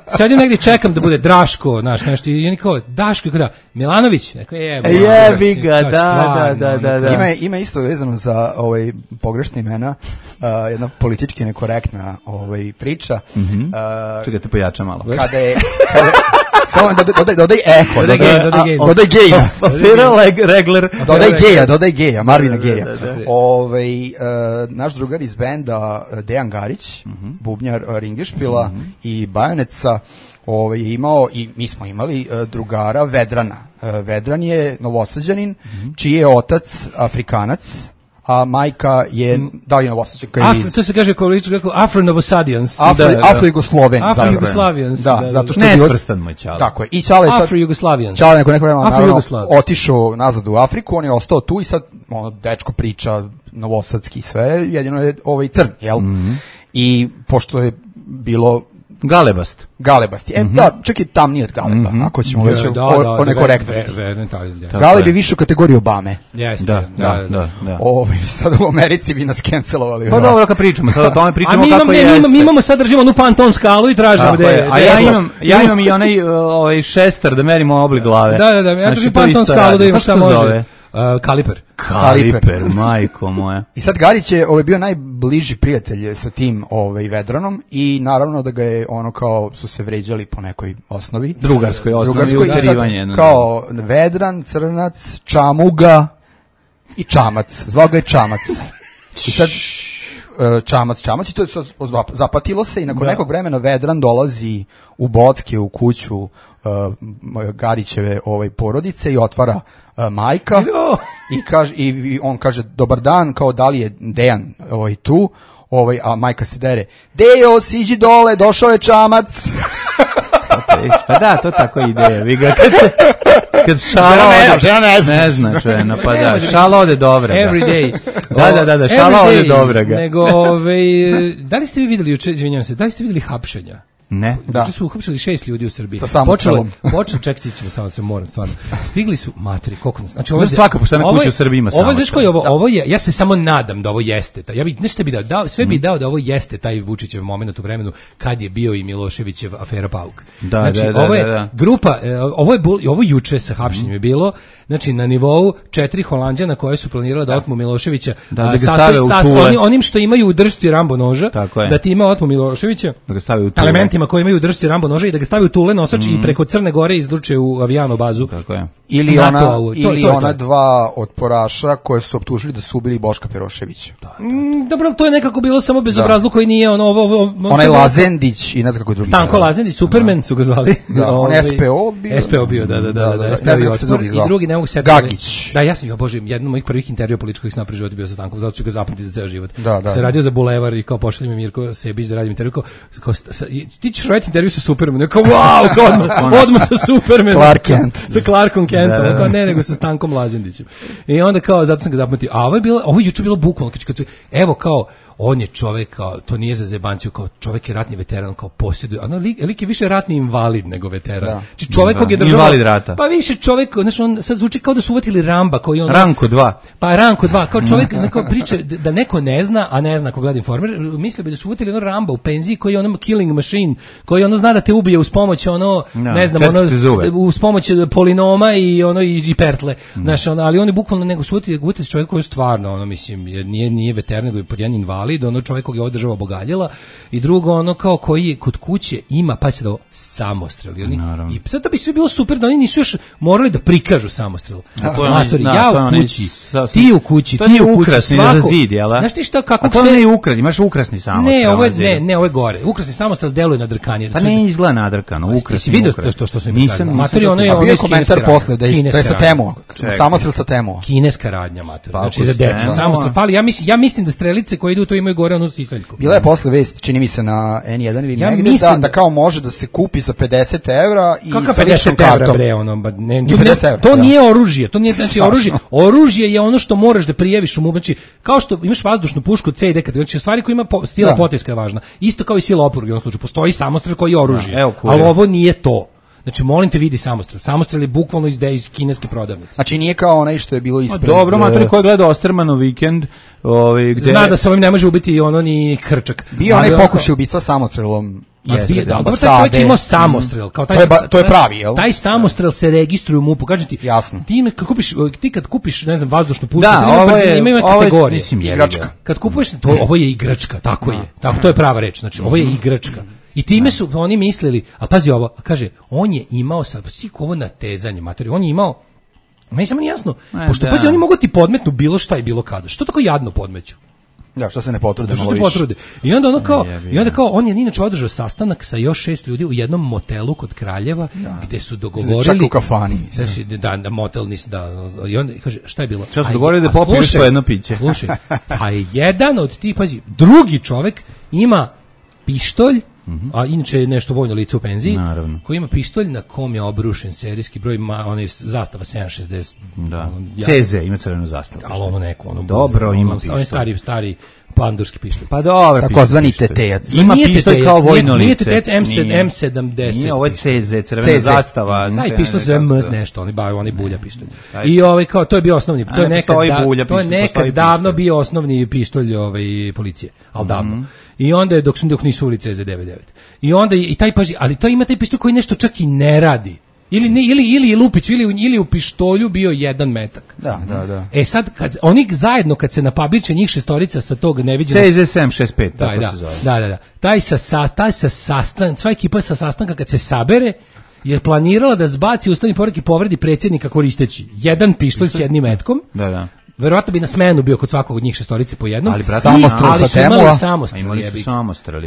Sad negdje čekam da bude Draško, znaš, nešto, i oni kao, Daško, kada, Milanović, neko jebi ga, da. Ima isto vezano za pogrešne imena, jedna politički nekorektna priča. Čekaj, te pojača malo. Kada je... Samo dodaj eho, dodaj geja. Dodaj geja, Marvina Geja. Naš drugar iz benda Dejan Garić, bubnjar Ringešpila i Bajoneca, je imao, i mi smo imali drugara Vedrana. Vedran je Novosađanin, čiji je otac Afrikanac, a majka je Dalina Novosađanka. To se kaže Afro-Novosadijans. Afro-Jugosloven. Afro-Jugoslavijans. Da, zato što nesvrstan moj čale. Tako je. I Čale sad... Afro-Jugoslavijans. Čale neko vremena naravno otišao nazad u Afriku, on je ostao tu i sad dečko priča novosadski sve, jedino je crn, jel? I pošto je bilo Galebast. Da, čak i tamniji od Galeba, ako ćemo već o nekorektnosti. Galeb je više u kategoriji Obame. Jeste, da. Sad u Americi bi nas cancelovali. Pa dobro, kad pričamo, sad o tome pričamo kako jeste. Mi imamo sad, držimo onu Panton skalu i tražimo gde je. A ja imam i onaj šestar da merimo oblik glave. Da, ja držim Panton skalu da imam šta može. Kaliper, majko moja. I sad Garić je bio najbliži prijatelj sa tim Vedranom i naravno da ga je kao su se vređali po nekoj osnovi. Drugarskoj osnovi, uterivanje. Kao Vedran, Crnac, Čamuga i Čamac. Zvao ga je Čamac. I sad Čamac i to zapatilo se i nakon nekog vremena Vedran dolazi u Bocke u kuću Garićeve porodice i otvara majka i on kaže dobar dan, kao da li je Dejan tu, a majka se dere, Dejo, siđi dole, došao je Čamac. Pa da, to tako ide, vi ga kad šala ode, ne zna žena, pa da, šala ode dobra. Every day. Da, šala ode dobra ga. Nego, da li ste vi vidjeli, izvinjam se, da li ste vidjeli hapšenja? Ne. Da. Su uhapšili 6 ljudi u Srbiji. Sa samostrelom. Ček, sićemo, samo se moram, stvarno. Stigli su, materi, koliko nas... Znači, svaka poštena kuća u Srbiji ima samostrel. Ovo je, ja se samo nadam da ovo jeste. Ja bih, nešto bi dao, sve bi dao da ovo jeste taj Vučićev moment u vremenu kad je bio i Miloševićev afera Pauk. Znači, ovo je grupa, ovo juče sa hapšenjem je bilo, znači, na nivou 4 Holanđana koje su planirali da otmu Miloševića, onim što imaju u držci Rambo noža, da ti ima otmu Miloševića, da ga stave u tule. Elementima koji imaju u držci Rambo noža i da ga stave u tule nosač i preko Crne Gore izruče u avijano bazu. Tako je. Ili ona dva otporaša koje su optužili da su ubili Boška Peroševića. Dobro, to je nekako bilo samo bezobrazluk koji nije onaj Lazendić i ne znam kako drugi. Stanko Lazendić, Superman su ga zvali. On SPO bio. SPO bio, da. I drugi ne mogu se Gagić. Da, ja sam, bože, jedan od mojih prvih intervjua političkih sam napravio život bio sa Stankom, zato ću ga zapamtiti za ceo život. Se radio za Bulevar i kao pošalje mi Mirko Sebić da radim intervju, kao ti ćeš raditi intervju sa Supermanom, kao wow, odmah sa Supermanom. Clark Kent. Sa Clarkom Kentom, kao ne, nego sa Stankom Lazendićem. I onda kao, zato sam ga zapamtio, a ovo je juče bilo bukvalno, evo kao, on je čovjek, kao, to nije za zebanciju, kao čovjek je ratni veteran, kao posjeduje, lik je više ratni invalid nego veteran. Znači čovjek kog je država, invalid rata. Pa više čovjek, znači on sad zvuči kao da su uvatili Ramba koji on Ranko 2. Pa Ranko 2, kao čovjek neko priča da neko ne zna, a ne zna ko gleda Informer, misli bi da su uvatili Ramba u penziji koji je ono killing machine, koji ono zna da te ubije uz pomoć ne znam, uz pomoć polinoma i pertle. Znači ali oni bukvalno nego su uvatili čovjek koji stvarno mislim nije veteran nego je pod jedan invalid, čovjek kog je ova država obogaljala, i drugo kao koji kod kuće ima, pa se da samostrel. I sad da bi sve bilo super da oni nisu još morali da prikažu samostrel. Ja u kući, ti u kući, ti u kući, svako. Znaš ti šta, kako sve... A to nije ukrasni, imaš ukrasni samostrel. Ne, ovo je gore. Ukrasni samostrel deluje nadrkanje. Pa ne izgleda nadrkano, ukrasni. Vidio to što su im nisam. A bio je komentar posle da je sa temu. Samostrel sa temu. Kineska radnja, mater. Znači za decu. Samostrel fali. Ja mislim da strelice koje idu to imaju gore onu sisaljku. Bila je posle vest, čini mi se na N1 ili negde, da kao može da se kupi za 50 € i sa ličnom kartom. To nije oružje, to nije znači oružje. Oružje je ono što moraš da prijaviš u znači kao što imaš vazdušnu pušku CD kad znači stvari koja ima sila potiska je važna. Isto kao i sila oporuke u ovom slučaju postoji samostrel koji je oružje. Ali ovo nije to. Znači, molim te, vidi samostrel. Samostrel je bukvalno iz kineske prodavnice. Znači, nije kao onaj što je bilo ispred... Dobro, matori koji gleda Ostermanov vikend... gde... Zna da se ovim ne može ubiti ni Hrčak. Bio onaj pokušaj ubistva samostrelom. Taj čovjek imao samostrel. To je pravi, jel? Taj samostrel se registruje u MUP-u. Kažem ti, ti kad kupiš, ne znam, vazdušnu pušku, imaju kategorije. Igračka. Kad kupuješ, ovo je igračka, tako je. To je prava reč. Znači, ovo je igračka. I time su oni mislili, a pazi ovo, kaže, on je imao sad, ovo natezanje, matori, on je imao, meni samo nije jasno, pošto pazi, oni mogu ti podmetnu bilo šta i bilo kada, što tako jadno podmeću? Da, što se ne potrude malo više. I onda kao, on je inače održao sastanak sa još 6 ljudi u jednom motelu kod Kraljeva, gde su dogovorili... Čak u kafani. Da, motel nisu, i onda kaže, šta je bilo? Šta su dogovorili da popiješ po jedno piće? Slušaj, a jedan od tih, pazi, drugi čovek ima pištolj a inače je nešto vojno lice u penziji, naravno, koji ima pištolj na kom je obrušen serijski broj, onaj zastava 760. Da. CZ ima crvenu zastavu. Ali ono neko, dobro ima pištolj. On je stari pandurski pištolj. Pa dobro, takozvani tetejac. Ima pištolj kao vojno lice. Nije tetejac M70. Nije, ovo je CZ, crvena zastava. Taj pištolj se MS nešto, oni bulja pištolj. I kao to je bio osnovni, to je nekad davno bio osnovni pištolj policije, al davno. I onda dok nisu uveli CZ99. I onda i taj ali to ima taj pištolj koji nešto čak i ne radi. Ili je lupić, ili u pištolju bio 1 metak. Da. Sad, oni zajedno, kad se napabliče njih šestorica sa tog neviđenog... CZ765, tako se zove. Da. Taj sa sastanka, sva ekipa sa sastanka kad se sabere, je planirala da zbaci ustavni poredak i povredi predsjednika koristeći 1 pištolj s 1 metkom. Da. Verovatno bi na smenu bio kod svakog od njih šestorice po jednom. Ali samostrel sa temua. Imali su samostrel,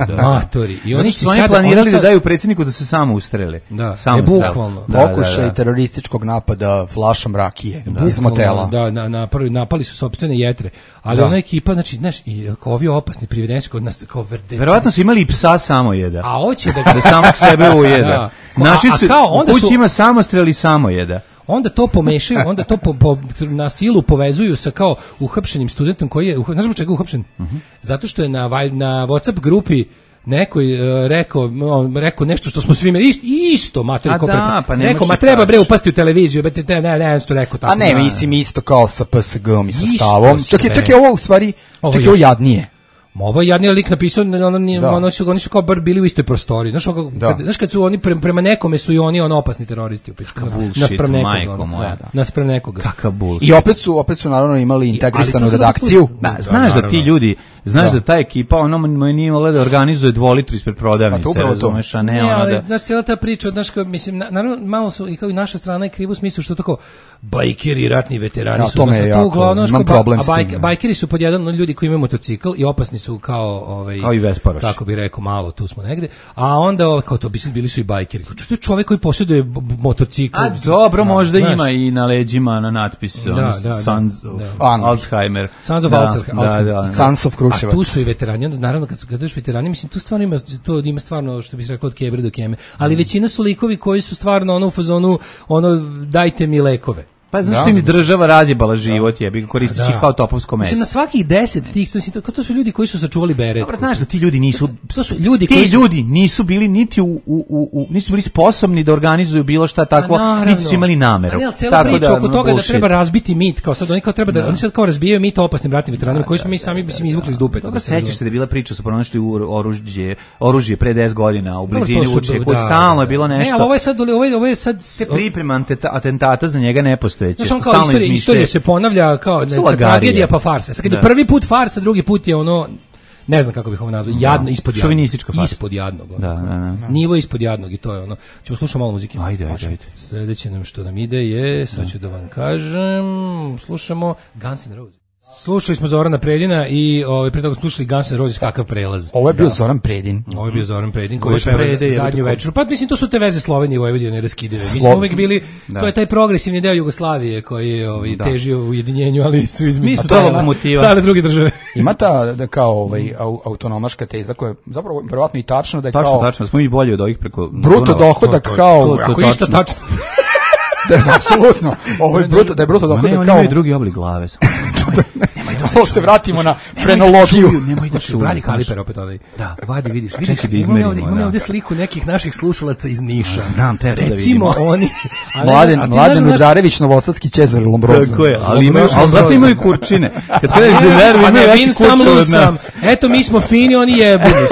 da. Matori. I oni su planirali da daju predsjedniku da se samo ustrele. Da, bukvalno. Pokušaj terorističkog napada flašom rakije iz motela. Da, napali su sopstvene jetre. Ali ona ekipa, znači, znaš, i kao ovi opasni privedeni su kod nas kao vrdeti. Verovatno su imali i psa samojeda. A hoće da samog sebe ujeda. Naši su, u kući ima samostrel i samojeda. Onda to pomešaju, onda to na silu povezuju sa kao uhapšenim studentom koji je, znaš zbog čega uhapšen? Zato što je na WhatsApp grupi neko rekao nešto što smo svi imali isto materi kopirati. Pa rekao, treba bre upasti u televiziju, ne, što rekao tako. A ne, mislim isto kao sa PSG-om i sa stavom. Čak je ovo u stvari, čak je ovo jadnije. Ovo je jadni lik napisao, oni su kao bar bili u istoj prostoriji. Znaš kad su oni prema nekome su i oni opasni teroristi. Naspram nekoga. Kakav bullshit. I opet su naravno imali integrisanu redakciju. Znaš da ti ljudi, da ta ekipa, ono nije imala da organizuje 2 litru ispred prodavnice, razumeš, a ne ona da... Znaš, cijela ta priča, mislim, naravno, malo su, i kao i naša strana je krivu u smislu što tako, bajkeri, ratni veterani su... Imam problem s tim. Bajkeri su pod jedan od ljudi koji imaju motocikl i opasni su kao i Vesparoš. Kako bi rekao, malo tu smo negde. A onda kao to bili su i bajkeri. To je čovjek koji posjeduje motocikl. A dobro, možda ima i na leđima na natpis Sons of Alzheimer. Sons of Alzheimer. Sons of Kruševac. A tu su i veterani. Naravno kad kažeš veterani, mislim tu stvarno ima stvarno što bi se rekao od kebre do keme. Ali većina su likovi koji su stvarno u fazonu dajte mi lekove. Pa zašto im država razjebala život, jebi, koristeći kao topovsko meso. Mislim, na svakih 10 tih, to su ljudi koji su sačuvali beret. Dobro, znaš da ti ljudi nisu... To su ljudi ljudi nisu bili niti nisu bili sposobni da organizuju bilo šta takvo, niti su imali nameru. Ali cijela priča oko toga da treba razbiti mit, kao sad oni kao treba da... Oni sad kao razbijaju mit opasnim ratnim veteranima koji smo mi sami izvukli iz dupeta. Dobro, sećaš se da je bila priča, su pronašli oružje pre 10 godina u blizini Vučje, kod stalno je bilo nešto. Ne, ali ovo je sad... Priprema atentata za njega ne postoji. Znaš, on kao istorija se ponavlja kao tragedija pa farsa. Kad je prvi put farsa, drugi put je ne znam kako bih ovo nazvao, jadno, ispod jadnog. Šovinistička farsa. Ispod jadnog. Nivo ispod jadnog i to je Ćemo slušati malo muzike. Ajde. Sljedeće što nam ide je, sad ću da vam kažem, slušamo Guns N' Roses. Slušali smo Zorana Predina i pre toga slušali Guns N' Roses, kakav prelaz. Ovo je bio Zoran Predin. Ovo je bio Zoran Predin koji je zadnju večeru. Pa mislim, to su te veze Slovenije i Vojvodine neraskidive. Mi smo uvek bili, to je taj progresivni deo Jugoslavije koji je težio u ujedinjenju, ali su između stale druge države. Ima ta kao autonomaška teza koja je zapravo verovatno i tačno da je kao... Tačno, smo mi bolji od ovih preko... Bruto dohodak kao... Ako je isto tačno. Da je apsolutno, da je bruto dohodak kao... Oni imaju drugi oblik glave. Ovo se vratimo na frenologiju. Nemoj da šuju. Vadi Kaliper opet ovaj. Da. Vadi, vidiš. Čekaj da izmerimo. Imamo ovdje sliku nekih naših slušalaca iz Niša. Znam, treba da vidimo. Recimo oni... Mladen Udarević, Novosadski Čezar Lombrozo. Tako je, ali zato imaju kurčine. Kad kažeš da nervi, imaju veći kurčine od nas. Eto, mi smo fini, oni jebuni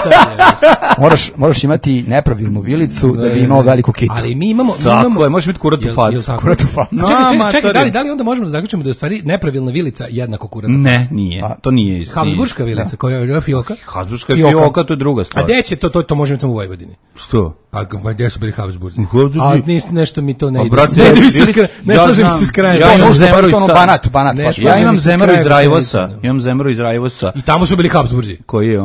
su. Moraš imati nepravilnu vilicu da bi imao veliku kitu. Ali mi imamo... Tako je, možeš imati kurat u facu. Čekaj, da li onda možemo da zaključimo da je u stvari nepravilna vilica jednako kurat? Ne, nije. To nije isto. Habsburška vilica, koja je fioka? Habsburška fioka, to je druga stvar. A gde će to možemo samo u Vojvodini? Što? A gdje su bili Habsburzi? A nešto mi to ne ide. Ne slažem se s krajem. Ja imam Zemaru iz Rajvosa. I tamo su bili Habsburzi. Koji je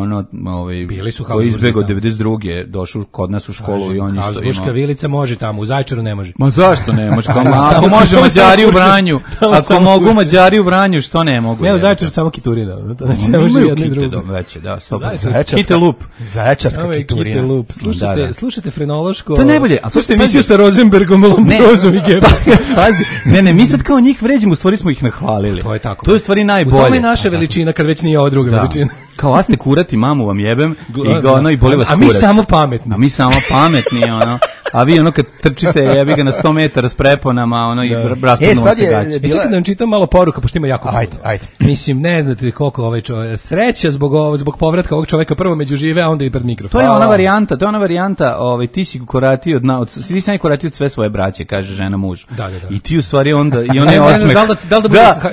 bili su Habsburzi. Koji izbegao 92. došao kod nas u školu i on isto imao. Habsburška vilica može tamo, u Zaječaru ne može. Ma zašto ne može? Ako može Mađari u Vranju, ako mogu Mađari u Vranju, što ne mogu? najbolje. Ne, u Zaječaru samo kiturina. Znači, ne može jedno i drugo. Veće, da, Kite lup. Zaječarska kiturina. Kite lup. Slušajte frenološko. To je najbolje. Slušajte emisiju sa Rosenbergom, Lombrozom i Gebelsom. Pazi, ne, mi sad kao njih vređimo, u stvari smo ih nahvalili. To je tako. To je u stvari najbolje. U tome je naša veličina, kad već nije ova druga veličina. Kao vas ne kurati, mamu vam jebem i boli vas kurac. A mi samo pametni. A mi samo pametni, ono. A vi ono kad trčite, jebi ga na 100 metara s preponama, ono i raspadnu se gaće. Čekaj da vam čitam malo poruka, pošto ima jako puno. Ajde. Mislim, ne znate koliko ovaj čovjek, sreća zbog povratka ovog čovjeka prvo među žive, a onda i pred mikrofon. To je ona varijanta, ti si koratio ti sam koratio od sve svoje braće, kaže žena mužu. Da. I ti u stvari onda, i onaj osmeh.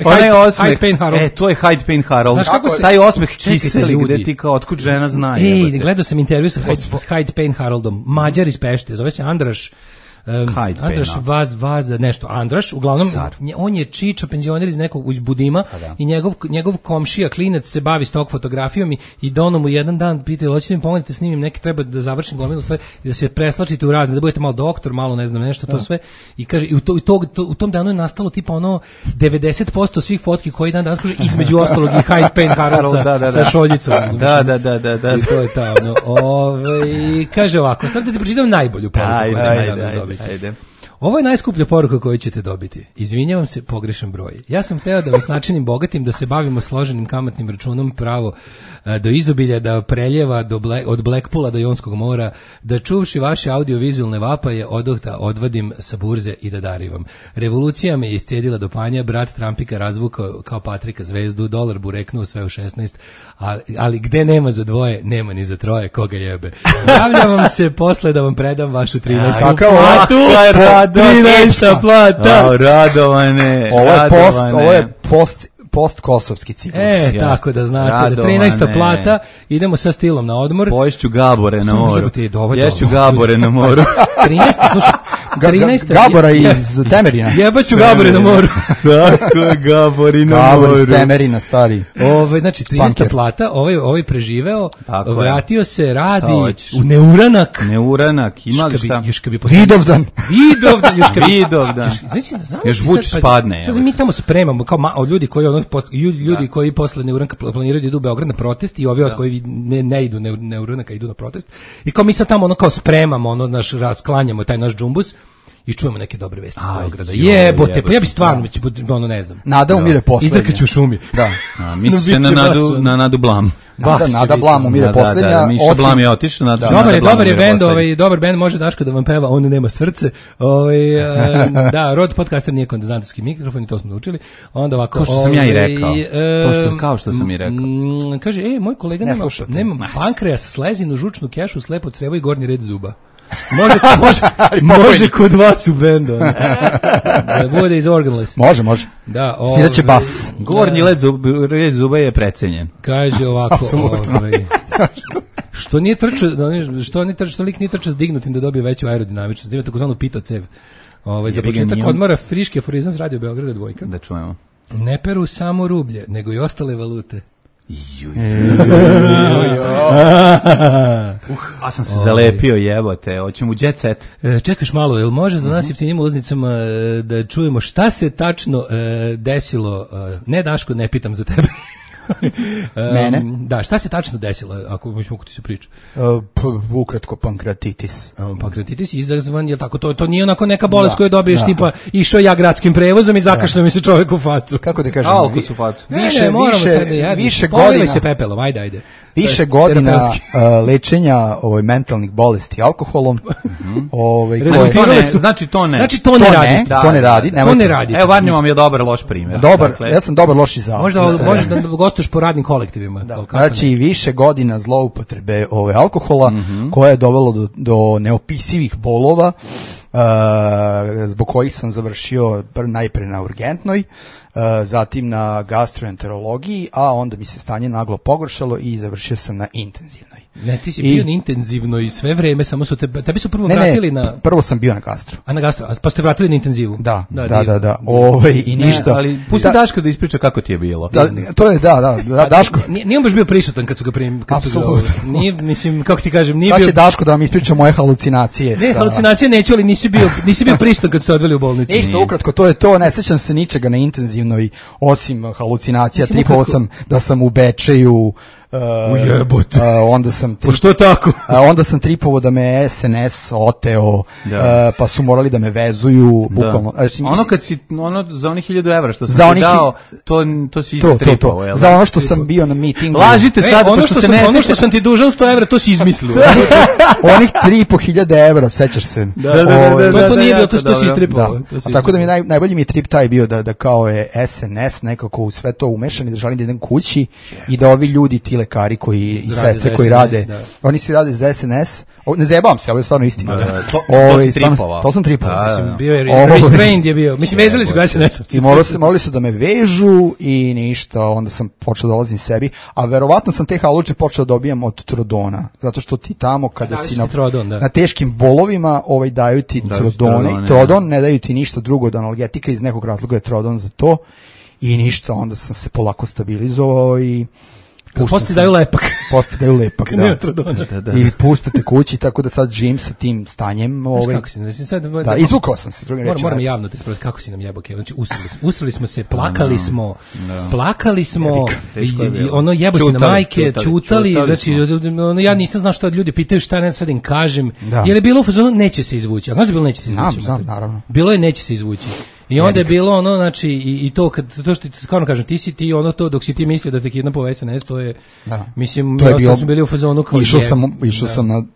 Onaj osmeh. Hyde Payne Harold. To je Hyde Payne Harold. Znaš kako se taj osmeh kiseli gde ti kao otkud žena zna. Gledao sam intervju sa Hyde Payne Haroldom, Mađar iz Pešte, zove se Andraš Vaza, nešto, Andraš, uglavnom, on je čičo penzioner iz nekog iz Budima i njegov komšija, klinac, se bavi stok fotografijom i dono mu jedan dan pitaju, hoćete mi pomognite snimim neki, treba da završim gomilu sve i da se preslačite u razne, da budete malo doktor, malo ne znam nešto, to sve. I kaže, i u tom danu je nastalo tipa ono 90% svih fotki koji dan danas kaže, između ostalog i Hyde Payne Harold sa šoljicom. Da. I to je ta, kaže ovako, sad da ti pročitam najbolju poruku. Ajde. Ovo je najskuplja poruka koju ćete dobiti. Izvinjavam se, pogrešan broj. Ja sam hteo da vas načinim bogatim, da se bavimo složenim kamatnim računom pravo do izobilja, da preljeva od Blackpoola do Jonskog mora, da čuvši vaše audiovizualne vapaje odohta odvadim sa burze i da darivam. Revolucija me iscijedila do panja, brat Trumpika razvukao kao Patrika zvezdu, dolar bureknuo sve u 16, ali gde nema za dvoje, nema ni za troje, koga jebe. Javljam vam se posle da vam predam vašu 13. platu. 13. plata. Radovane. Ovo je post-kosovski ciklus. Tako da znate, da 13. plata, idemo sa stilom na odmor. Poješću Gabore na moru. Ješću Gabore na moru. 13. slušaj. 13. Gabora iz Temerina. Jebaću Gabore na moru. Tako je, Gabori na moru. Gabor iz Temerina, stari. Znači, 13. plata, ovaj preživeo, vratio se, radi u Neuranak. Ima li šta? Vidovdan. Još Vuč spadne. Sad mi tamo spremamo, kao ljudi koji posle Neuranka planiraju da idu u Beograd na protest i ovi koji ne idu Neuranaka, idu na protest. I kao mi sad tamo kao spremamo, rasklanjamo taj naš džumbus i čujemo neke dobre vesti iz Beograda. Jebote, pa ja bi stvarno, ne znam. Nada umire poslednja. Izdrkaću u šumi. Da. Misli se na Nadu Blam. Nada Blam umire poslednja. Miša Blam je otišao. Dobar je bend, dobar bend, može Daško da vam peva, on nema srce. Da, Rod podcaster nije kondenzatorski mikrofon i to smo naučili. Onda ovako. Kao što sam ja i rekao. Kao što sam i rekao. Kaže, moj kolega nema pankreas, slezinu, žučnu kešu, slepo crevo i gornji red zuba. Može kod vas u bendu. Da bude iz Organless. Može. Da, sviraće bas. Gornji red zuba je precenjen. Kaže ovako. Što lik nije trčao s dignutim da dobije veću aerodinamičnost. Ima takozvanu pito cev. Za početak odmora friški aforizam s Radio Beograda dvojka. Da čujemo. Ne peru samo rublje, nego i ostale valute. A sam se zalepio, jebote, hoćemo u jet set. Čekaš malo, jel može za nas jeftinim ulaznicama da čujemo šta se tačno desilo? Ne, Daško, ne pitam za tebe. Mene? Da, šta se tačno desilo, ako ti se priča? Ukratko, pankreatitis. Pankreatitis je izazvan, je tako, to nije onako neka bolest koju dobiješ, tipa išao ja gradskim prevozom i zakašljao mi se čovjek u facu. Kako da kažem? Alko u facu. Više godina. Se pepelom, ajde. Više godina lečenja mentalnih bolesti alkoholom. Znači to ne. Znači to ne radi. To ne radi. Evo, Varnjo vam je dobar loš primjer. Ja sam dobar loš izao. Možda da gostuješ po radnim kolektivima. Znači više godina zloupotrebe alkohola koja je dovelo do neopisivih bolova, zbog kojih sam završio najpre na urgentnoj, zatim na gastroenterologiji, a onda mi se stanje naglo pogoršalo i završio sam na intenzivnoj. Ne, ti si bio intenzivno i sve vreme, samo su tebi su prvo vratili na... prvo sam bio na gastru. A na gastru, pa ste vratili na intenzivu? Da. I ništa. Ali pusti Daško da ispriča kako ti je bilo. To je, Daško. Nije on baš bio prisutan kad su ga apsolutno. Nije, mislim, kako ti kažem, nije bio... Sad će Daško da vam ispriča moje halucinacije. Ne, halucinacije neću, ali nisi bio prisutan kad ste odveli u bolnicu. Ništa, ukratko, to je to, ne sećam se ničega na intenzivnoj, osim halucinacija, tripovao sam da sam u Bečeju, ujebote. Onda sam što tako? Onda sam tripovao da me SNS oteo, pa su morali da me vezuju, bukvalno. Ono kad si za onih 1000 evra što sam ti dao, to si isto tripovao. Za ono što sam bio na mitingu. Lažite sad, ono što sam ti dužan 100 evra, to si izmislio. Onih 3.500 evra, sećaš se. To nije bilo, to si istripovao. Tako da mi najbolji mi trip taj bio da kao je SNS nekako u sve to umešan i da želim da idem kući i da ovi ljudi ti lekari koji i sestre koji rade, oni svi rade za SNS. Ne zajebavam se, ovo je stvarno istina. To sam tripovao. Mislim, bio je restrained je bio. Mislim, vezali su ga SNS-ovci. I morali su da me vežu i ništa, onda sam počeo da dolazim sebi, a verovatno sam te haluče počeo dobijam od Trodona, zato što ti tamo kada si na teškim bolovima daju ti Trodone i Trodon ne daju ti ništa drugo od analgetika, iz nekog razloga je Trodon za to i ništa, onda sam se polako stabilizovao i Posti daju lepak. Da. I pustate kući, tako da sad živim sa tim stanjem. Kako si, sad, izvukao sam se, drugim rečima. Moram javno te sprositi, kako si nam jebao, znači usrali smo se, plakali smo, i ono jebo si na majke, čutali, znači ja nisam znao što ljudi pitaju šta ne sad im kažem, jer je bilo u fazonu neće se izvući, a znaš da je bilo neće se izvući? Znam, naravno. Bilo je neće se izvući. I onda je bilo ono, znači, i to što ti stvarno kažem, ti ono to, dok si ti mislio da te kidnapao SNS, to je, mislim, mi smo bili u fazonu kao išao sam na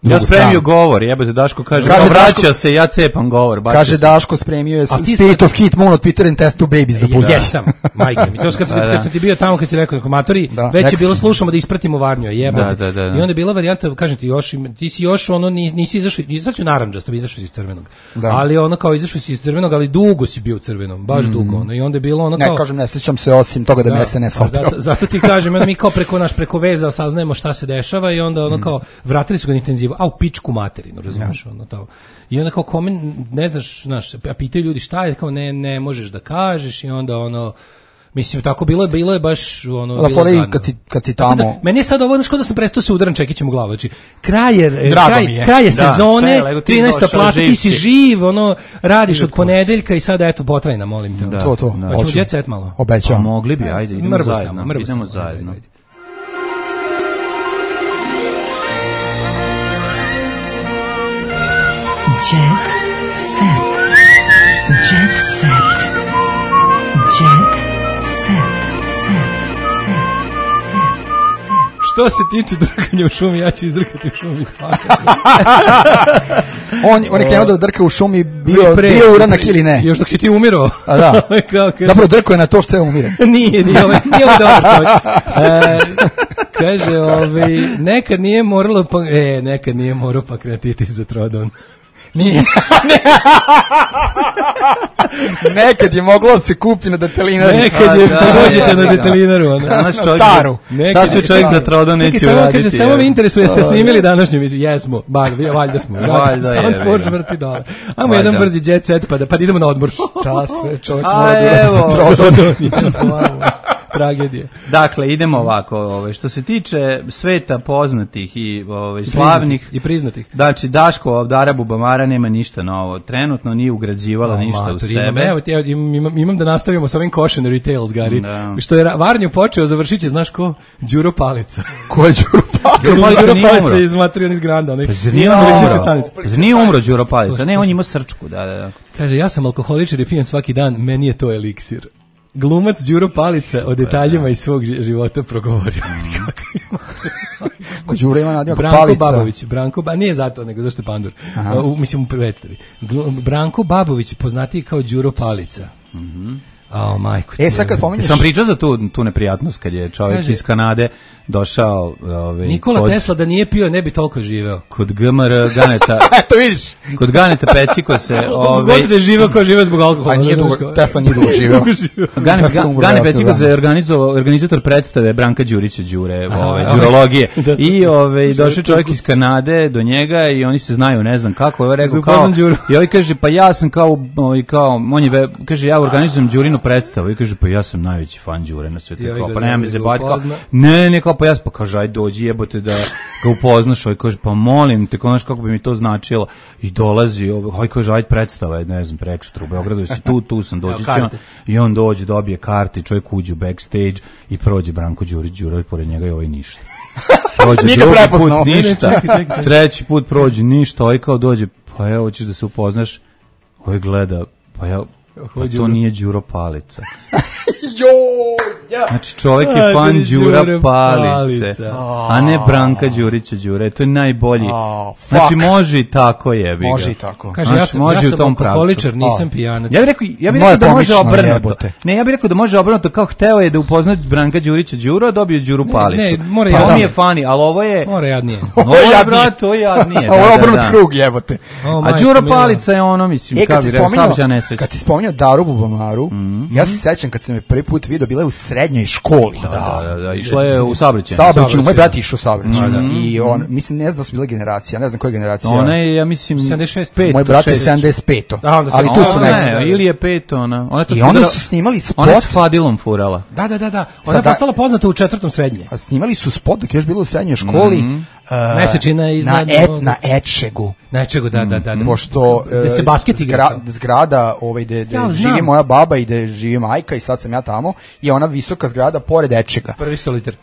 drugu ja spremio govor, jebate, Daško kaže vraća se, ja cepam govor. Kaže Daško, spremio je Spirit of Heat Moon od Peter and Test to Babies da pusti. Jesam, majke mi. To kad sam ti bio tamo, kad si rekao komatori, već je bilo slušamo da ispratimo Varnju, jebate. I onda je bila varijanta, kažem ti, ti si još ono, nisi izašao narandžasto, izašao iz crvenog. Ali ono kao izašao si iz crvenog, ali dugo si bio crvenom, baš dugo, ono, i onda je bilo ono kao... Ne, kažem, ne sjećam se osim toga da me SNS oteo. Zato ti kažem, mi kao preko veza saznajemo šta se dešava i onda ono kao, vratili su ga na intenzivu, a u pičku materinu, razumiješ, ono to. I onda kao kome, ne znaš, a pitaju ljudi šta je, kao ne možeš da kažeš i onda ono... Mislim, tako bilo je baš ono... Da, fore kad si tamo... Da, meni je sad ovo, znaš, kao da sam prestao se udaram čekićem u glavu, znači, kraj je sezone, 13. plata, ti si živ, ono, radiš od ponedeljka i sada, eto, potrajna, molim te. To. Hoćemo jet set malo. Obećam. Mogli bi, ajde, idemo zajedno. Jet set. Jet set. Jet set. Što se tiče drkanja u šumi, ja ću izdrkati u šumi svakako. On je krenuo da drka u šumi, bio uranak ili ne? Još dok si ti umirao. A da. Zapravo drko je na to što je umire. Nije ovo dobar čovjek. Kaže, nekad nije moralo pankreatitis za Trodon. Nije. Nekad je moglo se kupi na detelinaru. Nekad je dođete na detelinaru. Staru. Šta sve čovjek za Trodon neće uraditi? Kaže, samo me interesuje, jeste snimili današnju emisiju? Jesmo, valjda smo. Soundforge vrti dole. Ajmo jedan brzi jet set pa da idemo na odmor. Šta sve čovjek mora da uradi za Trodon? Tragedije. Dakle, idemo ovako, što se tiče sveta poznatih i slavnih i priznatih. Znači, Daško od Arabu Bamara nema ništa novo. Trenutno nije ugrađivala ništa u sebe. Evo, imam da nastavimo sa ovim cautionary tales, Gari. Što je Varnju počeo, završit će, znaš ko? Đuro Palica. Ko je Đuro Palica? Đuro Palica iz Materion iz Granda. Zar nije umro Đuro Palica? Ne, on ima srčku, da. Kaže, ja sam alkoholičar i pijem svaki dan, meni je to eliksir. Glumac Đuro Palica o detaljima iz svog života progovorio. Ko Đuro ima nadimak Palica? Nije zato, nego zašto je pandur. Mislim u predstavi. Branko Babović, poznatiji kao Đuro Palica. majko. Sad kad pominješ... Sam pričao za tu neprijatnost kad je čovjek iz Kanade došao... Nikola Tesla da nije pio ne bi toliko živeo. Kod GMR Ganeta... To vidiš. Kod Ganeta Peciko se... God da je živeo kao živeo zbog alkohola. Tesla nije dugo živeo. Gane Peciko se organizator predstave Branka Đurića Đure, đurologije. I došao čovjek iz Kanade do njega i oni se znaju, ne znam kako, je rekao kao... I ovaj kaže, pa ja sam kao on je, kaže, ja organizujem Đurinu predstavu. I kaže, pa ja sam najveći fan Đure na svetu. Pa nema me zebati. Ne, kao, pa ja pa kaže, aj dođi, jebote da ga upoznaš. Ovaj kaže, pa molim te, konaš kako bi mi to značilo. I dolazi, ovaj kaže, aj predstava, ne znam, prekstra u Beogradu, si tu sam, dođi će on. I on dođe, dobije karte, čovjek uđe u backstage i prođe Branko Đurić Đure, pored njega i ovaj ništa. Prođe drugi put ništa, treći put prođe ništa, ovaj kao dođe, pa evo, hoćeš da se upoznaš, ovaj gleda, pa ja, pa to nije Đuro Palica. Znači čovjek je fan Đura Palice, a ne Branka Đurića Đure, to je najbolji. Znači može i tako jebi ga. Može i tako. Kaže, ja sam alkoholičar, nisam pijanac. Ja bih rekao da može obrnuto. Ne, ja bih rekao da može obrnuto, kao hteo je da upozna Branka Đurića Đura, dobio Đuru Palicu. Ne, mora jadnije. Pa on je fani, ali ovo je... Mora jadnije. Ovo je, brat, to je jadnije. Ovo je obrnut krug, jebote. A Đura Palica je ono, mislim, kao bi rekao, saobraćajna nesreća. Kad si spominjao Daru Bubamaru, ja se sećam kad sam je prvi put vidio, bila je u srednjoj školi. Da, išla je u saobraćaj. Moj brat išao u saobraćaj. I on, mislim, ne znam da su bile generacije, ne znam koja je generacija. Ona je, ja mislim, 75. Moj brat je 75. Ali tu su ne, ili je 5 ona. I onda su snimali spot. Ona je s Fadilom furala. Da. Ona je postala poznata u 4. srednje. A snimali su spot dok je još bilo u srednjoj školi. Mesečina iznad... Na Ečegu. Na Ečegu, da. Pošto gde se basket igra. Zgrada gde živi moja baba i gde živi majka i sad sam ja tamo, je ona visoka zgrada pored Ečega. Prvi solitar,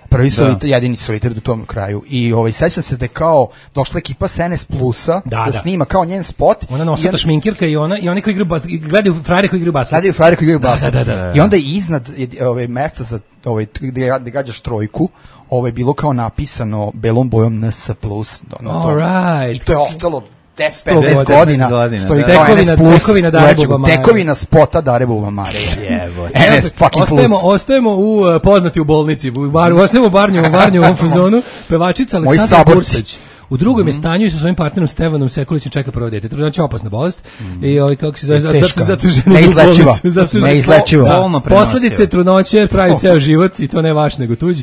jedini solitar do tom kraju. I sećam se da je kao došla ekipa SNS Plusa da snima kao njen spot. Ona nosata šminkirka i oni koji gledaju frajere koji igraju basket. I onda je iznad mesta za gde gađaš trojku, ovo je bilo kao napisano belom bojom NS+. I to je ostalo 10-15 godina. Stoji kao NS+. Tekovina spota Dare Bubamare. NS fucking plus. Ostajemo u poznati u bolnici. Ostajemo u Barnjevom fazonu. Pevačica Aleksandra Bursić u drugom je stanju i sa svojim partnerom Stevanom Sekulićem čeka prvo dete. Trudnoća je opasna bolest i kako se zove, zato žena neizlečiva. Posledice trudnoće pravi ceo život i to ne vaš nego tuđ.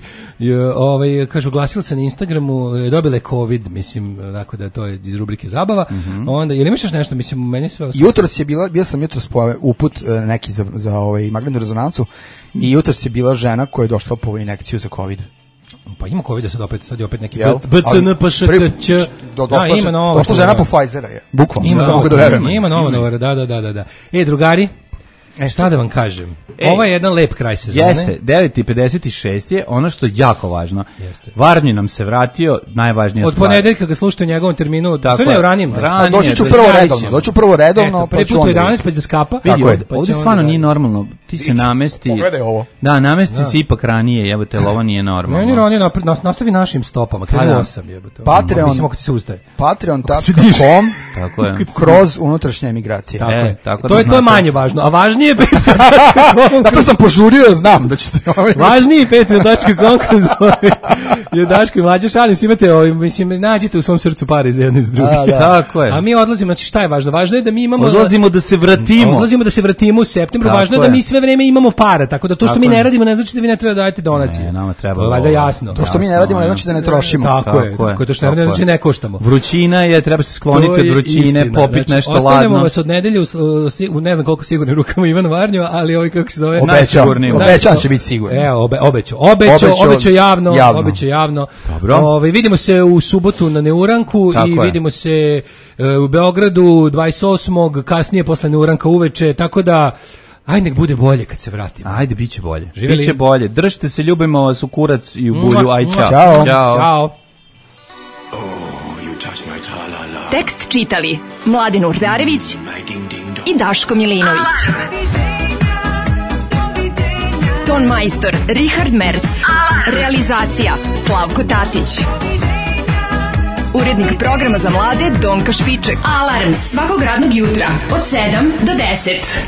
Kažu, oglasila se na Instagramu, dobila je COVID, mislim, tako da to je iz rubrike zabava. Onda, jel imaš još nešto, mislim, meni sve... Jutros je bio sam uput neki za magnetnu rezonancu i jutros je bila žena koja je došla po injekciju za COVID. Pa ima COVID sad je opet neki BCNPŠKČ. Došla žena po Pfizera je. Bukvalno. Ima novo, da. Drugari, šta da vam kažem? Ovo je jedan lep kraj sezone. Jeste, 9:56 je ono što je jako važno. Varnji nam se vratio, najvažnija stvar. Od ponedeljka ga slušate u njegovom terminu, to ne u ranijem. Doći ću prvo redovno. Prvi put u 11 pa će da skapa. Ovdje stvarno nije normalno. Ti se namesti. Pogledaj ovo. Da, namesti se ipak ranije, jebote, ovo nije normalno. Meni ranije nastavi našim stopama, krenu 8, jebote. Patreon.com kroz unutrašnje emigracije. To je manje važno, a važnije zato sam požurio, znam da ćete... Važniji Patreon.com je Daško i Mlađa, šalim se, imate, mislim, nađite u svom srcu pare iz jedne iz druge. Tako je. A mi odlazimo, znači šta je važno? Važno je da mi imamo... Odlazimo da se vratimo u septembru, važno je da mi sve vreme imamo para, tako da to što mi ne radimo ne znači da vi ne treba da dajete donacije. Ne, nama treba. To je valjda jasno. To što mi ne radimo ne znači da ne trošimo. Tako je, to što ne radimo ne znači ne koštamo. Vrućina je, treba se skloniti od vrućine, popiti nešto ladno. Ostavljamo vas od nedelje u ne znam koliko sigurnim rukama Ivan Varnjo, ali kako se zove? Obećan će biti sigurno. Evo, obećao javno. Vidimo se u subotu na Neuranku i vidimo se u Beogradu 28. kasnije posle Neuranka uveče, tako da ajde nek bude bolje kad se vratimo. Ajde, biće bolje. Biće bolje. Držite se, ljubimo vas u kurac i u bulju. Aj, čao. Ćao. Tekst čitali Mladen Urdarević i Daško Milinović. Ton majstor Richard Merc. Realizacija Slavko Tatić. Urednik programa za mlade Donka Špiček. Alarms svakog radnog jutra od 7 do 10.